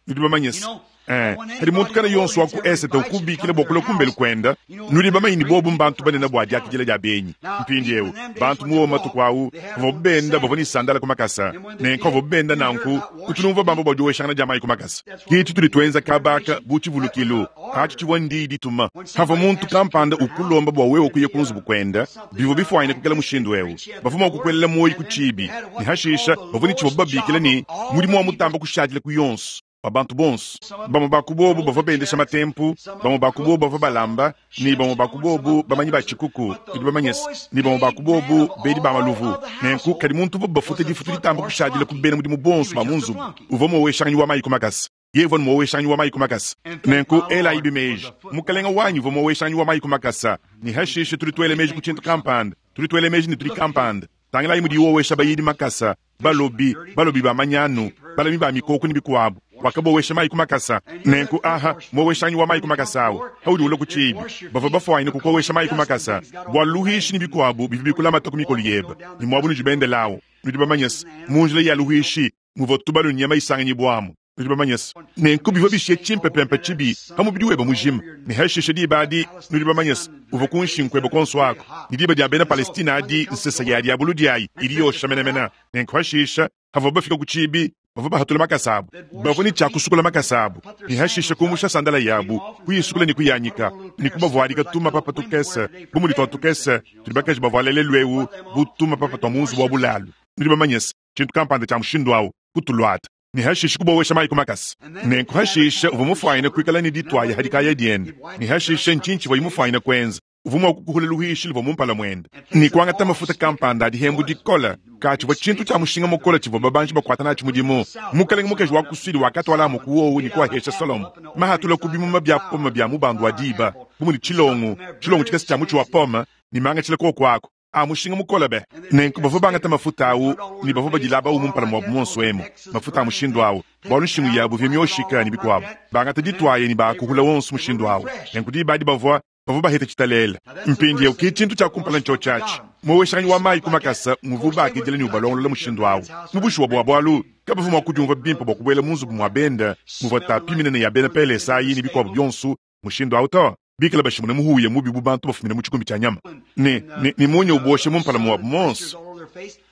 Nudi bamanye se, eh, kadi muntu kana yonso wa ku esete ukubikila bua kulua kumbelu kuenda, nudi bamanye ne bobu mbantu banene bua diakidila dia benyi. Mpindiewu, bantu muowo matuku awu, bavua benda bavua ne sandala ku makasa. Nenku bavua benda nanku, kutunumvua bamba bua dioweshangana dia mayi ku makasa. Kitu tudi tuenza kabaka bu tshivulukilu, atshi tshivua ndi dituma. Havua muntu kampanda ukulomba bua wewe kuya ku nzubu kuenda, bivua bifuanyine kukela mushindu ewu. Bavua mua kukuelela muoyi ku tshibi, ne hashisha bavua ne tshivua babikila ne mudimu wa mutamba kushadila ku yonso. Ba bantu bonso bamwe bakubobu bavua bendesha matempu, bamwe bakubobu bavua balamba, ne bamwe bakubobu bamanyi ba tshikuku, tudi bamanye se, ne bamwe bakubobu bedi ba maluvu. Nenku kadi muntu uvua bafuta difutu ditamba kushadila ku bena mudimu bonso ba mu nzubu, uvua muoweshanganyi wa mayi ku makasa. Yeye uvua muoweshanganyi wa mayi ku makasa. Nenku elayi bimeji, mukalenga wanyi uvua muoweshanganyi wa mayi ku makasa. Ne hashishe tudi tuela meji ku tshintu kampanda, tudi tuela meji ne tudi kampanda. Tangilayi mudi wowesha bayidi makasa, balobi, balobi ba manyanu, balami ba mikoko ne bikuabu. Wakabowesha mayi ku makasa. Nenku aha, muoweshanyi wa mayi ku makasa awu, haudi ulua ku tshibi. Bavua bafuanyine kukowesha mayi ku makasa, bua luhishi ne bikuabu bivua bikulamata ku mikolo yebe, ne muabu nudi bendelawu. Nudi bamanye se, mu njila ya luhishi, muvua tubalu ne nyama isanganyibwamu. Nudi bamanye se, nenku bivua bishiye tshimpepempe tshibi pa mubidi webe mujima. Ne hashishe diba adi, nudi bamanye se, uvua ku nshingu kuebe konso ako. Ne diba dia bena Palestina adi, nsesa ya diabulu diayi idi yosha menemene. Nenku hashisha, havua bafika ku tshibi, bavua bahatula makasa abu. Bavua ne tshia kusukula makasa abu. Ne hashisha kumusha sandala yabu, kuyisukula ne kuyanyika, ne kubavuadika tumapapa tukese, bu mudi tua tukese, tudi bakaji bavuala lelu ewu, bu tumapapa tua mu nzubu wa bulalu. Nudi bamanye se, tshintu kampanda tshia mushindu awu, kutuluata. Ne hashisha kubowesha mayi ku makasa. Nenku hashisha uvua mufuanyine kuikala ne dituaya hadikaya diende. Ne hashisha ntshinyi tshivua mufuanyine kuenza? Uvua mua kukuhula luhishi luvua mu mpala muende. Ne kuangata mafuta kampanda adi hembu dikola, ka tshivua tshintu tshia mushinga mukole tshivua babanji bakuata natshi mudimu. Mukalenge mukaji wa ku Sudi wakatwala mu kuowu ne kuahesha Solomo. Mahatula ku bimuma bia pome bia mubandu wa diba, bu mudi tshilongo, tshilongo tshikese tshia mutshi wa pome, ne mangatshila koko ako. A mushinga mukole be. Nenku bavua bangata mafuta awu ne bavua badilaba awu mu mpala muabu muonso emu. Mafuta a mushindu awu, bualu nshingu yabu ivua mioshika ne bikuabu. Bangata dituaye ne bakuhula wonso mushindu awu. Nenku diba adi bavua bavua baheta tshitalela. Mpindiewu ke tshintu tshia kumpala ntshio tshiatshi. Muoweshanganyi wa mayi ku makasa muvua bakidila ne ubalongolola mushindu awu. Mu bushuwa bua bualu, kabavua mua kudiumvua bimpe bua kubuela mu nzubu mua benda muvua tapi minene ya bena Pelesa ayi ne bikuabu bionso mushindu awu to. Bikala bashimuna muhuya mubi bu bantu bafumina mu tshikumbi tshia nyama. Ne, ne, ne munya ubosha mu mpala muabu monso.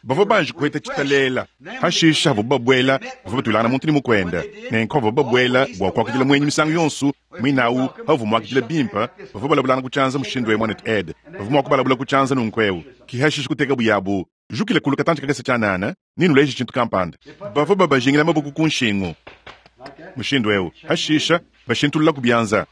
Bavua banji kuheta tshitalela. Hashisha bavua babuela, bavua batulangana muntu ne mukuenda. Nenku bavua babuela bua kuakidila muenyi misangu yonso, muinawu bavua muakidila bimpe, bavua balabulangana ku tshianza mushindu ewu muanetu Ed. Bavua mua kubalabula ku tshianza nunku ewu. Ki hashisha kuteka buyabu, jukila kulu katantshi kakese tshianana, ne nuleje tshintu kampanda. Bavua babajingila maboko ku nshingu mushindu ewu. Hashisha bashintulula ku bianza.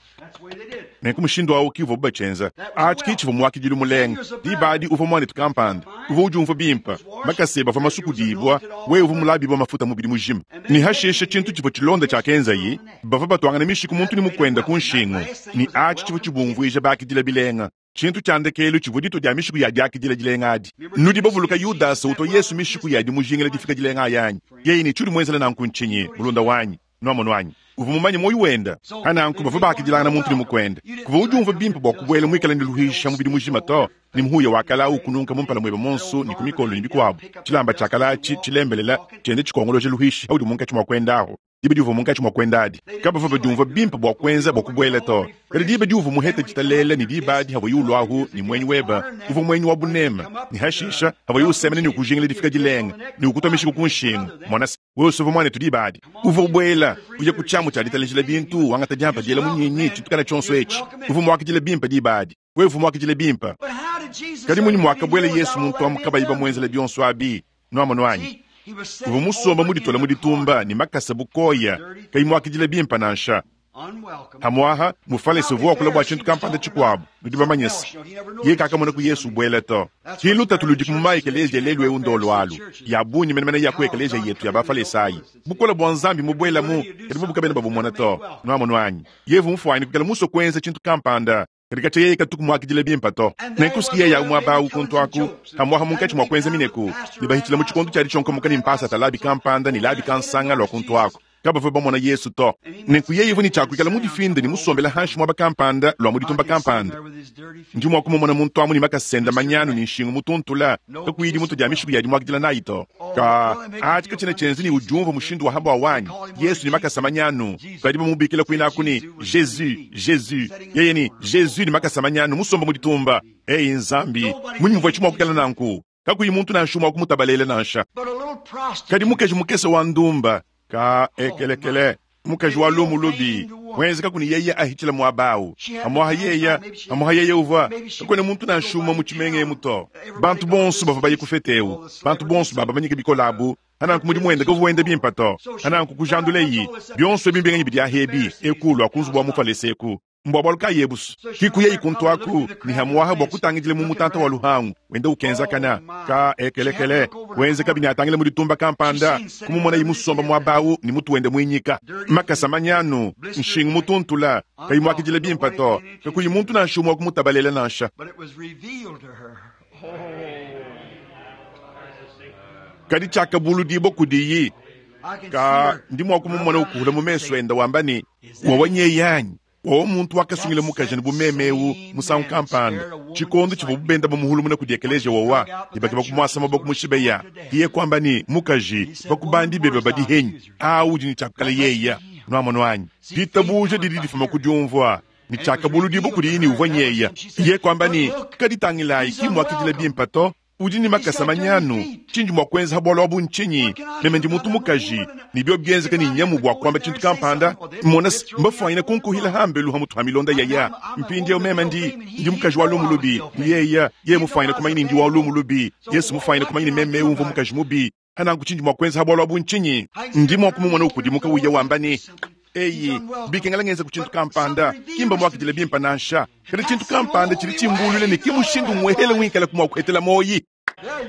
Nenku mushindu awu ki uvua batshienza. Atshi ki tshivua muakidilu mulenga. Diba adi uvua muanetu kampanda, uvua udiumvua bimpe, makasa ebe avua masukudibua, wewe uvua mulabibua mafuta mubidi mujima. Ne hashisha tshintu tshivua tshilonda tshiakenzayi, bavua batuangana mishiku muntu ne mukuenda ku nshingu. Ne atshi tshivua tshibumvuija bakidila bilenga. Tshintu tshia ndekelu tshivua ditu dia mishiku ya diakidila dilenga adi. Nudi bavuluka Yudasa utua Yesu mishiku ya dimujingila difika dilenga ayanyi. Yeye ne tshiudi muenzela nanku ntshinyi, mulunda wanyi? Nuamonu anyi? Uvua mumanye muoyo wenda. Hananku bavua bakidilangana muntu ne mukuenda. Kuvua udiumvua bimpe bua kubuela muikale ne luhisha mubidi mujima to, ne muhuya wa kala ukununka mu mpala muebe monso ne ku mikolo ne bikuabu. Tshilamba tshia kala atshi tshilembelela tshiende tshikongoloja luhishi haudi munkatshi mua kuenda aho. Diba diuvua munkatshi mua kuenda adi, kabavua badiumvua bimpe bua kuenza bua kubuela to. Kadi diba diuvua muheta tshitalela ne diba adi havua ulua ahu ne muenyi webe, uvua muenyi wa buneme. Ne hashisha havua usemena ne ukujingila difika dilenga ne ukutua mishiku ku nshingu. Mona se, wewe usuvua muanetu diba adi. Uvua ubuela, uya ku tshiamu tshia ditalejila bintu, wangata diampa diela munyinyi, tshintu kana tshionso etshi. Uvua muakidile bimpe diba adi. Wewe uvua muakidile bimpe. Kadi munyi muakabuela Yesu muntu amu kabayi bamuenzela bionso abi? Nuamonu anyi? Uvua musomba muditola mu ditumba ne makasa bukoya, kayi muakidila bimpe nansha. Amwaha mufalese uvua wakula bua tshintu kampanda tshikuabu, nudi bamanye se ye kakamona ku Yesu buela to. Ki lutatu ludi mu maekeleziya lelu eu ndolo alu ya bungi menemene ya ku ekeleziya yetu ya bafalesayi. Bukola bua Nzambi mubuelamu kadi bobu kabena babumona to. Nuamonu anyi? Yevu mfuanyi kukala musue kuenza tshintu kampanda kadi katshia yeye katuku muakidile bimpe to. Nenkusikiye yawu muaba awu kuntu aku amwaha munkatshi mua kuenza mineku ne bahitshila mu tshikondo tshia ditshionkomoka ne mpasata labi kampanda ne labi kansanga lua kuntu aku. Kabavua bamona Yesu to. Nenku yeye uvua ne tshiakuikala mu difinde ne musombela hanshi muaba kampanda lua mu ditumba kampanda. Ndi mua kumumona muntu amu ne makasenda manyanu ne nshingu mutuntula kakuyi dimutu dia mishiku ya dimuakidila nayi to. Ka atshi katshiena tshienza ne udiumvua mushindu wa habua wanyi Yesu ne makasa manyanu badi bamubikila kuinaku ne Jesus Jesus yeye ni Jesus ne makasa manyanu musomba mu ditumba. Ei Nzambi, munyi muvua tshimua kuikala nanku kakuyi muntu nansha umue wa kumutabalela nansha. Kadi mukaji mukese wa ndumba ka ekelekele mukaji wa lumu lubi wenzeka kuni yeye ahitshila muaba awu amwaha yeye amwaha yeye uvua kakuena muntu nansha umue mu tshimenga emu to. Bantu bonso bavua baye ku fete ewu, bantu bonso babamanyike bikole abu ananku mudimu wende kavua wenda bimpe to. Ananku kujandula eyi bionso ebi mbinganyi bidi ahebi eku lua ku nzubu wa mufalese eku mbua bualu kayi ebusu kiku yeyi kuntu aku ni hamwaha bua kutangidile mu mutanta wa luhangu wenda ukenzakana ka ekelekele wenzeka bini atangile mu ditumba kampanda kumumona yimusomba muaba awu ni mutu wende mwinyika makasa manyanu nshingu mutuntula kayi muakidile bimpe to kakuyi muntu nansha umue wa kumutabalela nansha. Kadi tshiakabuludibo kudiyi ka ndi mua kumumona ukuhula mu mesu enda wamba ne wawa nyeyanyi wawa muntu wakasungila mukaji ne bumeme ewu musangu kampanda tshikondo tshivua bubenda bamuhulumuna kudi ekeleziya wawa ne bakeba kumuasa maboko mushibeya iye kwamba ni mukaji bakubandi bebe badi henyi awu udi ne tshiakukala yeya nuamono anyi ditabuja didi difuma kudiumvua ni tshiakabuludibo kudiyi ni uvua nyeya iye kwamba ni kaditangilayi ki muakidila bimpe to udi ni makasa manyanu tshindi mua kuenza bualu abu ntshinyi meme ndi muntu mukaji ni bio bienzeka ni nyamu bua kuamba tshintu kampanda mona mbafuanyine kunkuhila hambelu ha mutu ha milonda yaya mpindieu meme ndi ndi mukaji wa lumu lubi yeya ye mufuanyine kumanya ni ndi wa lumu lubi Yesu mufuanyine kumanya ni meme umvua mukaji mubi hananku tshindi mua kuenza bualu abu ntshinyi ndi mua kumumona ukudimuka uya wamba ni eyi bikengela ngenza ku tshintu kampanda kimba muakidile bimpe nansha kadi tshintu kampanda tshidi tshimbulule ne ki mushindu muehele winkala ku mua kuhetela moyi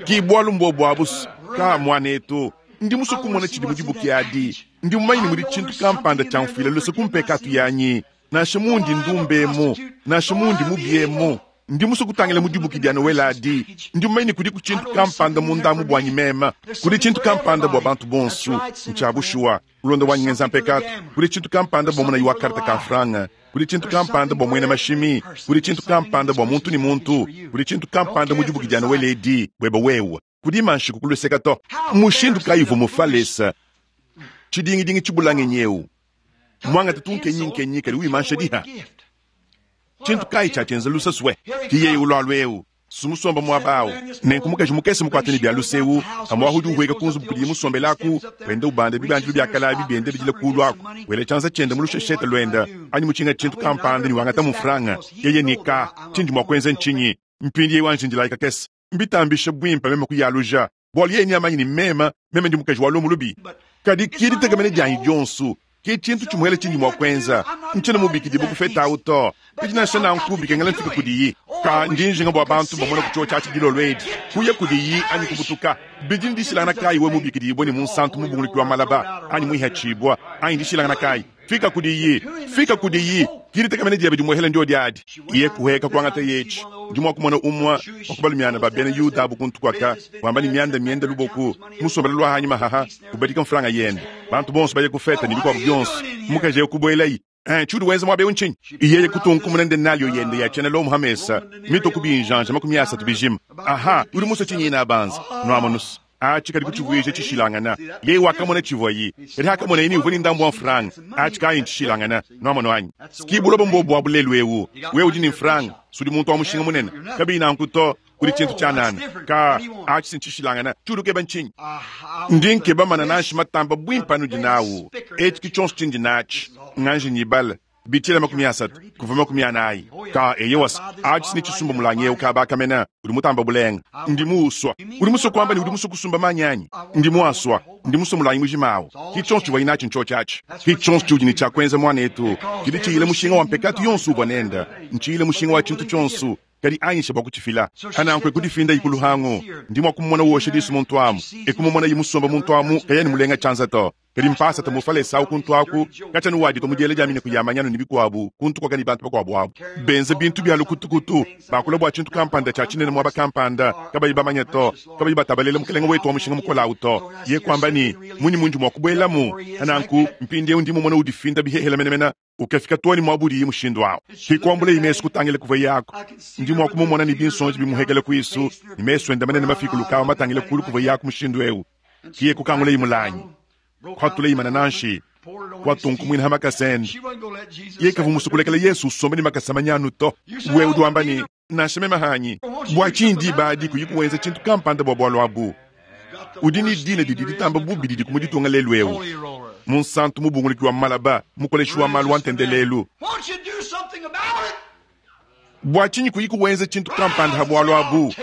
ki bualu mbuobu abusu ka muanetu ndi musue kumona tshidi mudibuki adi ndi mumanye ne mudi tshintu kampanda tshiamfuila luse kumpekatu yanyi nansha mundi ndumbemu nansha mundi mubiemu ndi musue kutangila mudibuki dia Noel adi ndi mumanye ne kudi ku tshintu kampanda mundamu buanyi mema kudi tshintu kampanda bua bantu bonso ntshia bushuwa ulonda wanyi ngenza mpekatu kudi tshintu kampanda bua munayi wa karta ka franga kudi tshintu kampanda bua muena mashimi kudi tshintu kampanda bua muntu ni muntu kudi tshintu kampanda mudibuki dia Noel edi bweba wewe kudi manshiku kuluseka to mushindu kayi uvua mufalesa tshidingidingi tshibulange nyeu mwangata tunkenyi-nkenyi kadi wimansha diha tshintu kayi tshiatshienza lusasue kiyeyi ulwalu eu sumusomba muaba awu nenku mukaji mukese mukuatene bia lusewu amwahu udi uhueka ku nzubu kudiye musombelaku wenda ubanda bibandilu bia kalabi biende bidila kulu aku wela tshianza tshiende mu lusheshete luenda anyi mutshinga tshintu kampanda ni wangata mu franga yeye ni ka tshindi mua kuenza ntshinyi mpindi yeyi wanjindilayi kakese mbitambishe bwimpe meme kuyaluja bualu yeye ni amanyi ni mema meme ndi mukaji wa lumu lubi kadi kiditegemene dianyi dionso ki tshintu tshimuhele tshindi mua kuenza ntshiena mubikidi bukufeta awu to kadi nansha nanku bikengela mfika kudiyi ka ndi njinga bua bantu bamona ku tshio tshiatshi dilolo edi kuya kudiyi anyi kubutuka bidi ndishilangana kayi we mubikidibue ne munsantu mubunguluki wa malaba anyi muihatshibua anyi ndishilangana kayi fika kudiyi fika kudiyi kiditegemene diebe dimuhele ndio diadi iye kuheka kuangata yetshi ndi mua kumona umue wa kubalumiana ba bena Yuda abu kuntu kwaka wamba ni mianda mienda luboku musombela lwa hanyi mahaha kubadika mfranga yende bantu bonso baye kufeta ni bikuabu bionso mukaji ye kubuelayi eh tshiudi wenza muaba eu ntshinyi iyeye kutunkumuna nde nalyo yende yatshiena lomu hamesa mito kubinjanja makumi asatu bijima aha udi musue tshinyi ina abanza nuamonusu atshi kadi kutshivuija tshishilangana yeye wakamona tshivuayi kadi hakamona yini uvua ni ndambu wa mfranga atshi kayi ntshishilangana nuamono anyi sikibulobo mbobu bua bulelu ewu wewe udi ni mfranga sudi muntu wa mushinga munene kabiyi nanku to kudi tshintu tshianana ka atshi sintshishilangana tshiudi ukeba ntshinyi ndi nkeba manananshi matamba bwimpe anudi nawu etshi ki tshionso tshindi natshi nganji nyibala Bitshila makumi asatu kuva makumi anayi ka eyewas achi ni chisumba mulangi eu kabakamena udi mutamba bulenga ndi muuswa udi musue kuamba ne udi musue kusumba manyanyi ndi muaswa ndi musue mulangi mujimawu ki tshionso tshivua inatshi ntsho tshatshi ki tshionso tshiudi ne tshia mwanetu tshidi tshiyile mushinga wa mpekatu yonso uvua nenda ntshiyile mushinga wa tshintu tshionso kadi anyisha bua kutshifila hanankwe kudifinda ikuluhangu ndi mua kumumona woshe disu muntu amu ekumumona yimusomba muntu amu kayani mulenga tshanza to kadi mpasa tamufalesa awu kuntu aku katshanu wadika mudiele dia mine kuyamanyanu ni bikuabu kuntu kwakani bantu bakuabu abu benze bintu bya lukutukutu bakula bua tshintu kampanda tshia tshinene muaba kampanda kabayi bamanya to kabayi batabalela mukelenga wetu wa mushinga mukola awu to ye kwamba ni munyi munji mua kubuelamu hananku mpindiewu ndi mumona udifinda bihehela menemene ukafika tuani mwabudi mushindu awu kikwambula imesu kutangila kuva yako ndi mua kumumona ni binsonji bimuhekele kuisu ni mesu enda manene mafikulukawa matangile kulu kuva yako mushindu ewu kiye kukangula imulanyi kwatula imana nanshi kwatunkumwina ha makasende ye kavumusukulekela yesu usombe ni makasa manyanu to we udi wamba ni nansha mema hanyi bua tshindi badi kuyi kuwenza tshintu kampanda bua bualu abu udi ni dina didi ditamba bubi didi kumuditunga lelu ewu munsantu mubunguluki wa malaba mukoleshi wa malu wa ntendelelu bua tshinyi kuyi kuwenza tshintu kampanda ha bualu abu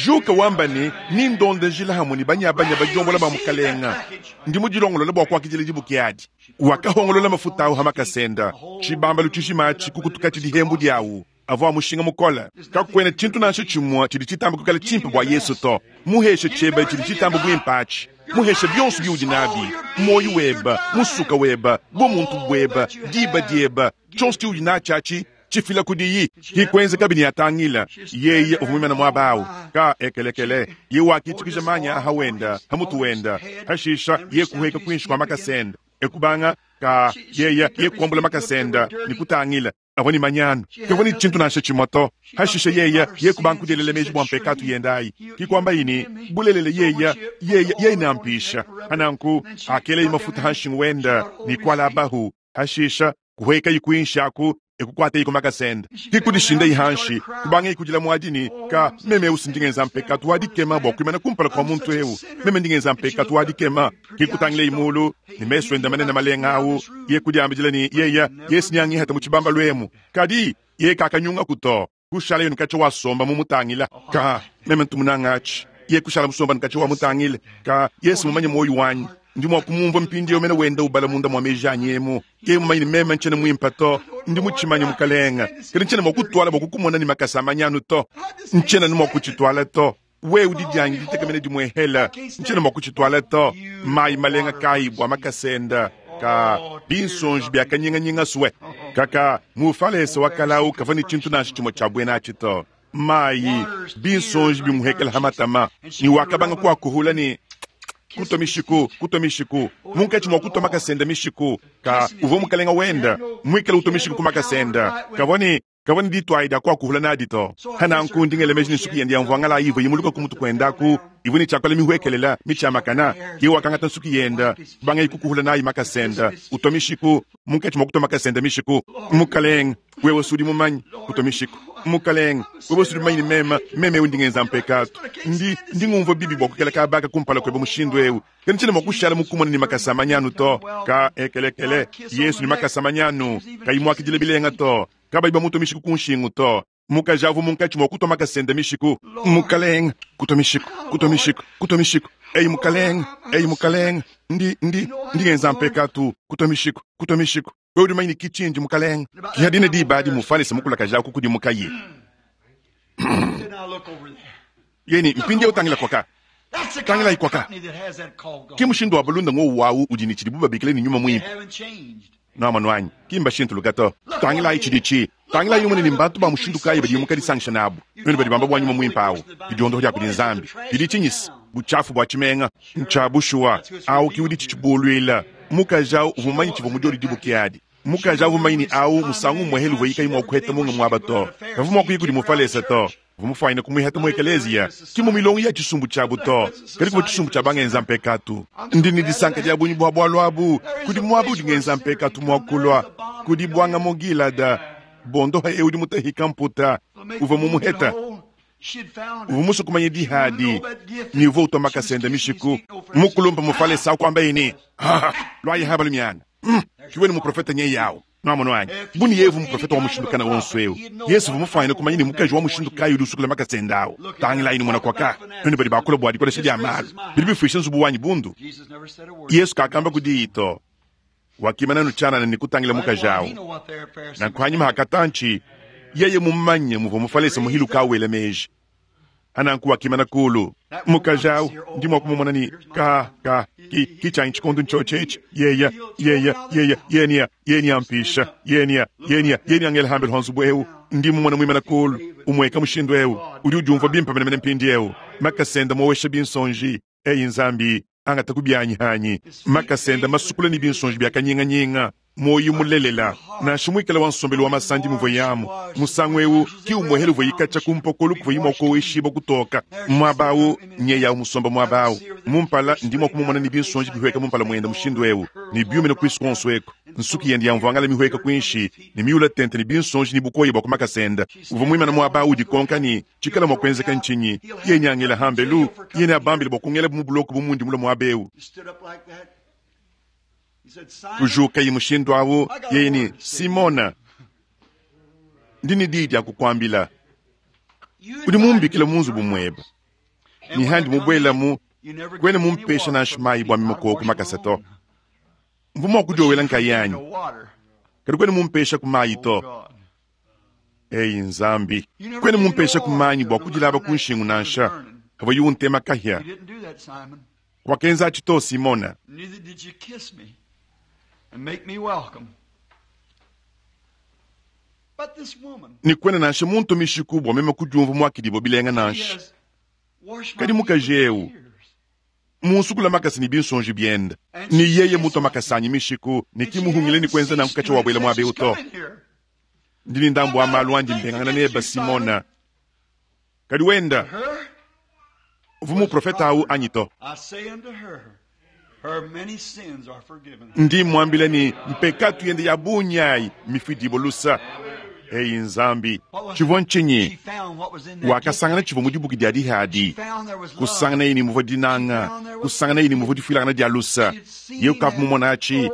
juka wamba ni nindonda njila hamwe ni banyabanya bajombola ba mukalenga ndi mudilongolola bua kuakidila dibuki adi wakahongolola mafuta awu ha makasenda tshibambalu tshijima kukutuka tshidihembu diawu avua mushinga mukola kakwena tshintu nansha tshimue tshidi tshitamba kukala tshimpe bua yesu to muheshe tshebe tshidi tshitamba buimpe atshi muheshe bionso biudi nabi moyo weba musuka weba bumuntu bweba diba dieba tshionso tshiudi natshi atshi tshifila kudiyi kikwenza kabini yatangila yeye uvumimana mwabawu ka ekelekele ye wakitikija manya aha wenda hamutu wenda hashisha ye kuheka kwinshi kwa makasenda ekubanga ka yeye ye kuambula makasenda ni kutangila avo ni manyanu kevo ni tshintu nansha tshimoto hashisha yeye ye kubanga kudelela meji bua mpekatu yendayi kikwamba ini bulelele yeye yeye ye inampisha hananku akele mafuta hanshingu wenda ni kwala abahu hashisha kuheka ikwinshi aku ekukwata iko makasenda kikudishinda ihanshi kubanga ikudila mwadini ka meme usi ndingenza mpekatu wadikema bua kuimana kumpala kwa muntu ewu meme ndingenza mpekatu wadikema kikutangile imulu ni mesu enda manene malenga awu ye kudiambidila ni yeya yesu nyangi hata muchibamba lwemu kadi ye kakanyunga kuto kushala yenu kacha wasomba mumutangila ka meme ntumunangachi ye kushala musomba nkacha wamutangile ka yesu mumanye moyo wanyi ndi mwa kumumva mpindi yo mene wenda ubala munda mwa meji anyemo ke mumanye meme ntshene mwimpa to ndi mutshimanye mukalenga kadi ntshene mwa kutwala bua kukumona ni makasa manyanu to ntshene ni mwa kutshitwala to we udi diangi ditekamene dimwehela ntshene mwa kutshitwala to mayi malenga kayi bua makasenda ka binsonji bia kanyinganyinga suwe kaka mufalesa wakalau kava ni tshintu nansha tshimue tshia buena atshi to mayi binsonji bimuhekela hamatama ni wakabanga kuakuhula ni kutwa mishiku kutwa mishiku munkatshi mua kutwa makasenda mishiku ka uvua mukalenga wenda mwikala utwa mishiku ku makasenda kavua kavua ni ditwaida kuakuhula nadi to hananku ndingele meji ni nsuku yende yamvuangala ivua yimuluka kumutu kuendaku ivua ni tshiakola mihuekelela mitshiamakana ye wakangata nsuku yenda banga ikukuhula nayi makasenda utwa mishiku munkatshi mua kutwa makasenda mishiku mukalenga wewe sudi mumanyi kutwa mishiku mukalenga wewe sudi mumanyi ni mema meme ewu ndingenza mpekatu ndi ndingumvua bibi bua kukela kabaka kumpala kweba mushindu ewu kadi ntshene mua kushala mukumona ni makasa manyanu to ka ekelekele yesu ni makasa manyanu kayimuakidile bilenga to kabayi bamutu mishiku kunshingu to mukajavu munkatshi mua kutwa makasenda mishiku mukalenga kutwa mishiku kutwa mishiku kutwa mishiku eyi mukalenga eyi mukalenga ndi ndi ndingenza mpekatu kutwa mishiku kutwa mishiku wewe udi manyini kitshindi mukalenga kihadine dibadi mufalisa mukulakajaku kudi mukayi yeni mpindi utangila kwaka tangila ikwaka ki mushindu wa bulunda ngo wawu udi ni tshidibu babikile ni nyuma mwimpe namano anyi kimba shintuluka to tangilayi tshidi tangilayi yumune ni mbantu ba mushindu kayi badi mukadisangisha nabu nenu badi bamba bua nyuma mwimpe awu didiondoho dia kudi nzambi didi tshinyisi buchafu bua tshimenga ntshia bushuwa awu kiudi tshitshibuluila mukaji awu uvua mumanyi tshivua mudiodi dibuki adi mukaji awu mumanyi ni awu musangu umue uvua yikayi mua kuheta munga muaba to kavua mua kuyi kudi mufalesa to uvua mufuanyine kumuihata mu ekeleziya ki mu milongo ya tshisumbu tshiabu to kadi kuvua tshisumbu tshia bangenza mpekatu ndi ni disanka dia bunyi bua bualu abu kudi muaba udi ngenza mpekatu mua kulua kudi buanga mu gilada bondoha ewu udi mutahika mputa uvua mumuheta uvua musue kumanya dihadi ni uvua utwa makasenda mishiku mukulumpa mufalesa akuamba ini lwayi haba lumiana mm, kiweni muprofeta nye yawu Nwamonu anyi? Bu ne yeye uvua muprofete wa mushindu kana wonso eu, Yesu uvua mufwanyine kumanya ne mukaji wa mushindu kayi udi usukula makasa ende awu. Tangilayi ne mona kwaka, nuenu badi bakula bua dikolesha dia malu, bidi bifuisha nzubu wanyi bundu. Yesu kakamba ku diyi to. Wakimana anu tshianana ne kutangila mukaji awu. Nanku hanyima ha katantshi, yeye mumanye muvua Mufalese muhiluka awu wela meji. Ananku wakimana kulu. Mukaji awu, ndi mua kumumona ne, ka, ka, ki, ki tshianyi tshikondu ntshiotshi etshi. Yeya, yeya, yeya, yenia, yenia mpisha, yenia, yenia, yenia ngela hambelu ha nzubu eu. Ndi mumona muimana kulu, umueka mushindu eu. Udi udiumvua bimpe menemene mpindieu. Makasa ende mowesha binsonji. Eyi Nzambi, angata ku bianyi hanyi. Makasa ende masukula ne binsonji bia kanyinganyinga. Muoyo mulelela, nansha muikale wa nsombelu wa masandi muvua yamu. Musangu eu ki umuehele uvua yikatsha ku mpokolo kuvua yimua koweshibua kutoka. Muaba awu, nyeya awu musomba muaba awu. Mumpala, ndi mua kumumona ne binsonji bihueka mumpala muende mushindu eu, ne biumina kuisu kuonso eku. Nsuki yende ya mvuangala mihueka kuinshi, ne miula tente ne binsonji ne bukoya bua ku makasa ende. Uvua muimana muaba awu udikonka ne, tshikala mua kuenzeka ntshinyi? Yeye nyangela hambelu, yeye neabambile bua kungela mu buloko bu mundi mulue muaba eu. Kujukaye mushindu awu, yeye ne, Simona, ndi ne diyi dia kukuambila. Udi mumbikile mu nzubu muebe, ne handi mubuelamu, kuena mumpesha nansha mayi bua meme ku makasa to. Mvua mua kudiowela nkayanyi, kadi kuena mumpesha ku mayi to. Eyi Nzambi, kuena mumpesha ku mayi bua kudilaba ku nshingu nansha, havua yu untema kahia. Wakenza atshi to, Simona. Neither did you kiss me and make me welcome. But this woman, Ne kuena nansha muntu mishiku bua meme kudiumvua muakidibua bilenga she nansha. has washed my Kadi feet mukaji with eu, tears. munsukula makasa ne binsonji biende. Ne yeye mutua makasa anyi mishiku, ne And she kimuhungile ne hasn't kuenza nanku ceased katsha to wabuela since muaba she's eu to. come in here. Ndi ne ndambu wa malu andi mbengangana neba Simona. Kadi wenda, Her, uvua muprofeta awu anyi to. I say unto her, her many sins are forgiven. Ndi mwambile ne mpekatu yende ya bunyayi mifuidibua lusa. Eyi Nzambi, tshivua ntshinyi? She found what was in that Wakasangana tshivua mu dibuki dia gift. She dihadi. found there was love. Kusangana yeye ne muvua dinanga, kusangana yeye ne muvua difuilangana dia lusa. Yeye ukavua mumona atshi.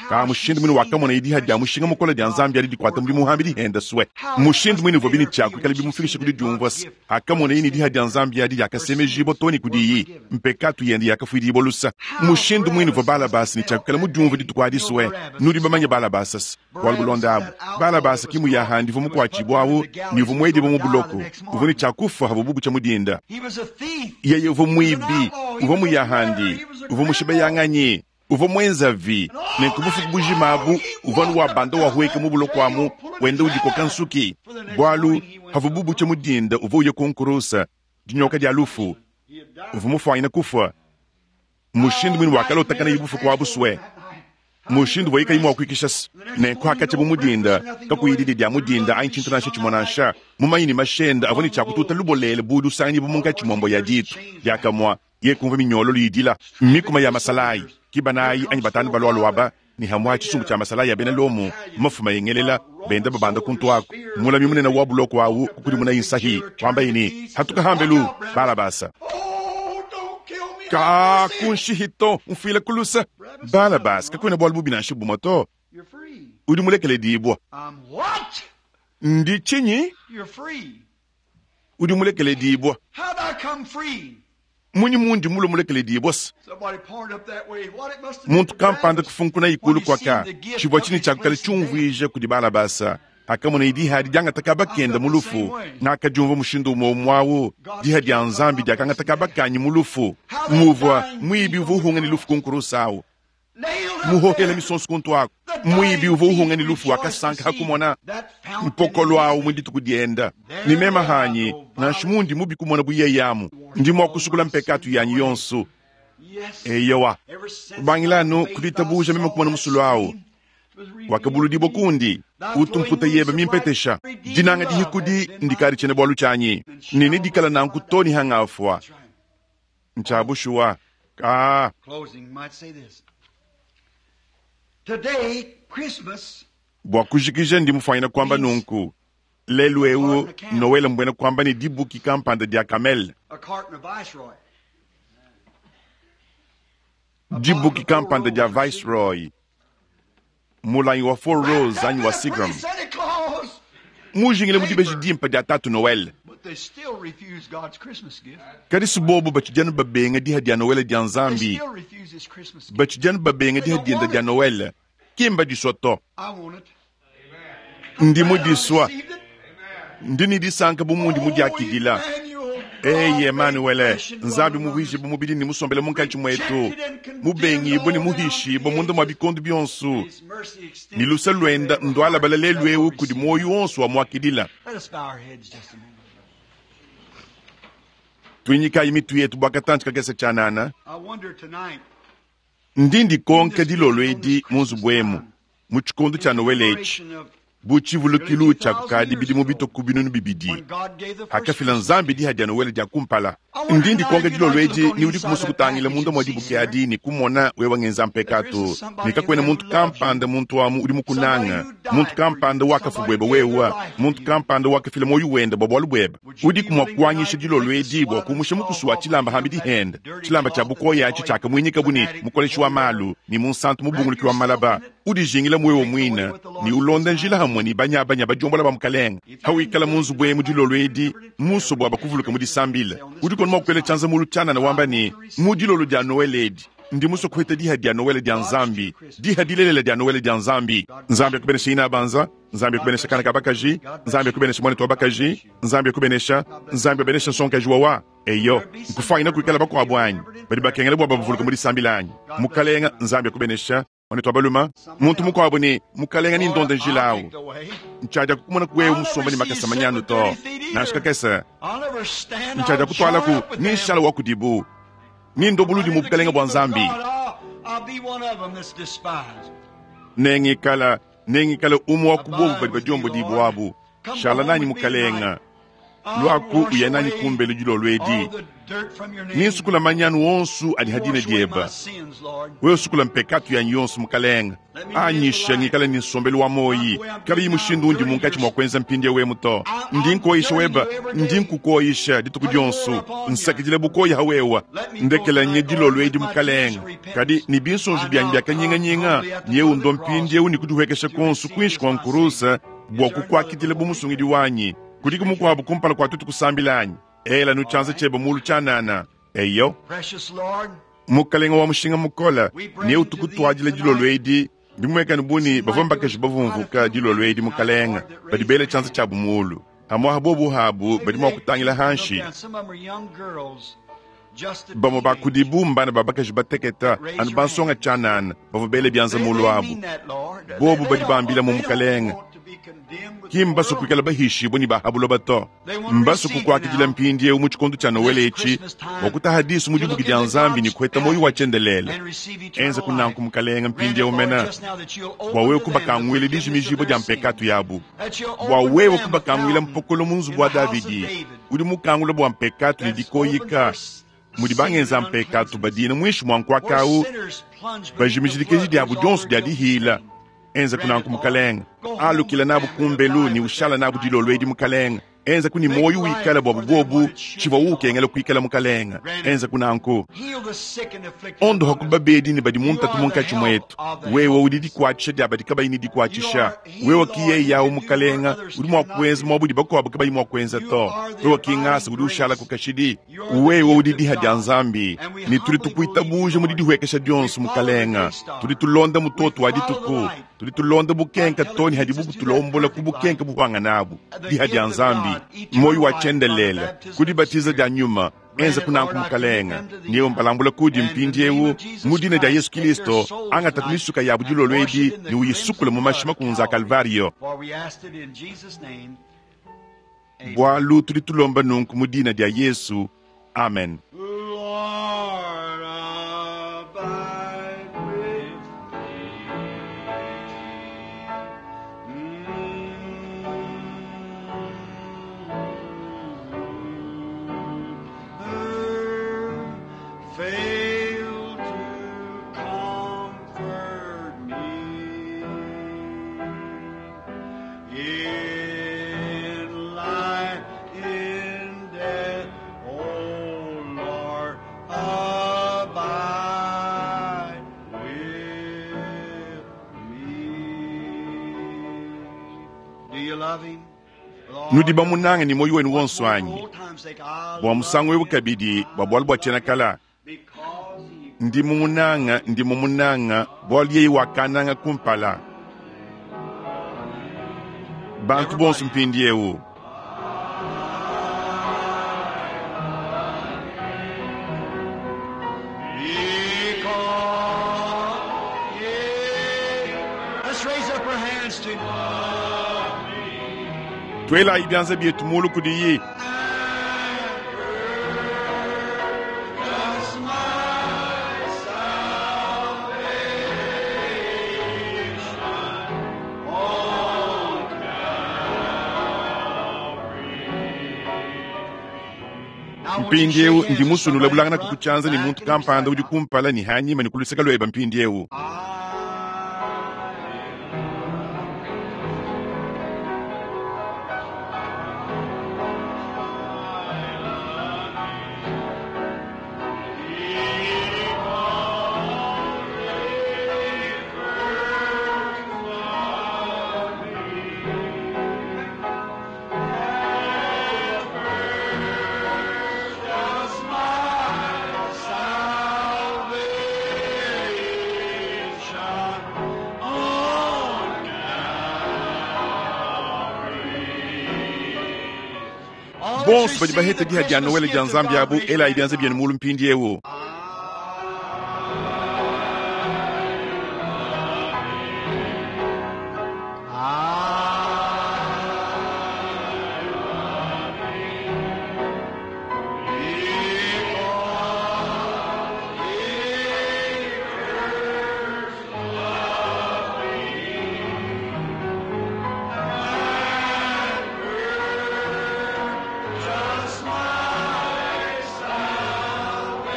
Ka mushindu mwine wakamona idiha dia mushinga mukole dia Nzambi adi dikuata mudimu hambi dihenda swe. Mushindu mwine uvua bini tshia kuikala bimufikisha kudi diumvua se. Akamona yeye ne diha dia Nzambi adi diakasemejibua too ne kudiyi. Mpekatu yende yakafuidibua lusa. Mushindu mwine uvua Balabasi ne tshia kuikala mudiumvua dituku adi swe. Nudi bamanye Balabasi se. Bualu bulonda abu. Balabasi ki muyahandi uvua mukuatshibua awu, ne uvua muedibua mu buloko. Uvua ne tshia kufa havua bubu tshia mudinda. He was a thief. Yeye uvua muibi, uvua muyahandi, uvua mushibeyanganyi, uvua mwenzavi. Nenku bufuku bujima abu, uvua nu wa banda wahueka mu buloko amu, wenda udikoka nsuki. Bualu, havua bubu tshia mudinda uvua uya ku nkurusa, dinyoka dia lufu, uvua mufuanyine kufua. Mushindu mwine wakalotakana ye bufuku abu swe. Mushindu uvua yikayi mua kuikisha se. Nenku hakatshia bu mudinda, kakuyi didi dia mudinda anyi tshintu nansha tshimue nansha. Mumanyi ne mashenda avua ne tshia kututa lubolele bu lusanganyi bu munkatshi mua mbo ya ditu. Diakamua, ye kumva minyololo yidila, mikuma ya masalayi, ki banayi anyi batanu balua aba, ne hamua tshisumbu tshia masalayi ya bena Lomo, mafuma yengelela, benda babanda kuntu aku. Mulami munene wa buloko awu kukudimuna insahi, wambaye ne, hatuka hambelu, Balabasa. Oh, don't kill me. Ka kunshihito mfuile kulusa. Balabasa, kakuena bualu bubi nansha bumue to. You're free. Udi mulekeledibua. I'm what? Ndi tshinyi? You're free. Udi mulekeledibua. How'd I come free? Munyi mundi mulue mulekeledibua se. Somebody pointed up that way. What it must have been Muntu to kampanda Barabbas kufunkuna when ikulu he kwaka. seen the gift Tshivua took tshini his tshia kukala place in death. tshiumvuija kudi Balabasa. Akamona idiha diangata kabakenda mu lufu. Nakadiumvua mushindu umue umue awu. Diha dia Nzambi diakangata kabakanyi mu lufu. Muvua muibi uvua uhunga ne lufu ku nkurusa awu. Nailed up Muhohela there. misonso kuntu aku. The Muibi dying uvua thief uhunga ne lufu rejoiced to wakasanka see hakumona that fountain mpokolo in awu mu dituku dienda. Ni mema hanyi, nansha mundi mubi kumona bu yeye amu. Ndi mua kusukula mpekatu yanyi yonso. Yes. Eyowa. Ever since Kubangilanu by faith kuditabuja I meme saw kumona that musulu awu. stream was revealed Wakabuludibua to me. kundi. Thy Utu flowing mputa roots yebe of mimpetesha. life, redeeming Dinanga love dihikudi has been mine. ndikadi tshiena bualu tshianyi. Nini dikala nanku to ni hangafua. That's right. Ntshabushuwa. Ka. Closing might say this. Today, Christmas Bua kujikija ndi mufuanyine kuamba nunku. Lelu eu, Noel mbuena kuamba ne dibuki kampanda dia kamel. a carton of Viceroy. Dibuki kampanda dia Viceroy. Mulangi wa Four Rose anyi wa Seagram, mujingile mu dibeji dimpe dia Tatu Noel. Kadi si bobu batshidi anu babenga diha dia Noel dia Nzambi, batshidi anu babenga diha dienda dia Noel, ki mbadisua to. Ndi mudisua, ndi ne disanka bu mundi mudiakidila. Eyi Emanuele, Nzambi muvuije bu mubidi ne musombele munkatshi muetu, mubengibue ne muhishibue munda mua bikondo bionso, ne luse luenda ndualabala lelu eu kudi muoyo wonso wa muakidila. Tuinyikayi mitu yetu bua katantshi kakese tshianana. Ndi ndikonka dilolo edi mu nzubu emu, mu tshikondo tshia Noele etshi, bu tshivulukilu tshia kukadi bidimu bitue ku binunu bibidi hakafila Nzambi diha dia Noele dia kumpala. Ndi ndikonka dilolo edi ni udi kumusu kutangila munda mua dibuki adi ne kumona wewe ngenza mpekatu, ne kakuena muntu kampanda muntu amu udi mukunanga, muntu kampanda wakafu buebe wewe, muntu kampanda wakafila muoyo wende bua bualu buebe. Udiku mua kuanyisha dilolo edi bua kumusha mukusu wa tshilamba hambidi hende, tshilamba tshia bukoya atshi tshiakamuinyika bu ne mukoleshi wa malu ne munsantu mubunguluki wa malaba. Udijingila mwewe muine ne ulonda njila hamwe ne banyabanya badiombola ba mukalenge. Hawikala mu nzubu emu dilolo edi muso bua bakuvuluka mu disambila, udi kono mua kuela tshianza mulu tshianana wamba ne, mu dilolo dia Noel edi ndi muso kuheta diha dia Noel dia Nzambi, diha dilelela dia Noel dia Nzambi. Nzambi akubenesha ina banza, Nzambi akubenesha kana ka bakaji, Nzambi akubenesha mwana wa bakaji, Nzambi akubenesha, Nzambi abenesha nsonkaji wawa. Eyo, nkufaina kuikala bakuabu anyi badi bakengela bua bavuluka mu disambila anyi. Mukalenga Nzambi akubenesha mwana wa baluma, muntu mukuabu ne mukalenga ni ndonda njila awu ntshadia kukumona kuwewe musomba ne makasa manyanu to nansha kakese ntshadia kutwalaku ni nshala wa kudibu ni ndobuludi mu bukalenga bua Nzambi. Nengikala nengikala umwe wa kubobu badi badiombo dibu abu shala nanyi mukalenga lwaku uya nanyi kumbelu dilolo edi ninsukula manyanu wonsu adi hadina dieba wewe usukula mpekatu yanyi yonsu mukalenga anyisha ngikala ni nsombelu wa moyi kabiyi mushindu undi munkatshi mua kuenza mpindiewu emu to. Ndi nkoyisha weba, ndi nkukoyisha dituku dionsu, nsakidila bukoyi hawewa ndekela nye dilolo edi mukalenga. Kadi ni binsonji byanyi byakanyinganyinga nyeu ndo mpindiewu ni kudihuekesha konsu kuinshi kua nkurusa bua kukuakidila bu musungidi wanyi. Kudiku mukuabu kumpala kua tutu kusambila anyi ela nu tshianza tshiebe mulu tshianana. Eyo mukalenga wa mushinga mukola ne utukutwadila dilolo edi bimuekane buni bavua mbakaji bavumvuka dilolo edi mukalenga badi bela tshianza tshiabu mulu hamwaha bobu habu badi mua kutangila hanshi. Bamue bakudibu mbana ba bakaji bateketa anu bansonga tshianana bavua bela bianza mulu abu bobu badi bambila mu mukalenga ki mbasu kuikala bahishibue ne bahabuloba to mbasu kukuakidila mpindiewu mu tshikondo tshia Noele etshi bua kutaha disu mu dibuki dia Nzambi ne kuheta muoyo wa tshiendelele. Enza kunanku mukalenga mpindiewu mena bua wewe kubakanguila dijimijibua dia mpekatu yabu, bua wewe kubakanguila mpokolo mu nzubu wa Davidi udi mukangula bua mpekatu ne dikoyika mudi bangenza mpekatu badina muinshi mua nkuakawu bajimijidikeji diabu dionso dia dihila. Enza kunanku mukalenga alukila nabu kumbelu ni ushala nabu dilolo edi mukalenga. Enza kuni moyo wikala bua bubobu tshivua ukengela kuikala mukalenga. Enza kunanku ondoha kubabedi ne badi muntatu munkatshi muetu. Wewe udi dikuatshisha dia badi kabayi ne dikuatshisha. Wewe kiye yawu mukalenga udi mua kuenza mua budi bakuabu kabayi mua kuenza to. Wewe kingasa udi ushala kukashidi. Wewe udi diha dia Nzambi ne tudi tukuitabuja mudi dihuekesha dionso mukalenga. Tudi tulonda mutoto wa dituku, tudi tulonda bukenka toni hadi bukutulombola ku bukenka buhwanga nabu. Diha dia Nzambi moyo wa tshiendelele kudibatiza dia nyuma. Enza kunanku mukalenga niyo mbalambula kudi mpindiewu mu dina dia Yesu Kristo angata kumisuka yabu dilolo edi ne uyisukula mu mashima kunza Kalvario. Bwalu tudi tulomba nunku mu dina dia Yesu. Amen. Lord, abide with me. Fail to comfort me in life, in death, O Lord, abide with me. you love him? With all Nudi your bamunange ne muoyo wenu Once wonso more for anyi? old time's sake, I Bua musangu love eu him kabidi, bua bualu bua tshiena kala, because he ndi mumunanga, ndi mumunanga, bualu yeye wakananga kumpala. Bantu bonso mpindieu. Because he Let's raise up our hands to Twelayi bianza bietu mulu kudiyi. Just my salvation on Calvary. Now, won't you Mpindieu shake hands ndi with musunula somebody in bulangana front, kukutshianza ne back, muntu and kampanda beside udi you. kumpala ne hanyima ne kuluseka lweba mpindieu. Just my salvation on Calvary. Bonso badi baheta diha dia Noele dia Nzambi abu elayi bianza bienu mulu mpindieu. Just my salvation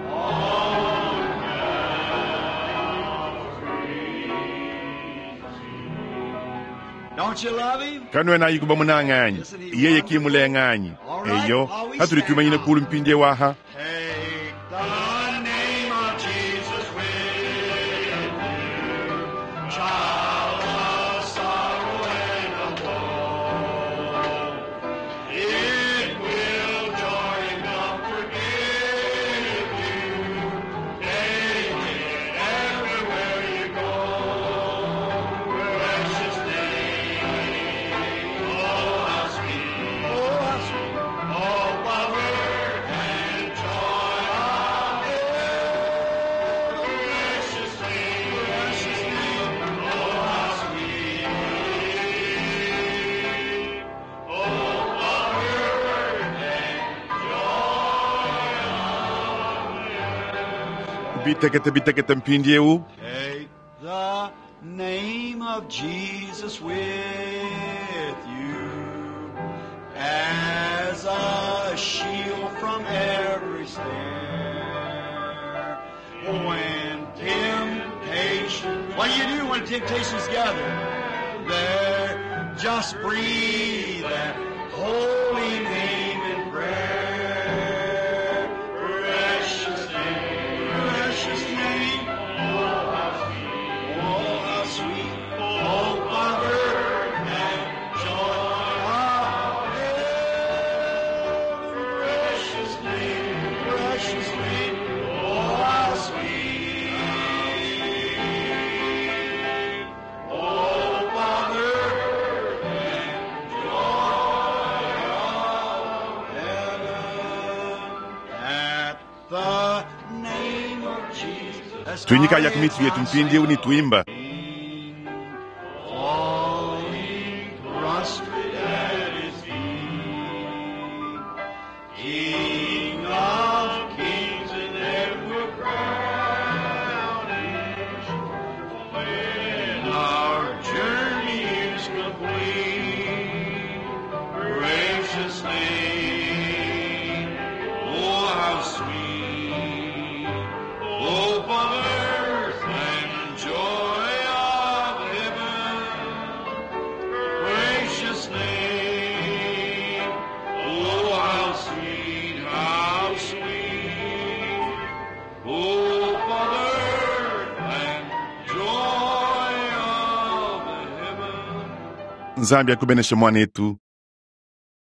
on Calvary. Don't you love him? Kanuena kuba munanga anyi? Yeye ki mulenga anyi? Eyo, hatuli tumanyine kulu mpindieu aha. Take the name of Jesus with you, child of sorrow and of woe. It will joy and comfort give you. Take it everywhere you go. Precious name, oh how sweet, oh how sweet, oh power and joy of heaven. Precious name, precious name, oh how sweet, oh power and joy. Bitekete bitekete mpindieu. Take the name of Jesus with you as a shield from every snare. When temptation, what do you do when temptations gather? There, just breathe that holy name in prayer. Precious name, precious name. Oh, how sweet, oh, how sweet, oh, power and joy of heaven. Precious name, precious name, oh, how sweet, oh, power and joy of heaven. At the name of Jesus. Tuinyika yak mitu yetu mpindieu ni tuimba. Falling prostrate at his feet, King of kings and ever crowned when our journey is complete, precious name, oh how sweet, hope of earth and joy. Nzambi akubeneshe mwanetu.